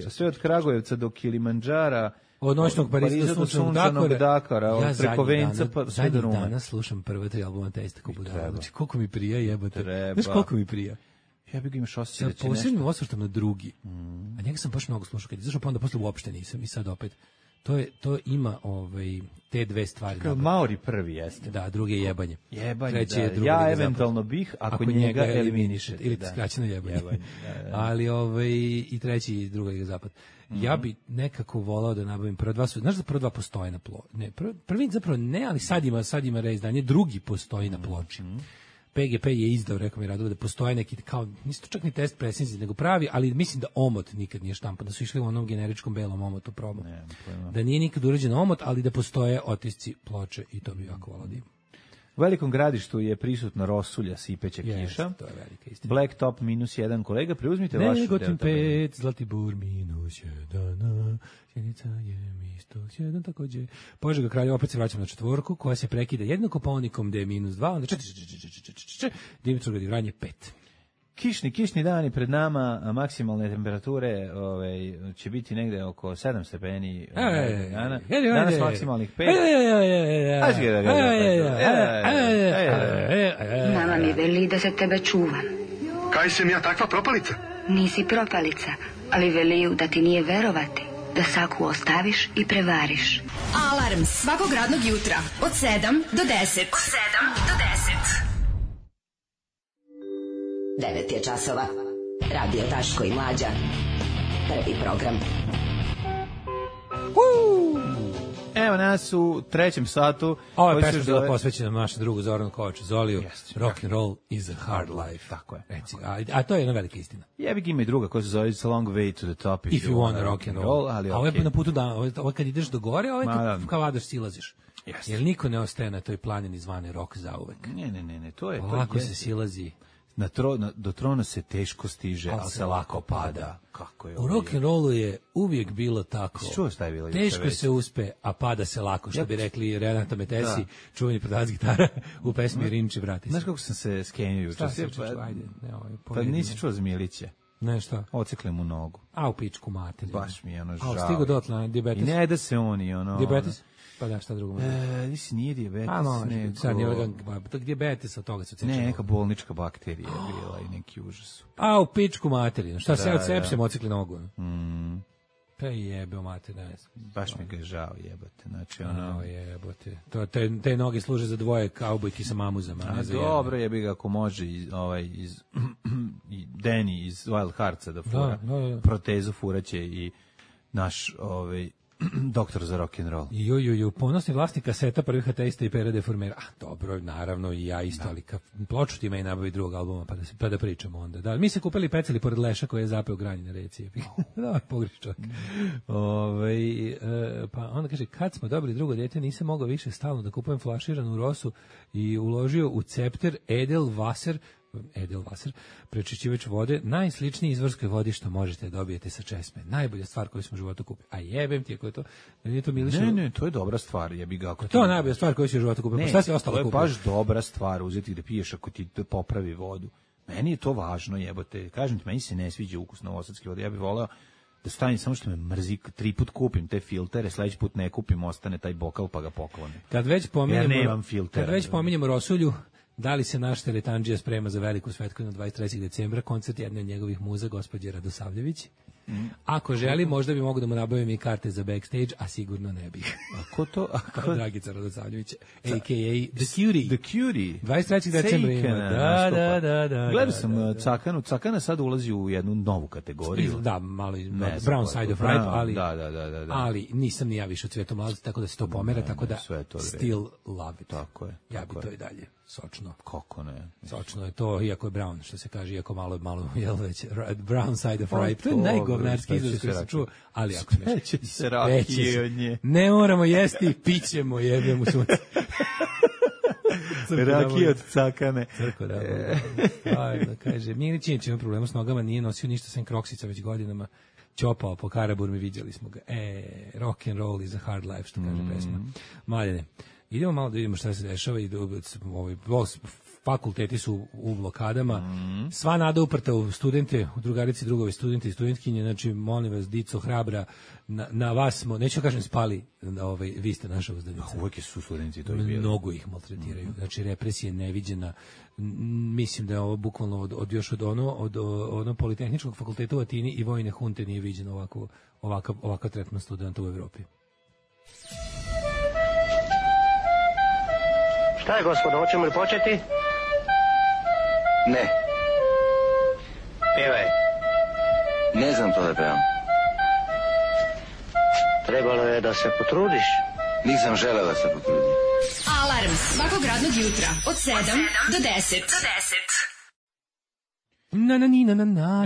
sve od Kragujevca do Kilimandžara. Od noćnog Pariza do sunčanog Dakara, preko Venca pa sve do Rume. Danas slušam prva 3 albuma Testa Kubudala. Znači koliko mi prija jebote. Znaš koliko mi prija. Ja bih imaš osjećaj da će nešto. Posebnim osvrtom na drugi. A njega sam baš mnogo slušao kad je izašao, pa onda posle uopšte nisam i sad opet. To ima te dve stvari. Kao Maori prvi jeste. Da, drugi je jebanje. Treći je drugi. Ja eventualno bih ako njega eliminišete. Ili skraćeno jebanje. Ali i treći i drugi je zapad. Ja bi nekako volao da nabavim prva dva. Znaš da prva dva postoje na ploči? Ne, prvi zapravo ne, ali sad ima reizdanje. Drugi postoji na ploči. PGP je izdao, rekao mi Radova, da postoje neki, kao, nisu to čak ni test presnici, nego pravi, ali mislim da omot nikad nije štampan, da su išli u onom generičkom belom omotu probu. Da nije nikad urađen omot, ali da postoje otisci ploče i to bi jako volao da ima. U Velikom Gradištu je prisutna rosulja, sipeća kiša. To je velika istina. Blacktop -1, kolega, preuzmite vašu. Negotin 5, Zlatibor -1, Sjenica je -1, takođe. Požega Kraljeva, opet se vraćamo na četvorku, koja se prekida jedino Kopaonikom, gde je -2, onda Dimitrovgrad i Vranje 5. Kišni dani pred nama, maksimalne temperature će biti negde oko 7 stepeni dana. Danas maksimalnih 5. Mama mi veli da se tebe čuvam. Kaj sam ja takva propalica? Nisi propalica, ali veliju da ti nije verovati, da saku ostaviš i prevariš. Alarm svakog radnog jutra od 7 do 10. 9 je časova. Radio Daško i Mlađa. Prvi program. Evo nas u trećem satu. Ovo je pesma bila posvećena našem drugu Zoranu Kovaču Zoliju. Rock and roll is a hard life. Tako je. A to je jedna velika istina. Jebi ga ima i druga koja se zove It's a long way to the top if you want rock and roll. A ovo je na putu da, ovo kad ideš do gore, ovo je kao vadaš silaziš. Jer niko ne ostaje na toj planini zvane rock zauvek. Ne, to je... Lako se silazi. do trona se teško stiže, ali se lako pada. Kako je u rock'n'rollu je uvijek bilo tako. Čuo šta je bilo? Teško se uspe, a pada se lako, što bi rekli Renato Metesi, čuveni prodavac gitara u pesmi Rinči vrati se. Znaš kako sam se skenio juče? Pa nisi čuo za Milića. Ne, šta? Ocekli mu nogu. A u pičku materiju. Baš mi je ono žao. A stigo dotle, dijabetes. I ne da se oni, ono... Dijabetes? Pa da, šta drugo? Nisi, nije dijabetes, nego... Sad nije dijabetes, od toga se ocekli. Ne, neka bolnička bakterija je bila i neki užas. A u pičku materiju. Šta se od sepsem ocekli nogu? Pa jebe o mater, ne znam. Baš mi ga je žao, jebate. Znači, ono... jebote. Te noge služe za dvoje kaubojki sa mamuzama. A dobro, jebi ga ako može iz Danny iz Wild Heartsa da fura. Protezu furaće i naš doktor za rock'n'roll. Ponosni vlasnik kaseta prvih ateista i Pera Deformera. Dobro, naravno i ja isto, ali ploču ti me i nabavi drugog albuma, pa da pričamo onda. Da, mi se kupili peceli pored leša koji je zapeo granje na reci. Da, pogriš čovjek. Pa onda kaže, kad smo dobili drugo dete, nisam mogao više stalno da kupujem flaširanu rosu i uložio u cepter Edelwasser, prečišćivač vode, najsličniji izvorskoj vodi što možete dobijete sa česme. Najbolja stvar koju smo u životu kupili. A jebem ti ako je to, nije to miliše. Ne, to je dobra stvar, jebi ga ako to je najbolja stvar koju si u životu kupio. Pa šta si ostalo kupio? To je baš dobra stvar uzeti da piješ ako ti popravi vodu. Meni je to važno, jebote. Kažem ti, meni se ne sviđa ukus novosadske vode. Ja bih voleo da stane samo što me mrzi, 3 put kupim te filtere, sledeći put ne kupim, ostane taj bokal pa ga poklonim. Kad već pominjemo Rosulju, da li se naš teretandžija sprema za veliku svetkovinu 23. decembra, koncert jedne od njegovih muza, gospođe Radosavljević? Ako želi, možda bi mogu da mu nabavim i karte za backstage, a sigurno ne bih. Ako to? Dragica Radosavljević, a.k.a. The Cutie. The Cutie. 23. decembra ima. Da. Gledao sam Cakanu. Cakana sad ulazi u jednu novu kategoriju. Da, malo Brown Side of Ripe, ali, da. ali nisam ni ja više u Cvijetom mladosti, tako da se to pomera, tako da still love it. Tako je. Ja bi to i dalje. Sočno. Kako ne? Sočno je to, iako je brown, što se kaže, iako malo jel već, brown side of ripe. To je najgovnarski izraz koji se čuo, ali ako smeš. Speće se rakije od nje. Ne moramo jesti, pićemo, jebem u sunce. Rakije od Cakane. Crko da. Ajde, kaže, Milićinić ima problema s nogama, nije nosio ništa sem kroksica već godinama. Ćopao po Karaburmi, vidjeli smo ga. Rock and roll is a hard life, što kaže pesma. Maljene. Idemo malo da vidimo šta se dešava i fakulteti su u blokadama. Sva nada uprta u studente, u drugarici, drugove studente i studentkinje, znači molim vas, dico hrabra, na vas smo, neću kažem spali, vi ste naša uzdanica. Uvijek su studenti to i bili. Mnogo ih maltretiraju. Znači represija je neviđena. Mislim da je ovo bukvalno od ono Politehničkog fakulteta u Atini i vojne hunte nije viđeno ovakav tretman studenta u Evropi. Šta je, gospodo, hoćemo li početi? Ne. Pevaj. Ne znam to da pevam. Trebalo je da se potrudiš. Nisam želeo da se potrudim. Alarm svakog radnog jutra od 7 do 10.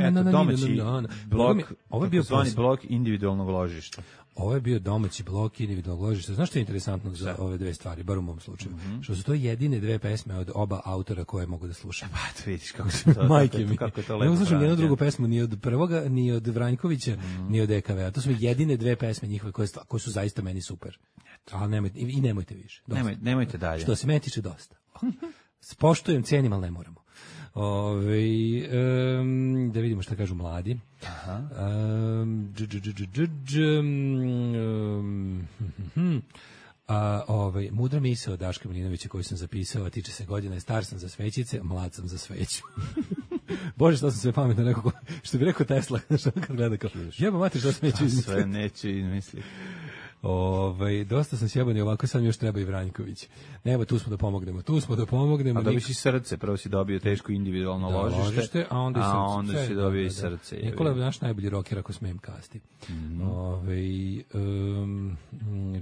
Eto, domaći blok, takozvani blok individualnog ložišta. Ovo je bio domaći blok individualnog ložišta. Znaš što je interesantno za ove dve stvari, bar u mom slučaju? Što su to jedine dve pesme od oba autora koje mogu da slušam. Pa, vidiš kako se to... Majke mi. Kako je to lepo. Ne slušam nijednu drugu pesmu, ni od prvoga, ni od Vranjkovića, ni od EKV-a. To su jedine dve pesme njihove koje su zaista meni super. Ali nemojte više. Nemojte dalje. Što se meni tiče dosta. Spoštujem, cenim, ali ne moramo. Da vidimo šta kažu mladi. Mudra misao od Daška Milinovića koju sam zapisao, tiče se godina, star sam za svećice, mlad sam za sveću. Bože, što sam sve pametno rekao, što bi rekao Tesla, što kad gleda kao, jeba mati, što sam neću izmisliti. Sve neću izmisliti. Dosta sam sjeban i ovako sad mi još treba i Vranjković. Nema, tu smo da pomognemo. A dobiš i srce, prvo si dobio teško individualno ložište, a onda si dobio i srce. Nikola je naš najbolji rocker, ako smijem kasti.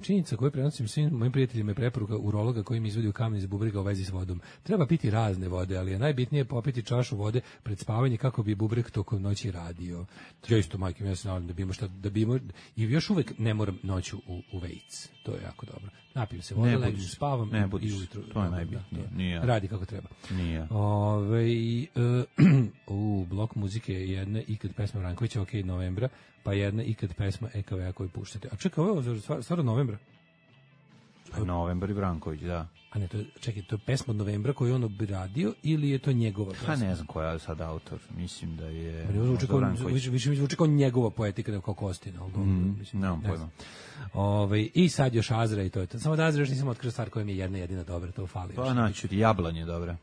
Činjenica koju prenosim svim mojim prijateljima je preporuka urologa koji mi izvodi u kamen iz bubrega u vezi s vodom. Treba piti razne vode, ali je najbitnije popiti čašu vode pred spavanje kako bi bubreg tokom noći radio. Ja isto, majke, ja se nadam da bi imao šta, i još uvek ne moram noću u vejc. To je jako dobro. Napijem se vode, legnem, spavam i ujutru. To je najbitnije. Radi kako treba. Nije. Blok muzike je jedna ikad pesma Vrankovića, ok, novembra, pa jedna ikad pesma EKV-a koju puštate. A čekaj, ovo je stvarno novembra? Novembar i Vranković, da. A ne, to je pesma od novembra koju on obradio ili je to njegova pesma? Pa ne znam koja je sad autor. Mislim da je više mi zvuči kao njegova poetika nego kao Kostina. Nemam pojma. I sad još Azra i to je to. Samo da Azra još nisam otkrio stvar koja mi je jedna jedina dobra, to fali. Pa naću, Jablan je dobra.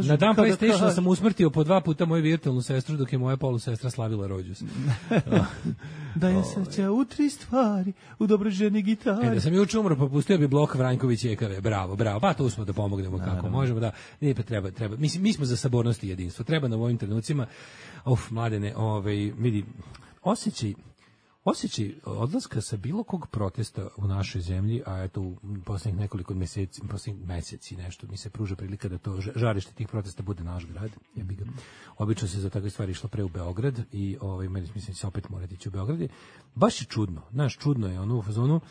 Na dan PlayStationa sam usmrtio po 2 puta moju virtualnu sestru dok je moja polusestra slavila rođus. Da je sreća u 3 stvari, u dobroj ženi gitari. Da sam juče umro, popustio bi blok Vranković i EKV. Bravo. Pa tu smo da pomognemo kako možemo. Da, nije pa treba. Mi smo za sabornost i jedinstvo. Treba na ovim trenucima, mladene, vidi, osjećaj odlaska sa bilo kog protesta u našoj zemlji, a eto u poslednjih nekoliko meseci nešto mi se pruža prilika da to žarište tih protesta bude naš grad. Obično se za takve stvari išlo pre u Beograd i mislim se opet morati ići u Beograd. Baš je čudno. Čudno je u fazonu.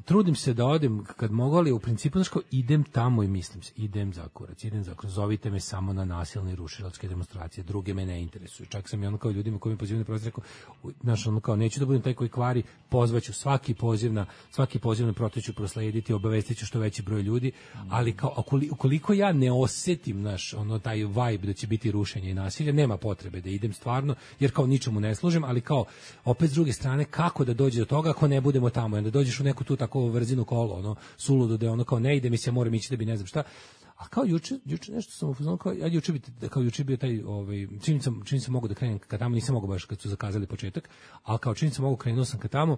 Trudim se da odem kad mogu, ali u principu idem tamo i mislim se, idem za kurac, zovite me samo na nasilne i rušilačke demonstracije, druge me ne interesuju. Čak sam i kao ljudima koji me pozivaju na protest rekao, neću da budem taj koji kvari, pozvaću svaki poziv na protest ću proslediti, obavestiću što veći broj ljudi, ali kao ukoliko ja ne osetim taj vibe da će biti rušenje i nasilje, nema potrebe da idem stvarno, jer kao ničemu ne služim, ali kao opet s druge strane kako da dođe do toga ako ne budemo tamo, onda dođeš u neku tu tako vrzinu kolo, suludo da ono kao ne ide mi se, moram ići da bi ne znam šta. A kao juče nešto sam ufuzno, juče bio taj, čini se mogu da krenem ka tamo, nisam mogu baš kad su zakazali početak, ali kao čini se mogu, krenuo sam ka tamo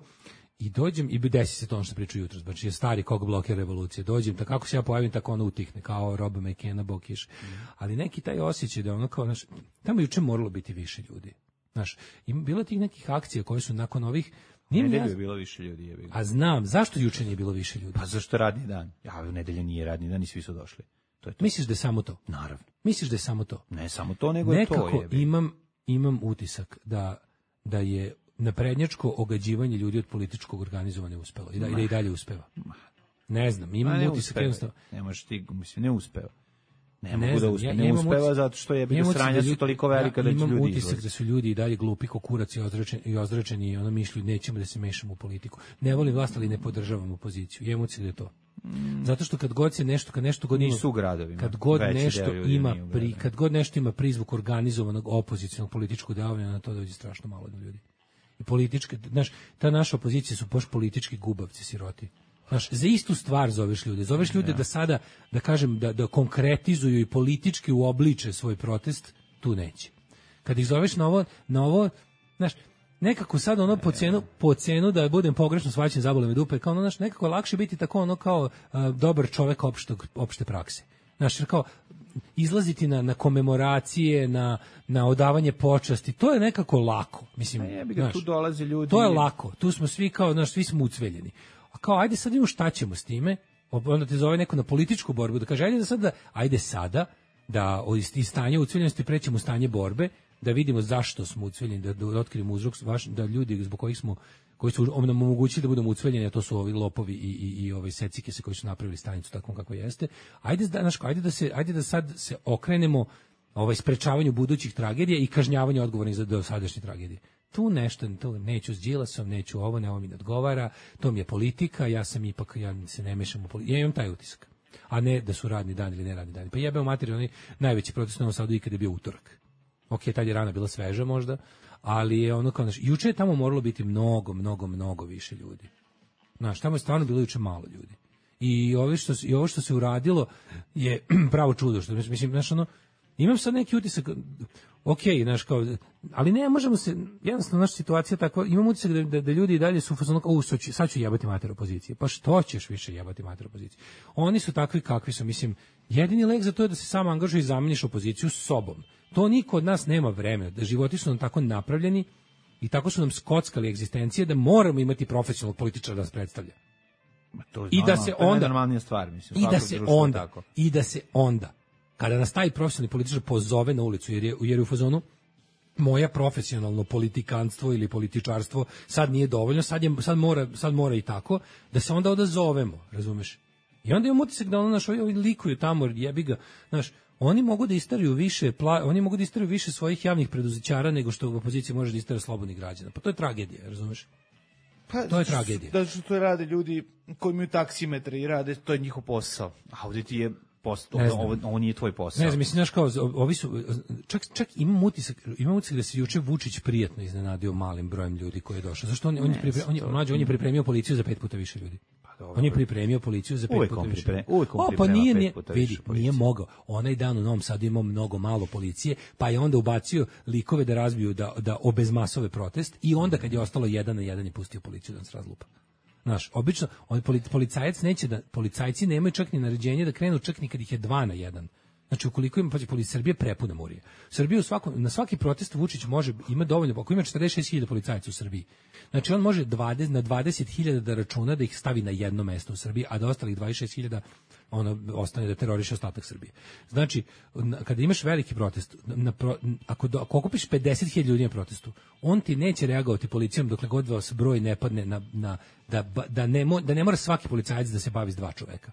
i dođem i desi se to ono što priču jutro, znači je stari kog blokira revolucije, dođem, tako kako se ja pojavim, tako ono utihne, kao Rob McKenna, Bokiš, ali neki taj osjećaj da ono kao, tamo juče moralo biti više ljudi, bilo tih nekih akcija koje su nakon ovih. Nedelju je bilo više ljudi. A znam, zašto juče nije bilo više ljudi? Pa zašto radni dan? Nedelja nije radni dan i svi su došli. To je to. Misliš da je samo to? Naravno. Misliš da je samo to? Ne samo to, nego je to. Nekako imam utisak da je naprednjačko ogađivanje ljudi od političkog organizovanja uspelo i da i dalje uspeva. Ne znam, imam utisak jednostavno. Ne možeš ti, ne uspeva. Ne uspeva zato što je sranja su toliko velika da će ljudi izlazi. Imam utisak da su ljudi i dalje glupi ko kurac i ozračeni i mišlju nećemo da se mešamo u politiku. Ne volim vlast, ali ne podržavam opoziciju. Imam utisak da je to. Zato što kad god nešto god nisu u gradovima. Kad god nešto ima prizvuk organizovanog opozicionog političkog delovanja, na to dođe strašno malo ljudi. I političke, ta naša opozicija su baš politički gubavci, siroti. Za istu stvar zoveš ljude da sada, da kažem, da konkretizuju i politički uobliče svoj protest, tu neće. Kad ih zoveš na ovo, nekako sad po cenu da budem pogrešno shvaćen, zabole me dupe, kao nekako lakše biti tako kao dobar čovek opšte prakse. Jer kao izlaziti na komemoracije, na odavanje počasti, to je nekako lako. Mislim, tu dolaze ljudi. To je lako, tu smo svi kao, svi smo ucveljeni. A kao, ajde sad vidimo šta ćemo s time, onda te zove neko na političku borbu, da kaže, ajde sada, da iz stanja ucveljenosti prećemo u stanje borbe, da vidimo zašto smo ucveljeni, da otkrijemo uzrok, da ljudi zbog koji su nam omogućili da budemo ucveljeni, a to su ovi lopovi i ove secike koji su napravili stanicu takvom kako jeste. Ajde da sad se okrenemo sprečavanju budućih tragedija i kažnjavanju odgovornih za dosadašnje tragedije. Tu nešto, neću s Đilasom, neću ovo mi ne odgovara, to mi je politika, ja se ne mešam u politiku, ja imam taj utisak, a ne da su radni dan ili ne radni dan. Pa jebeo materiju, oni najveći protest u Novom Sadu ikada je bio utorak. Ok, tad je rana bila sveža možda, ali je ono kao, juče je tamo moralo biti mnogo više ljudi. Tamo je stvarno bilo juče malo ljudi. I ovo što se uradilo je pravo čudo, što mislim, imam sad neki utisak, ali ne možemo se, jednostavno naša situacija takva, imam utisak da ljudi i dalje su sad ću jebati mater opozicije. Pa što ćeš više jebati mater opozicije? Oni su takvi kakvi su, mislim, jedini lek za to je da se samo angažuje i zameniš opoziciju s sobom. To niko od nas nema vremena, da životi su nam tako napravljeni i tako su nam skockali egzistencije da moramo imati profesionalnog političara da nas predstavlja. I da se onda kada nas taj profesionalni političar pozove na ulicu, jer je u fazonu, moja profesionalno politikanstvo ili političarstvo sad nije dovoljno, sad mora i tako, da se onda odazovemo, razumeš? I onda imam utisak da ovi likuju tamo, jebi ga, znaš, oni mogu da isteraju više svojih javnih preduzećara nego što opozicija može da istera slobodnih građana. Pa to je tragedija, razumeš? To je tragedija. Da što to rade ljudi koji imaju taksimetre i rade, to je njihov posao. A ovdje ti je ovo nije tvoj posao. Ne znam, mislim, znaš kao, ovi su, čak imam utisak da se juče Vučić prijatno iznenadio malim brojem ljudi koji je došao. Zašto on je pripremio policiju za 5 puta više ljudi. On je pripremio policiju za 5 puta više. Pa nije mogao. Onaj dan u Novom Sadu imao mnogo malo policije, pa je onda ubacio likove da razbiju, da obezmasove protest i onda kad je ostalo 1 na 1 je pustio policiju da nas razlupa. Znaš, obično policajac neće da, policajci nemaju čak ni naređenje da krenu čak ni kad ih je 2 na 1. Znači, ukoliko ima, Srbija prepuna murije. Srbija na svaki protest Vučić ima dovoljno, ako ima 46.000 policajaca u Srbiji, znači on može na 20.000 da računa da ih stavi na jedno mesto u Srbiji, a da ostalih 26.000 ostane da teroriše ostatak Srbije. Znači, kada imaš veliki protest, ako okupiš 50.000 ljudi na protestu, on ti neće reagovati policijom dokle god vas broj ne padne da ne mora svaki policajac da se bavi s 2 čoveka.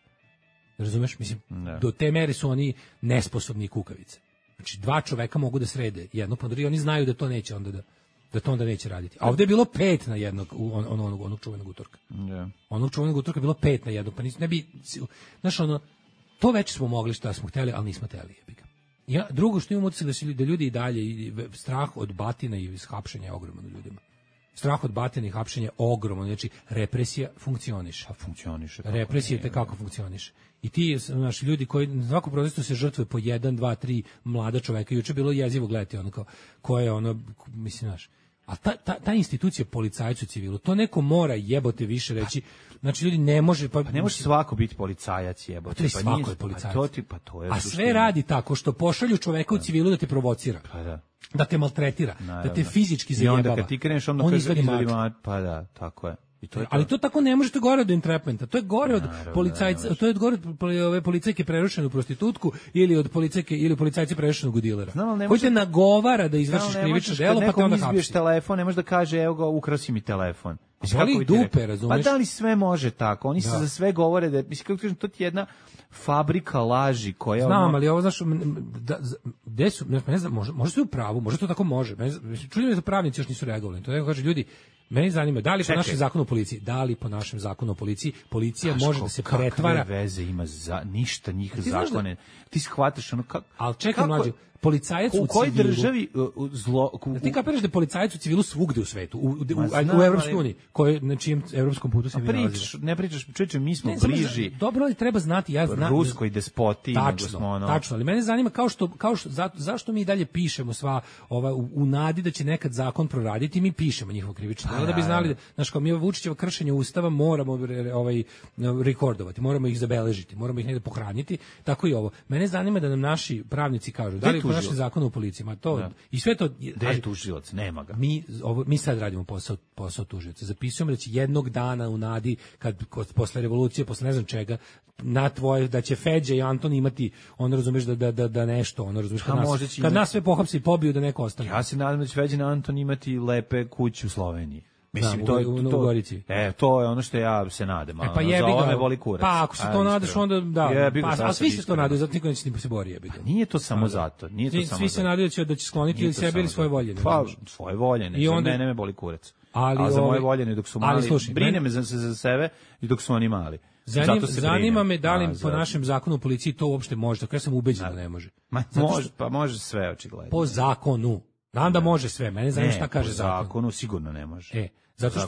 Razumeš? Mislim, do te mere su oni nesposobni kukavice. Znači, 2 čoveka mogu da srede jedno po drugo i oni znaju da to neće onda neće raditi. A ovdje je bilo 5 na jednog onog čuvenog utorka. Onog čuvenog utorka je bilo 5 na jednog, pa ne bi, znaš, to već smo mogli šta smo hteli, ali nismo hteli. Drugo što imamo utisak da ljudi i dalje, strah od batina i hapšenja je ogroman u ljudima. Strah od batina i hapšenja je ogroman, znači represija funkcioniše. Represija kako funkcioniše. I ti, znaš, ljudi koji na svakom protestu se žrtvuje po 1, 2, 3 mlada čoveka. Juče bilo jezivo gledati ko je mislim, znaš. A ta institucija policajcu civilu, to neko mora jebote više reći. Znači, ljudi ne može... Pa ne može svako biti policajac jebote. To je svako je policajac. A sve radi tako što pošalju čoveka u civilu da te provocira. Da te maltretira, da te fizički zajebava. I onda kad ti kreneš, onda kaže, pa da, tako je. Ali to tako ne može, to je gore od entrapmenta, to je gore od policajca, to je gore od ove policajke prerušene u prostitutku ili od policajke ili policajci prerušenog u dilera. Koji te nagovara da izvršiš krivično delo, pa te onda hapsi. Izbiješ telefon, ne možeš da kaže, evo ga, ukrao si mi telefon. Ali dupe, razumiješ? Pa da li sve može tako? Oni se za sve govore da, mislim, kako kažem, to ti je jedna fabrika laži koja... Znam, ali ovo, znaš, gde su, ne znam, može sve u pravu, može to tako može. Čudim me da pravnici još nisu reagovali. To je, kaže, ljudi, meni zanima, da li po našem zakonu o policiji, policija može da se pretvara... Kakve veze ima ništa njih zakone? Ti shvataš ono kako... Ali čekaj, mlađe, policajac u civilu... U kojoj državi zlo... Ti kapiraš da je policajac u civilu svugde u svetu, u Evropskoj uniji, na čijem evropskom putu se mi nalazimo. Ne pričaš, mi smo bliži... Dobro, ali treba znati, ja znam... Ruskoj despoti, nego smo ono... Tačno, ali mene zanima zašto mi dalje pišemo sva u nadi da će nekad zakon proraditi, mi pišemo njihovo krivično delo da bi znali, znaš, kao mi Vučićevo kršenje Ustava moramo rekordovati, moramo ih zabeležiti, moramo ih negde pohraniti, tako i ovo. Mene zanima da nam naši pravnici kažu, da li po našem zakonu o policiji, i sve to... Gde je tužilac? Nema ga. Mi sad radimo posao tužioca. Zapisujemo da će jednog dana u nadi, posle revolucije, posle ne znam čega, da će Feđa i Anton imati, ono razumeš da nešto, ono razumeš, kad nas sve pohapsi i pobiju da neko ostane. Ja se nadam da će Feđa i Anton imati lepe kuće u Sloveniji. Mislim, u Gorici. To je ono što ja se nadam. Pa jebi ga. Me boli kurac. Pa ako se to nadaš, onda da. A svi se to nadaju, zato niko neće ni se bori, jebi ga. Nije to samo zato. Svi se nadaju da će skloniti ili sebe ili svoje voljene. Pa, svoje voljene. Za mene me boli kurac. A za moje voljene dok su mali, brine me za sebe i dok su oni mali. Zanima me da li po našem zakonu o policiji to uopšte može, tako ja sam ubeđen da ne može. Pa može sve, očigledno. Po zakonu. Znam da može sve, mene zanima šta kaže zakon. Po zakonu sigurno ne može. Zato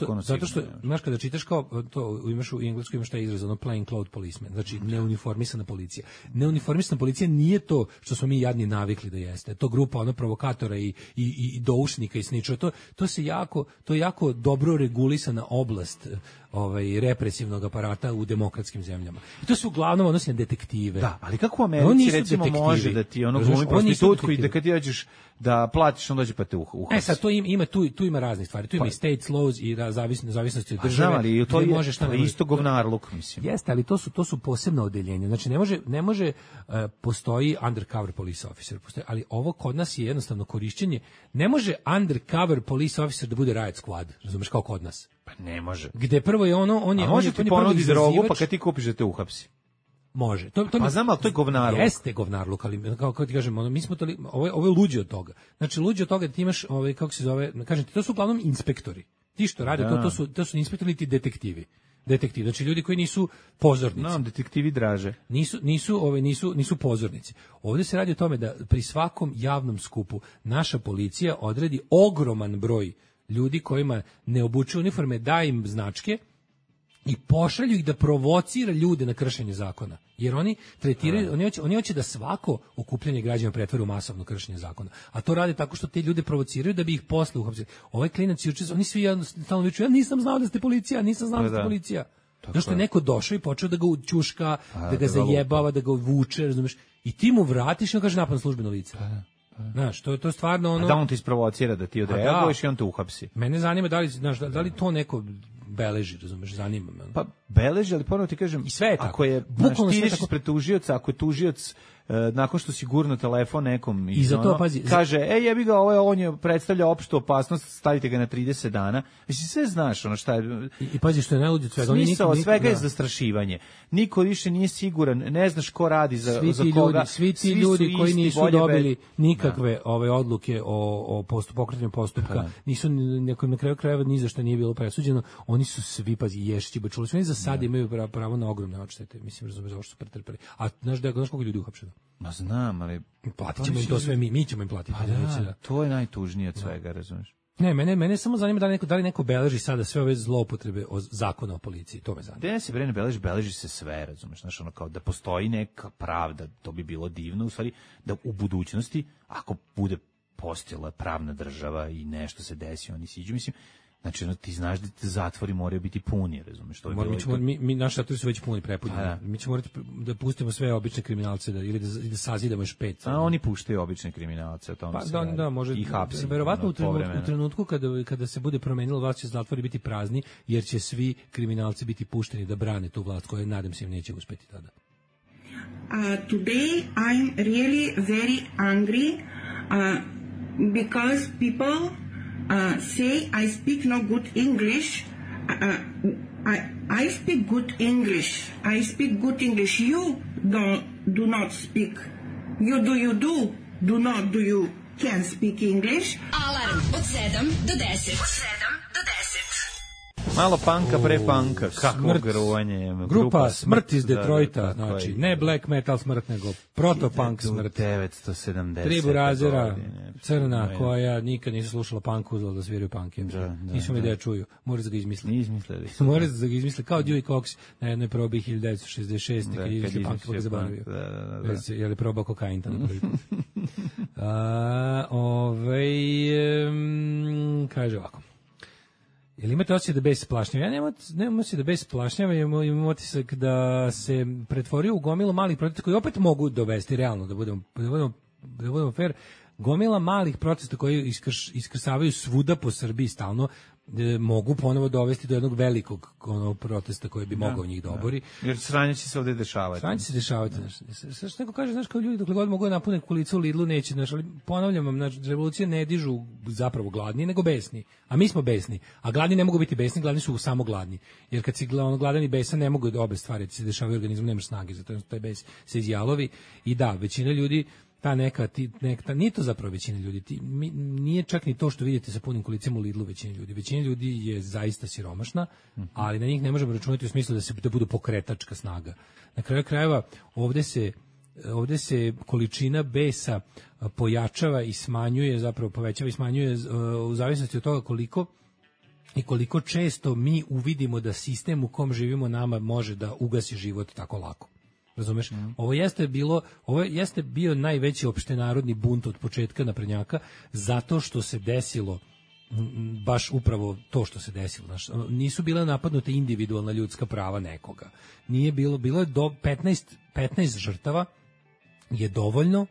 što, znaš, kada čitaš kao to, imaš u engleskom imaš taj izraz, plain clothes policeman, znači neuniformisana policija. Neuniformisana policija nije to što smo mi jadni navikli da jeste. To grupa provokatora i doušnika i sničara. To je jako dobro regulisana oblast represivnog aparata u demokratskim zemljama. I to se uglavnom odnosi na detektive. Da, ali kako u Americi recimo detektivi. može da ti glumi prostitutku i da kad ti dođeš da platiš, on dođe pa te uhapsi. Sad to ima tu ima raznih stvari. Tu ima i states laws i zavisnosti od države. Znam, ali to je isto govnarluk, mislim. Jeste, ali to su posebna odeljenja. Znači ne može postoji undercover police officer, ali ovo kod nas je jednostavno korišćenje. Ne može undercover police officer da bude riot squad, razumeš, kao kod nas. Pa ne može. Gde prvo je on je može ti ponudi drogu, pa kad ti kupiš da te uhapsi. Može. Pa znam, ali to je govnarluk. Jeste govnarluk, ali kako ti kažem, mi smo ovo je luđe od toga. Znači luđe od toga da ti imaš kako se zove, kažem ti, to su uglavnom inspektori. Ti što rade to su inspektori ti detektivi. Detektivi, znači ljudi koji nisu pozornici. No, detektivi draže. Nisu pozornici. Ovdje se radi o tome da pri svakom javnom skupu naša policija odredi ogroman broj ljudi kojima ne obučuju uniforme, da im značke i pošalju ih da provocira ljude na kršenje zakona. Jer oni tretiraju, oni hoće da svako okupljanje građana pretvore u masovno kršenje zakona. A to rade tako što te ljude provociraju da bi ih posle uhapsili. Ovaj klinac juče, oni svi stalno viču, ja nisam znao da ste policija, nisam znao da ste policija. Zašto je neko došao i počeo da ga ćuška, da ga zajebava, da ga vuče, razumeš? I ti mu vratiš i on kaže napad na službeno lice. Znaš, to je stvarno ono... A da on te isprovocira da ti odreaguješ i on te uhapsi. Mene zanima da li to neko beleži, razumeš, zanima me. Pa beleži, ali ponovno ti kažem, i sve je tako. Ako je, ti ideš ispred tužioca, ako je tužioc nakon što si gurno telefon nekom i za to, pazi, kaže, jebi ga, on je predstavlja opštu opasnost, stavite ga na 30 dana. Mislim, sve znaš, ono šta je... I pazi što je najluđe od svega. Smisao svega je zastrašivanje. Niko više nije siguran, ne znaš ko radi za koga. Svi ti ljudi koji nisu dobili nikakve odluke o pokretanju postupka, nisu na kraju krajeva ni za šta nije bilo presuđeno, oni su svi, pazi, Ješići, čuli su, oni za sad imaju pravo na ogromne odštete, mislim, razumeš, zašto su pretrpeli. A znaš koliko ljudi uhapšeno? Ma znam, ali... Platit ćemo im to sve, mi ćemo im platiti. To je najtužnije od svega, razumiješ? Ne, mene samo zanima da li neko beleži sada sve ove zloupotrebe zakona o policiji, to me zanima. Da se ne beleži se sve, razumiješ, znaš, ono kao da postoji neka pravda, to bi bilo divno, u stvari, da u budućnosti, ako bude postojala pravna država i nešto se desi, oni siđu, mislim, znači, ti znaš da te zatvori moraju biti puni, razumiješ? Naši zatvori su već puni, prepunjeni. Mi ćemo morati da pustimo sve obične kriminalce ili da sazidamo još 5. A oni puštaju obične kriminalce, o tome se radi. Da, može. I hapsi. Verovatno u trenutku kada se bude promenilo vlast, će zatvori biti prazni, jer će svi kriminalci biti pušteni da brane tu vlast, koja nadam se im neće uspeti tada. Today I'm really very angry because people say I speak no good English. I speak good English. I speak good English. You do not speak. You can speak English. Alarm od 7 do 10. Malo panka pre panka, kakvo gruvanje. Grupa Smrt iz Detroita, znači ne black metal smrt, nego protopunk smrt. 1970. Tribu razera, crna, koja nikad nisu slušala punk, uzela da sviraju punk. Nisu mi da čuju, moraju da ga izmisliti. Izmislili. Moraju da ga izmisliti, kao Dewey Cox na jednoj probi 1966. kad je izmislio punk, kako ga zabavio. Je li probao kokain tamo prvi put. Kaže ovako. Ili imate osjećaj da bes plašnjava? Ja nemam osjećaj da bes plašnjava, imam osjećaj da se pretvorio u gomilu malih protesta koji opet mogu dovesti realno, da budemo fair, gomila malih protesta koji iskrsavaju svuda po Srbiji stalno, mogu ponovo dovesti do jednog velikog protesta koji bi mogao njih da obori. Jer sranje će se ovdje dešavati. Sranje će se dešavati. Što neko kaže, znaš, kao ljudi dokle god mogu napune kulicu u Lidlu, neće, znaš, ali ponavljam vam, znači, revolucije ne dižu zapravo gladni, nego besni. A mi smo besni. A gladni ne mogu biti besni, gladni su samo gladni. Jer kad si gladan i besan, ne mogu obe stvari, ti se dešavaju organizmu, nemaš snage, zato taj bes se izjalovi. I da, većina ljudi, ta neka, nije to zapravo većina ljudi, nije čak ni to što vidite sa punim kolicima u Lidlu većina ljudi je zaista siromašna, ali na njih ne možemo računati u smislu da budu pokretačka snaga. Na kraju krajeva ovdje se količina besa pojačava i smanjuje, zapravo povećava i smanjuje u zavisnosti od toga koliko često mi uvidimo da sistem u kom živimo nama može da ugasi život tako lako. Razumeš? Ovo jeste bio najveći opštenarodni bunt od početka naprednjaka, zato što se desilo baš upravo to što se desilo. Nisu bile napadnute individualna ljudska prava nekoga. Nije bilo je do 15 žrtava je dovoljno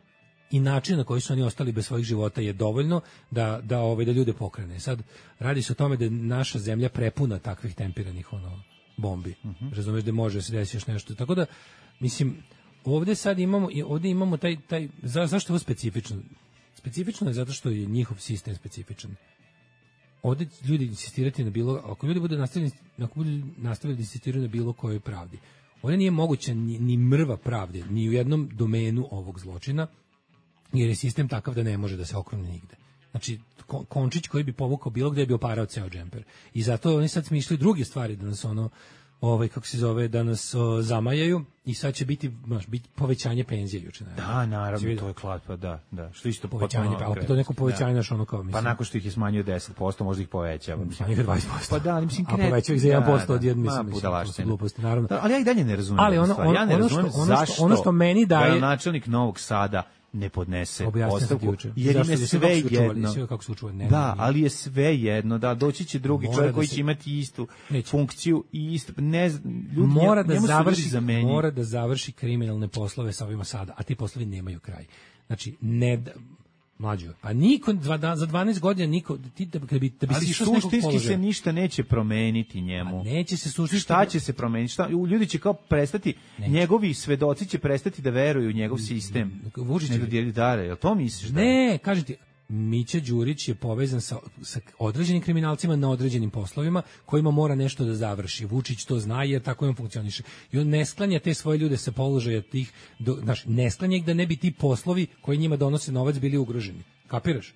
i način na koji su oni ostali bez svojih života je dovoljno da ljude pokrene. Sad radi se o tome da je naša zemlja prepuna takvih tempiranih bombi. Razumeš da može se desiti još nešto. Tako da mislim ovde imamo taj zašto je ovo specifično? Specifično je zato što je njihov sistem specifičan. Ovde ljudi insistirati na ako ljudi budu nastavili da insistiraju na bilo kojoj pravdi. Ovde nije moguće ni mrva pravde, ni u jednom domenu ovog zločina, jer je sistem takav da ne može da se okrene nigde. Znači, končić koji bi povukao bilo gde bi oparao ceo džemper. I zato oni sad smišljaju druge stvari da nas da nas zamajaju i sad će biti povećanje penzije juče. Da, naravno, to je klatpa, da. Što isto povećanje, pa opet to neko povećanje naš kao mislim. Pa nakon što ih je smanjio 10%, možda ih povećava. Smanjio 20%. Pa da, mislim a povećao ih za 1% od jedne, mislim, gluposti, naravno. Da, ali ja i dalje ne razumem. Ali ja ne razumem zašto što meni daje načelnik Novog Sada ne podnese ostavku, jer im je sve jedno. Da, ali je sve jedno, da, doći će drugi čovjek koji će imati istu funkciju i isto, mora da završi kriminalne poslove sa ovima sada, a ti poslovi nemaju kraj. Znači, mlađo, pa niko za 12 godina niko ali suštinski se ništa neće promeniti njemu. A neće se suštinski. Šta će se promeniti? Ljudi će kao prestati, njegovi svedoci će prestati da veruju u njegov sistem. Jel to misliš? Ne, kažem ti, Mića Đurić je povezan sa određenim kriminalcima na određenim poslovima kojima mora nešto da završi. Vučić to zna jer tako on funkcioniše. I on ne sklanja te svoje ljude sa položaja tih, ne sklanja ih da ne bi ti poslovi koji njima donose novac bili ugroženi. Kapiraš?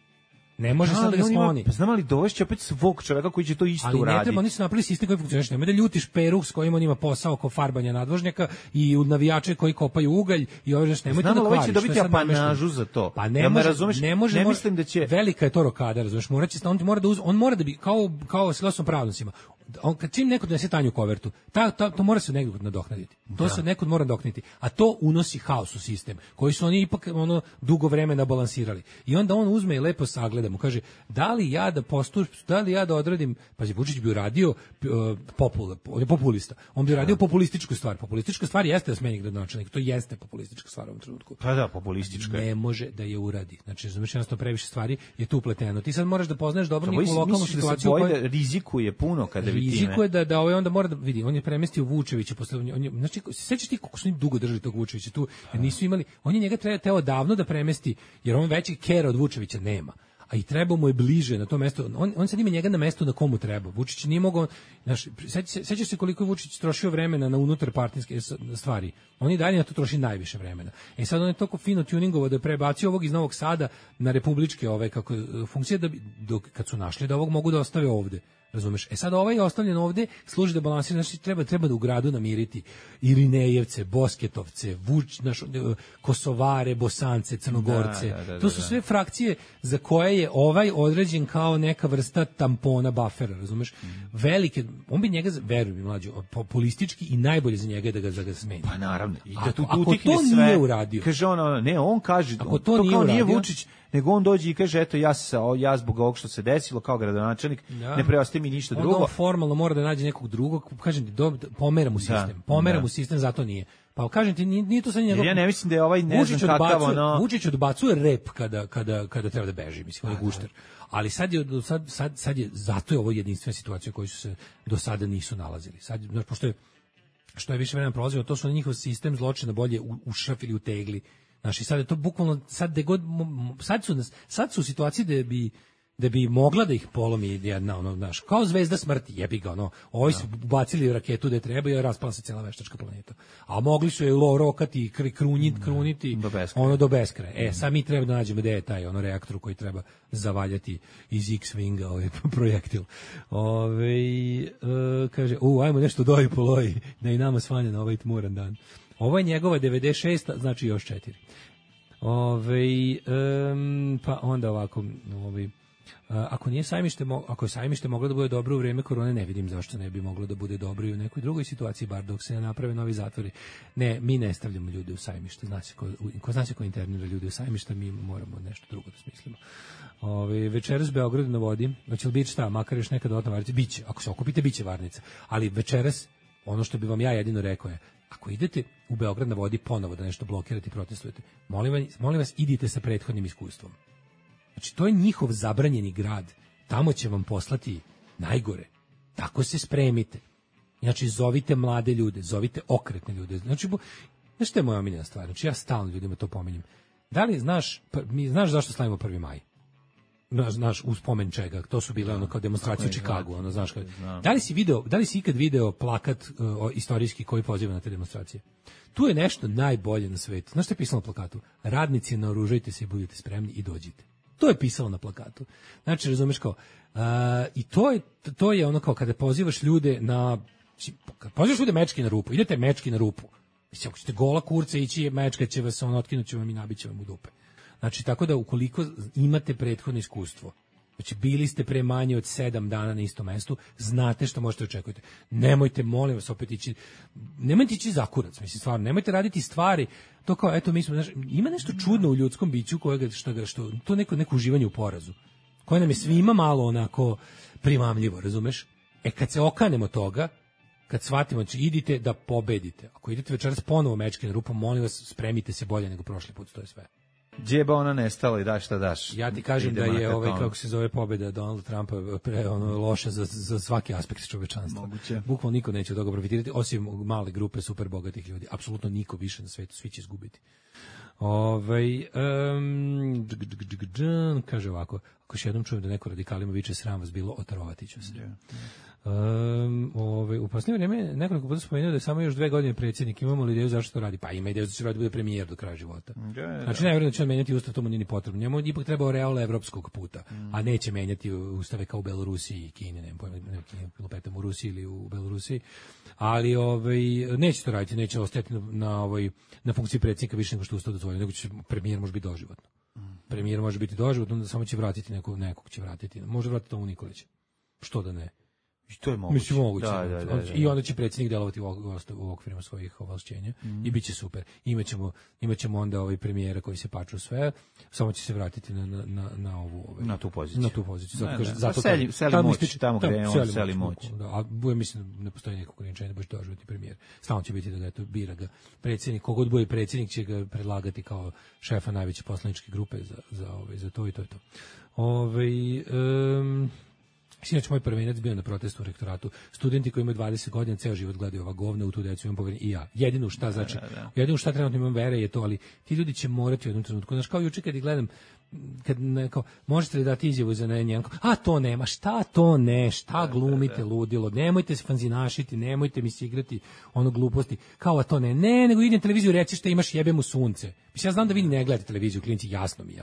Ne može sad da ga skloni. Znam li dovešće opet svog čoveka koji će to isto uraditi. Ali ne treba, oni su napravili sistem koji funkcioniše. Nemoj da ljutiš Peru s kojim on ima posao oko farbanja nadvožnjaka i navijače koji kopaju ugalj i ove nešto. Nemoj to da kvariš. Znam li će dobiti apanažu za to. Pa ne mislim da će... Velika je to rokada, razumiješ. On mora da bi, kao s pravnicima, kad čim neko donese tanju kovertu, to mora se nekog nadoknaditi. To se nekog mora nadoknaditi. A to unosi haos u sistem, koji su oni ipak dugo vremena balansirali. I onda on uzme i lepo sagleda mu, kaže, da li ja da odredim, pazi, Vučić bi uradio on je populista. On bi uradio populističku stvar. Populistička stvar jeste da smeni gradonačelnik. To jeste populistička stvar u ovom trenutku. Pa da, populistička. Ne može da je uradi. Znači, jednostavno previše stvari je tu upleteno. Ti sad moraš da poznaš dobro njihovu lokalnu situaciju. Rizikuje puno kada rizikuje da onda mora da vidi, on je premestio Vučevića posle, znači sećaš ti kako su oni dugo držali tog Vučevića tu, jer nisu imali, on je njega teo davno da premesti, jer on veći kera od Vučevića nema. A i treba mu je bliže na to mesto. On sad ima njega na mestu na komu treba. Vučić nije mogao, znaš, sećaš se koliko je Vučić trošio vremena na unutar partijske stvari. On i dalje na to troši najviše vremena. Sad on je toliko fino tuningovao da je prebacio ovog iz Novog Sada na republičke funkcije kad su našli da ovog mogu da ostave ovde. Razumeš? Sad ovaj je ostavljen ovde, služi da balansira, znači treba da u gradu namiriti Irinejevce, Bosketovce, Kosovare, Bosance, Crnogorce. To su sve frakcije za koje je ovaj određen kao neka vrsta tampona, buffera, razumeš? Velike, on bi njega, veruj mi mlađo, populistički i najbolje za njega je da ga smeni. Pa naravno. I da ako to nije uradio. Kaže on kaže, ako to kao nije Vučić, nego on dođe i kaže, eto, ja zbog ovog što se desilo kao gradonačelnik, ne preostaje mi ništa drugo. On formalno mora da nađe nekog drugog, kažem ti, pomera mu sistem. Pomera mu sistem, zato nije. Pa kažem ti, nije to sad njegov... Ja ne mislim da je ovaj ne znam kakav Vučić odbacuje rep kada treba da beži, mislim, on je gušter. Ali sad je, zato je ovo jedinstvena situacija u kojoj su se do sada nisu nalazili. Sad, pošto je, što je više vremena prolazilo, to su njihov sistem zločina bolje ušrafili u tegli. Znači, sad je to bukvalno, sad su u situaciji da bi mogla da ih polomi jedna, kao zvezda smrti, jebi ga, ovi su bacili raketu da treba i raspala se cijela veštačka planeta. A mogli su je rokati, kruniti, do beskraja. Sad mi treba da nađemo gde je taj reaktor koji treba zavaljati iz X-Winga, projektil. Kaže, ajmo nešto doji poloji, da i nama svanja na ovaj tmuran dan. Ovo je njegova 96, znači još 4. Pa onda ovako, Ako nije sajmište, ako je sajmište moglo da bude dobro u vreme korone, ne vidim zašto ne bi moglo da bude dobro i u nekoj drugoj situaciji, bar dok se ne naprave novi zatvori. Ne, mi ne stavljamo ljude u sajmište. Zna se ko internira ljude u sajmište, mi moramo nešto drugo da smislimo. Večeras Beograd na vodi, hoće li biti šta, makar još nekad dodatna varnica? Biće, ako se okupite, biće varnica. Ali večeras, ono što bi vam ja jedino rekao je, ako idete u Beograd na vodi ponovo da nešto blokirate i protestujete, molim vas, idite sa prethodnim iskustvom. Znači, to je njihov zabranjeni grad. Tamo će vam poslati najgore. Tako se spremite. Znači, zovite mlade ljude, zovite okretne ljude. Znači, znaš što je moja omiljena stvar? Znači, ja stalno ljudima to pominjem. Da li znaš zašto slavimo 1. maj? Znaš, u spomen čega? To su bile ono kao demonstracije u Čikagu. Ono, znaš, da li si ikad video plakat istorijski koji poziva na te demonstracije? Tu je nešto najbolje na svetu. Znaš što je pisalo na plakatu? Radnici, naoružajte se, budite spremni i dođite. To je pisalo na plakatu. Znači, razumeš kao, i to je ono kao kada pozivaš ljude kad pozivaš ljude mečki na rupu, idete mečki na rupu. Mislim, ako ćete gola kurca ići, mečka će vas, otkinut će vam i nabit će vam u dupe. Znači, tako da ukoliko imate prethodno iskustvo, znači bili ste pre manje od 7 dana na istom mestu, znate što možete očekujete. Nemojte, molim vas, opet nemojte ići za kurac, mislim, stvarno, nemojte raditi stvari, to kao, eto, mi smo, znači, ima nešto čudno u ljudskom biću to neko uživanje u porazu, koje nam je svima malo onako primamljivo, razumeš? Kad se okanemo toga, kad shvatimo, znači, idite da pobedite. Ako idete večeras ponovo mečke na rupu, molim vas, spremite se bolje nego prošli put, to je sve. Džeba ona nestala i daš šta daš. Ja ti kažem da je kako se zove pobeda Donalda Trumpa loša za svaki aspekt čovečanstva. Moguće. Bukvalno niko neće od toga profitirati, osim male grupe super bogatih ljudi. Apsolutno niko više na svetu, svi će izgubiti. Kaže ovako, ako još jednom čujem da neko radikalima viče sram vas bilo, otrovati ću se. U posljednje vrijeme nekoliko puta spomenuo da je samo još 2 godine predsjednik. Imamo li ideju zašto to radi? Pa ima ideju da će radi bude premijer do kraja života. Znači, najvjerojatno da će on menjati ustav, to mu nije ni potrebno. Njemu ipak treba real evropskog puta, a neće menjati ustave kao u Belorusiji i Kini, ne u Rusiji ili u Belorusiji. Ali neće to raditi, neće ostati na funkciji predsjednika više nego što ustav dozvoljeno, nego će premijer može biti doživotno. Premijer može biti doživotno, onda samo će vratiti nekog će vratiti. Može vratiti Tomu Nikolića. Što da ne? I to je moguće. Mislim, moguće. Da. I onda će predsjednik delovati u okvirima svojih ovlašćenja i bit će super. Imaćemo onda premijera koji se paču sve, samo će se vratiti na ovu na tu poziciju. Na tu poziciju. Zato seli moć tamo gde on seli moć. A mislim ne postoji neko ograničenje da baš doživotni premijer. Stalno će biti da bira ga predsjednik, kogod bude predsjednik će ga predlagati kao šefa najveće poslaničke grupe za to i to je to. Sinoć moj prvenac bio na protestu u rektoratu. Studenti koji imaju 20 godina ceo život gledaju ova govna, u tu decu imam poverenje i ja. Jedino šta trenutno imam vere je to, ali ti ljudi će morati u jednom trenutku. Znaš, kao juče kad ih gledam, možete li dati izjavu za njenko? To nema, šta glumite ludilo, nemojte se fanzinašiti, nemojte mi se igrati gluposti, kao to ne, nego idem televiziju reći šta imaš, jebe mu sunce. Mislim, ja znam da vi ne gledate televiziju, klinci, jasno mi je,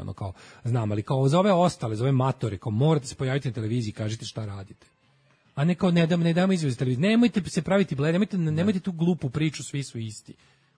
znam, ali kao za ove ostale, za ove matore, kao morate se pojaviti na televiziji i kažete šta radite. A ne kao ne damo izjavu za televiziju, nemojte se praviti bled, nemojte tu glupu priču, svi su isti.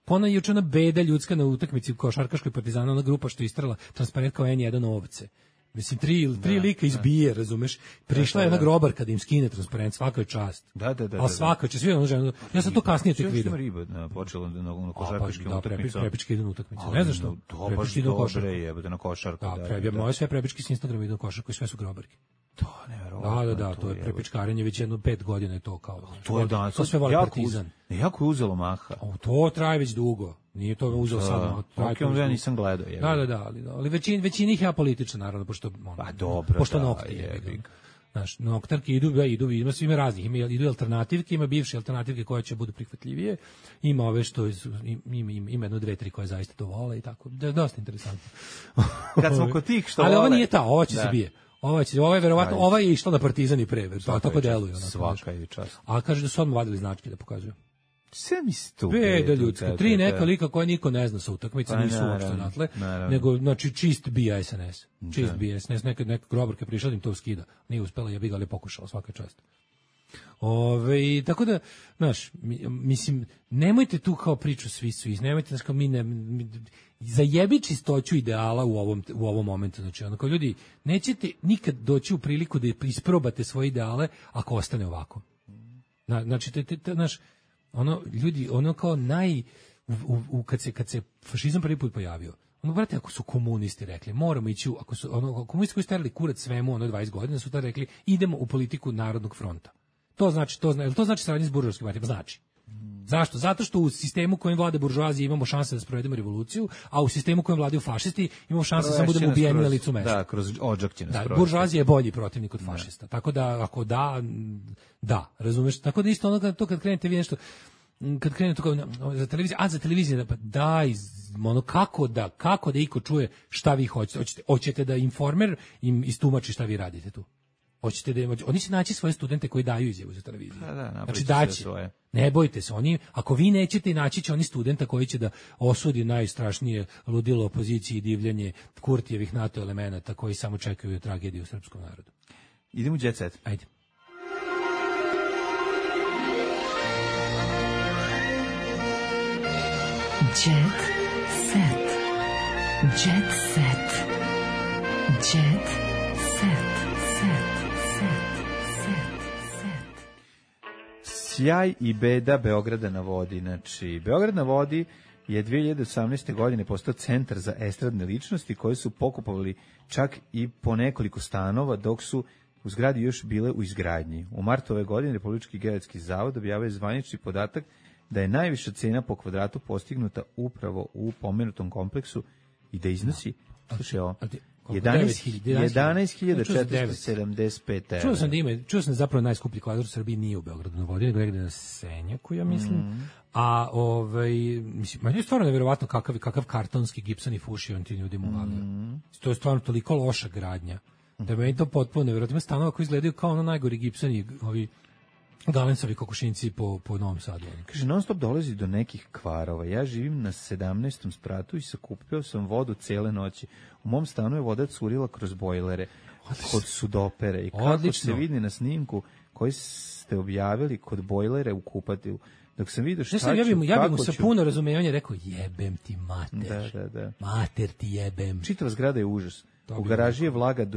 Ona juče ona beda ljudska na utakmici u košarkaškoj Partizana, ona grupa što je istrala transparent kao N1 ovce. Mislim, tri lika izbije, razumeš? Prišla je jedna grobarka da im skine transparent, svaka je čast. Da. Ali svaka će, svi ono žena. Ja sam to kasnije tek vidio. Sve riba počela na košarkaškim utakmicama. Prepički idu na utakmice. Ne znaš što? Prepički idu na košarku. Jebote, na košarku. Moje sve prepički s Instagrama idu na košarku i sve su grobarke. To neverovatno. Da, to je prepičkarenje već jedno 5 godina je to kao. To je danas. To sve voli Partizan. Jako je uzelo maha. To traje već dugo. Nije to uzelo sad. Ja nisam gledao. Ali većina ih je apolitična, naravno, pošto nokti je. Znaš, noktarke idu, ima svima raznih, idu alternativke, ima bivše alternativke koje će budu prihvatljivije, ima ove što ima 1, 2, 3 koje zaista to vole i tako. Dosta interesantno. Kad smo kod tih što ali ova nije ta, ova će se bije. Ova je verovatno, ova je išla na Partizan i prever, tako deluje. Svaka je čast. A kaže da su odmah vadili značke da pokazuju. Sve mi stu. Beda ljudska. 3 neka lika koje niko ne zna sa utakmice, nisu uopšte natle, nego, znači, čist bija SNS. Čist bija SNS. Neka grobarka prišla da im to skida. Nije uspela, ja bi ga ali pokušala, svaka čast. Tako da, znaš, mislim, nemojte tu kao priču svi, nemojte, znaš, kao zajebi čistoću ideala u ovom momentu, znači, ono, kao ljudi, nećete nikad doći u priliku da isprobate svoje ideale ako ostane ovako. Znači, znaš, ono, ljudi, ono kao kad se fašizam prvi put pojavio, ono, brate, ako su komunisti rekli, moramo ići, ako su, ono, komunisti koji stavili kurac svemu, 20 godina, su tada rekli, idemo u politiku Narodnog fronta. To znači saradnje s buržoaskim partijama? Znači. Zašto? Zato što u sistemu kojim vlade buržoazije imamo šanse da sprovedemo revoluciju, a u sistemu kojim vladaju fašisti imamo šanse da samo budemo ubijeni na licu mesta. Da, kroz odžak će nas provesti. Buržoazija je bolji protivnik od fašista. Tako da, ako da, razumeš? Tako da isto ono kad krenete vi nešto, kad krenete kao za televiziju, pa daj, ono, kako da iko čuje šta vi hoćete. Hoćete da Informer im istumači šta vi radite tu. Oni će naći svoje studente koji daju izjavu za televiziju. Znači daće. Ne bojte se, ako vi nećete, naći će oni studenta koji će da osudi najstrašnije ludilo opoziciji i divljanje Kurtijevih NATO elemenata koji samo čekaju tragediju u srpskom narodu. Idemo u Jet Set. Ajde. Jet Set. Jet Set. Jet Set. Sjaj i beda Beograda na vodi. Znači, Beograd na vodi je 2018. godine postao centar za estradne ličnosti koje su pokupovali čak i po nekoliko stanova dok su u zgradi još bile u izgradnji. U martu ove godine Republički geodetski zavod objavio zvanični podatak da je najviša cena po kvadratu postignuta upravo u pomenutom kompleksu i da iznosi, slušaj ovo, 11.475 €. Čuo sam zapravo najskuplji kvadrat u Srbiji nije u Beogradu na vodi, nego negde na Senjaku, ja mislim. A mislim, meni je stvarno neverovatno kakav kartonski gipsan i fuši on ti ljudima uvalio. To je stvarno toliko loša gradnja. Da meni to potpuno neverovatno. Ima stanova koji izgledaju kao ono najgori gipsani, ovi galencovi kokošinci po Novom Sadu. Kaže, non stop dolazi do nekih kvarova. Ja živim na 17. spratu i sakupio sam vodu cele noći. U mom stanu je voda curila kroz bojlere, kod sudopere. I kako se vidi na snimku koji ste objavili kod bojlere u kupatilu. Dok sam vidio šta ću, ja bi mu sa puno razumevanja rekao, jebem ti mater. Da. Mater ti jebem. Čitava zgrada je užas. U garaži je vlaga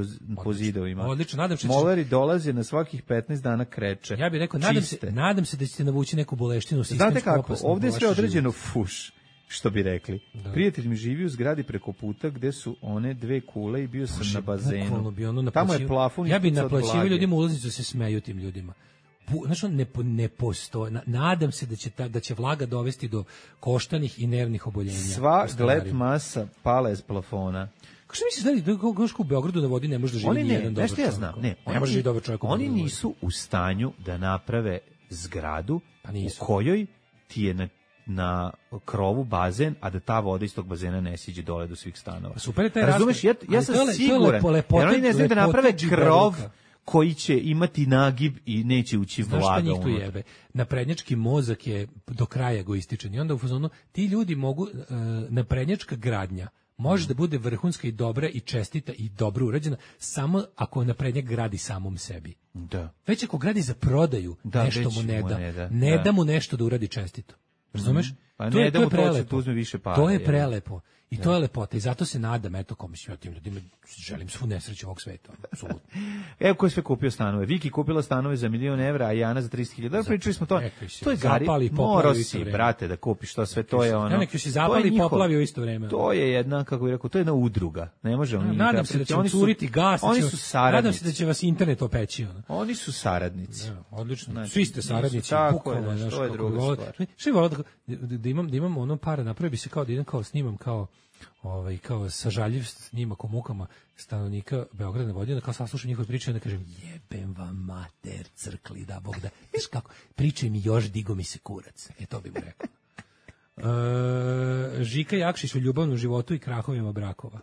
po zidovima. Odlično, nadam se. Moleri dolaze na svakih 15 dana kreče. Ja bih rekao, nadam se da ćete navući neku boleštinu. Znate kako, ovdje je sve određeno fuš, što bi rekli. Da. Prijatelj mi živi u zgradi preko puta gde su one dve kule i bio sam na bazenu. Tamo je plafon. Ja bih naplaćivao ljudima ulaznicu, se smeju tim ljudima. Znaš, ne postoje. Nadam se da će vlaga dovesti do koštanih i nervnih oboljenja. Sva gled masa pala iz plafona. Kako što misliš da u Beogradu na vodi ne može da živi nijedan dobar čovjek? Ja znam, ne može živi dobar čovjek. Oni nisu u stanju da naprave zgradu u kojoj ti je na krovu bazen, a da ta voda iz tog bazena ne siđe dole do svih stanova. Super je taj razumeš, ja sam siguran, jer oni ne znaju da naprave krov koji će imati nagib i neće ući vlaga. Znaš šta njih tu jebe? Naprednjački mozak je do kraja egoističan i onda u fazonu ti ljudi mogu, naprednjačka gradnja može da bude vrhunska i dobra i čestita i dobro urađena samo ako naprednjak gradi samom sebi. Da. Već ako gradi za prodaju, nešto mu ne da mu nešto da uradi čestito. Razumeš? Pa to je prelepo. Uzme više para. To je prelepo. I to je lepota i zato se nadam, eto, komisiju, ja tim ljudima želim svu nesreću ovog sveta. Evo ko je sve kupio stanove. Viki kupila stanove za €1.000.000, a Jana za 30.000. Pričali smo to. To je Gari. Morao si, brate, da kupiš to sve. To je ono. Ja neki si zapali i poplavi u isto vreme. To je jedna, kako bih rekao, to je jedna udruga. Ne može oni. Nadam se da će oni curiti gas. Oni su saradnici. Nadam se da će vas internet opeći. Oni su saradnici. Odlično. Svi ste saradnici. Bukvalno, to je druga stvar. Što je volao da imam ono para, napravi bi se kao da idem kao snimam kao sažaljiv snimak o mukama stanovnika Beograda na vodi, onda kao saslušam njihove priče i onda kažem jebem vam mater crkli da Bog da. Viš kako, pričaj mi još, digo mi se kurac. To bi mu rekao. Žika Jakšić u ljubavnom životu i krahovima brakova.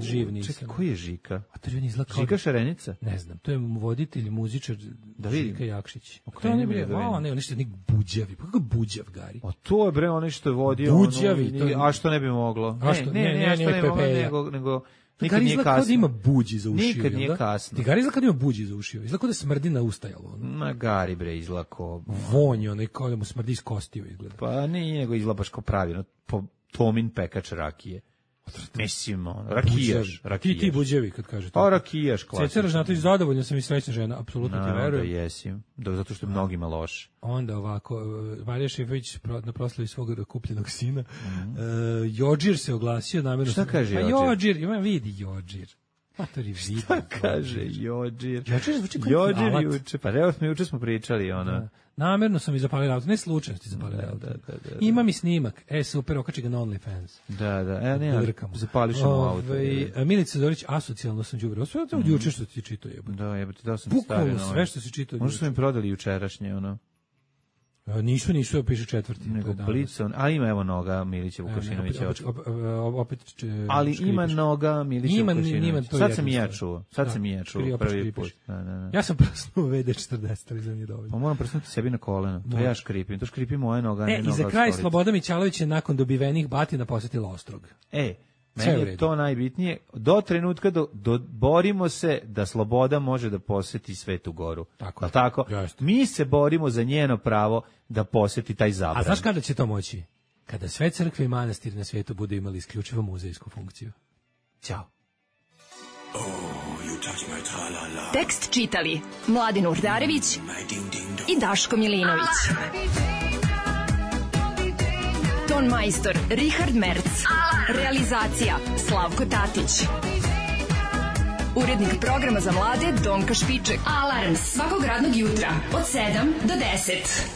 Živ nisam. Čekaj, koji je Žika? Žika Šarenica? Ne znam, to je voditelj, muzičar Žika Jakšić. To je nešto nek buđavi. Pa kako buđav, Gari? A to je bre onaj što je vodio. Buđavi. A što ne bi moglo? Ne, što ne bi moglo, nego Nikad nije kasno. Kao da ima buđi za ušiju. Nikad nije kasno. Tigari izgleda kao da ima buđi za ušiju. Izgleda kao da smrdi na ustajalo. Ma Gari bre izlako. Vonj, onaj kao da mu smrdi iz kostiju izgleda. Pa nije, nego izgleda baš kao pravilno. Tomin pekač rakije. Mislim, rakijaš. Ti buđevi kad kažete. A rakijaš, klasično. Ceca Ražnatović, zadovoljna sam i srećna žena, apsolutno ti verujem. Da jesim, zato što je mnogima loše. Onda ovako, Marija Šifović na proslavi svog kupljenog sina, Jođir se oglasio namjerno. Šta kaže Jođir? Jođir, ima vidi Jođir. Šta kaže Jođir? Jođir zvuči kao Jođir juče, pa evo smo juče pričali ono. Namerno sam i zapalio auto, ne slučajno ti zapalio auto. Imam i snimak, super, okači ga na OnlyFans. Da, ne, zapališ mu auto. Milica Zorić, asocijalno sam đubre. Sve to juče što ti čitao jebote. Da, jebote, dao sam bukvalno sve što si čitao. Možda su mi prodali jučerašnje, ono. Nisu, piše 4. Nego Blicon, a ima evo noga Milića Vukašinovića. Opet ali ima noga Milića Vukašinovića. Sad sam i ja čuo. Prvi put. Ja sam prsnuo VD40, ali za nije dovoljno. Pa moram prsnuti sebi na koleno. To ja škripim. To škripi moja noga. I za kraj Sloboda Mićalović je nakon dobivenih batina posetila Ostrog. Meni je to najbitnije. Do trenutka borimo se da Sloboda može da poseti Svetu Goru. Tako? Mi se borimo za njeno pravo da poseti taj zabran. A znaš kada će to moći? Kada sve crkve i manastiri na svijetu budu imali isključivo muzejsku funkciju. Ćao. Tekst čitali Mladin Urdarević i Daško Milinović. Ton majstor Richard Merc. Realizacija Slavko Tatić. Urednik programa za mlade Donka Špiček. Alarms svakog radnog jutra od 7 do 10.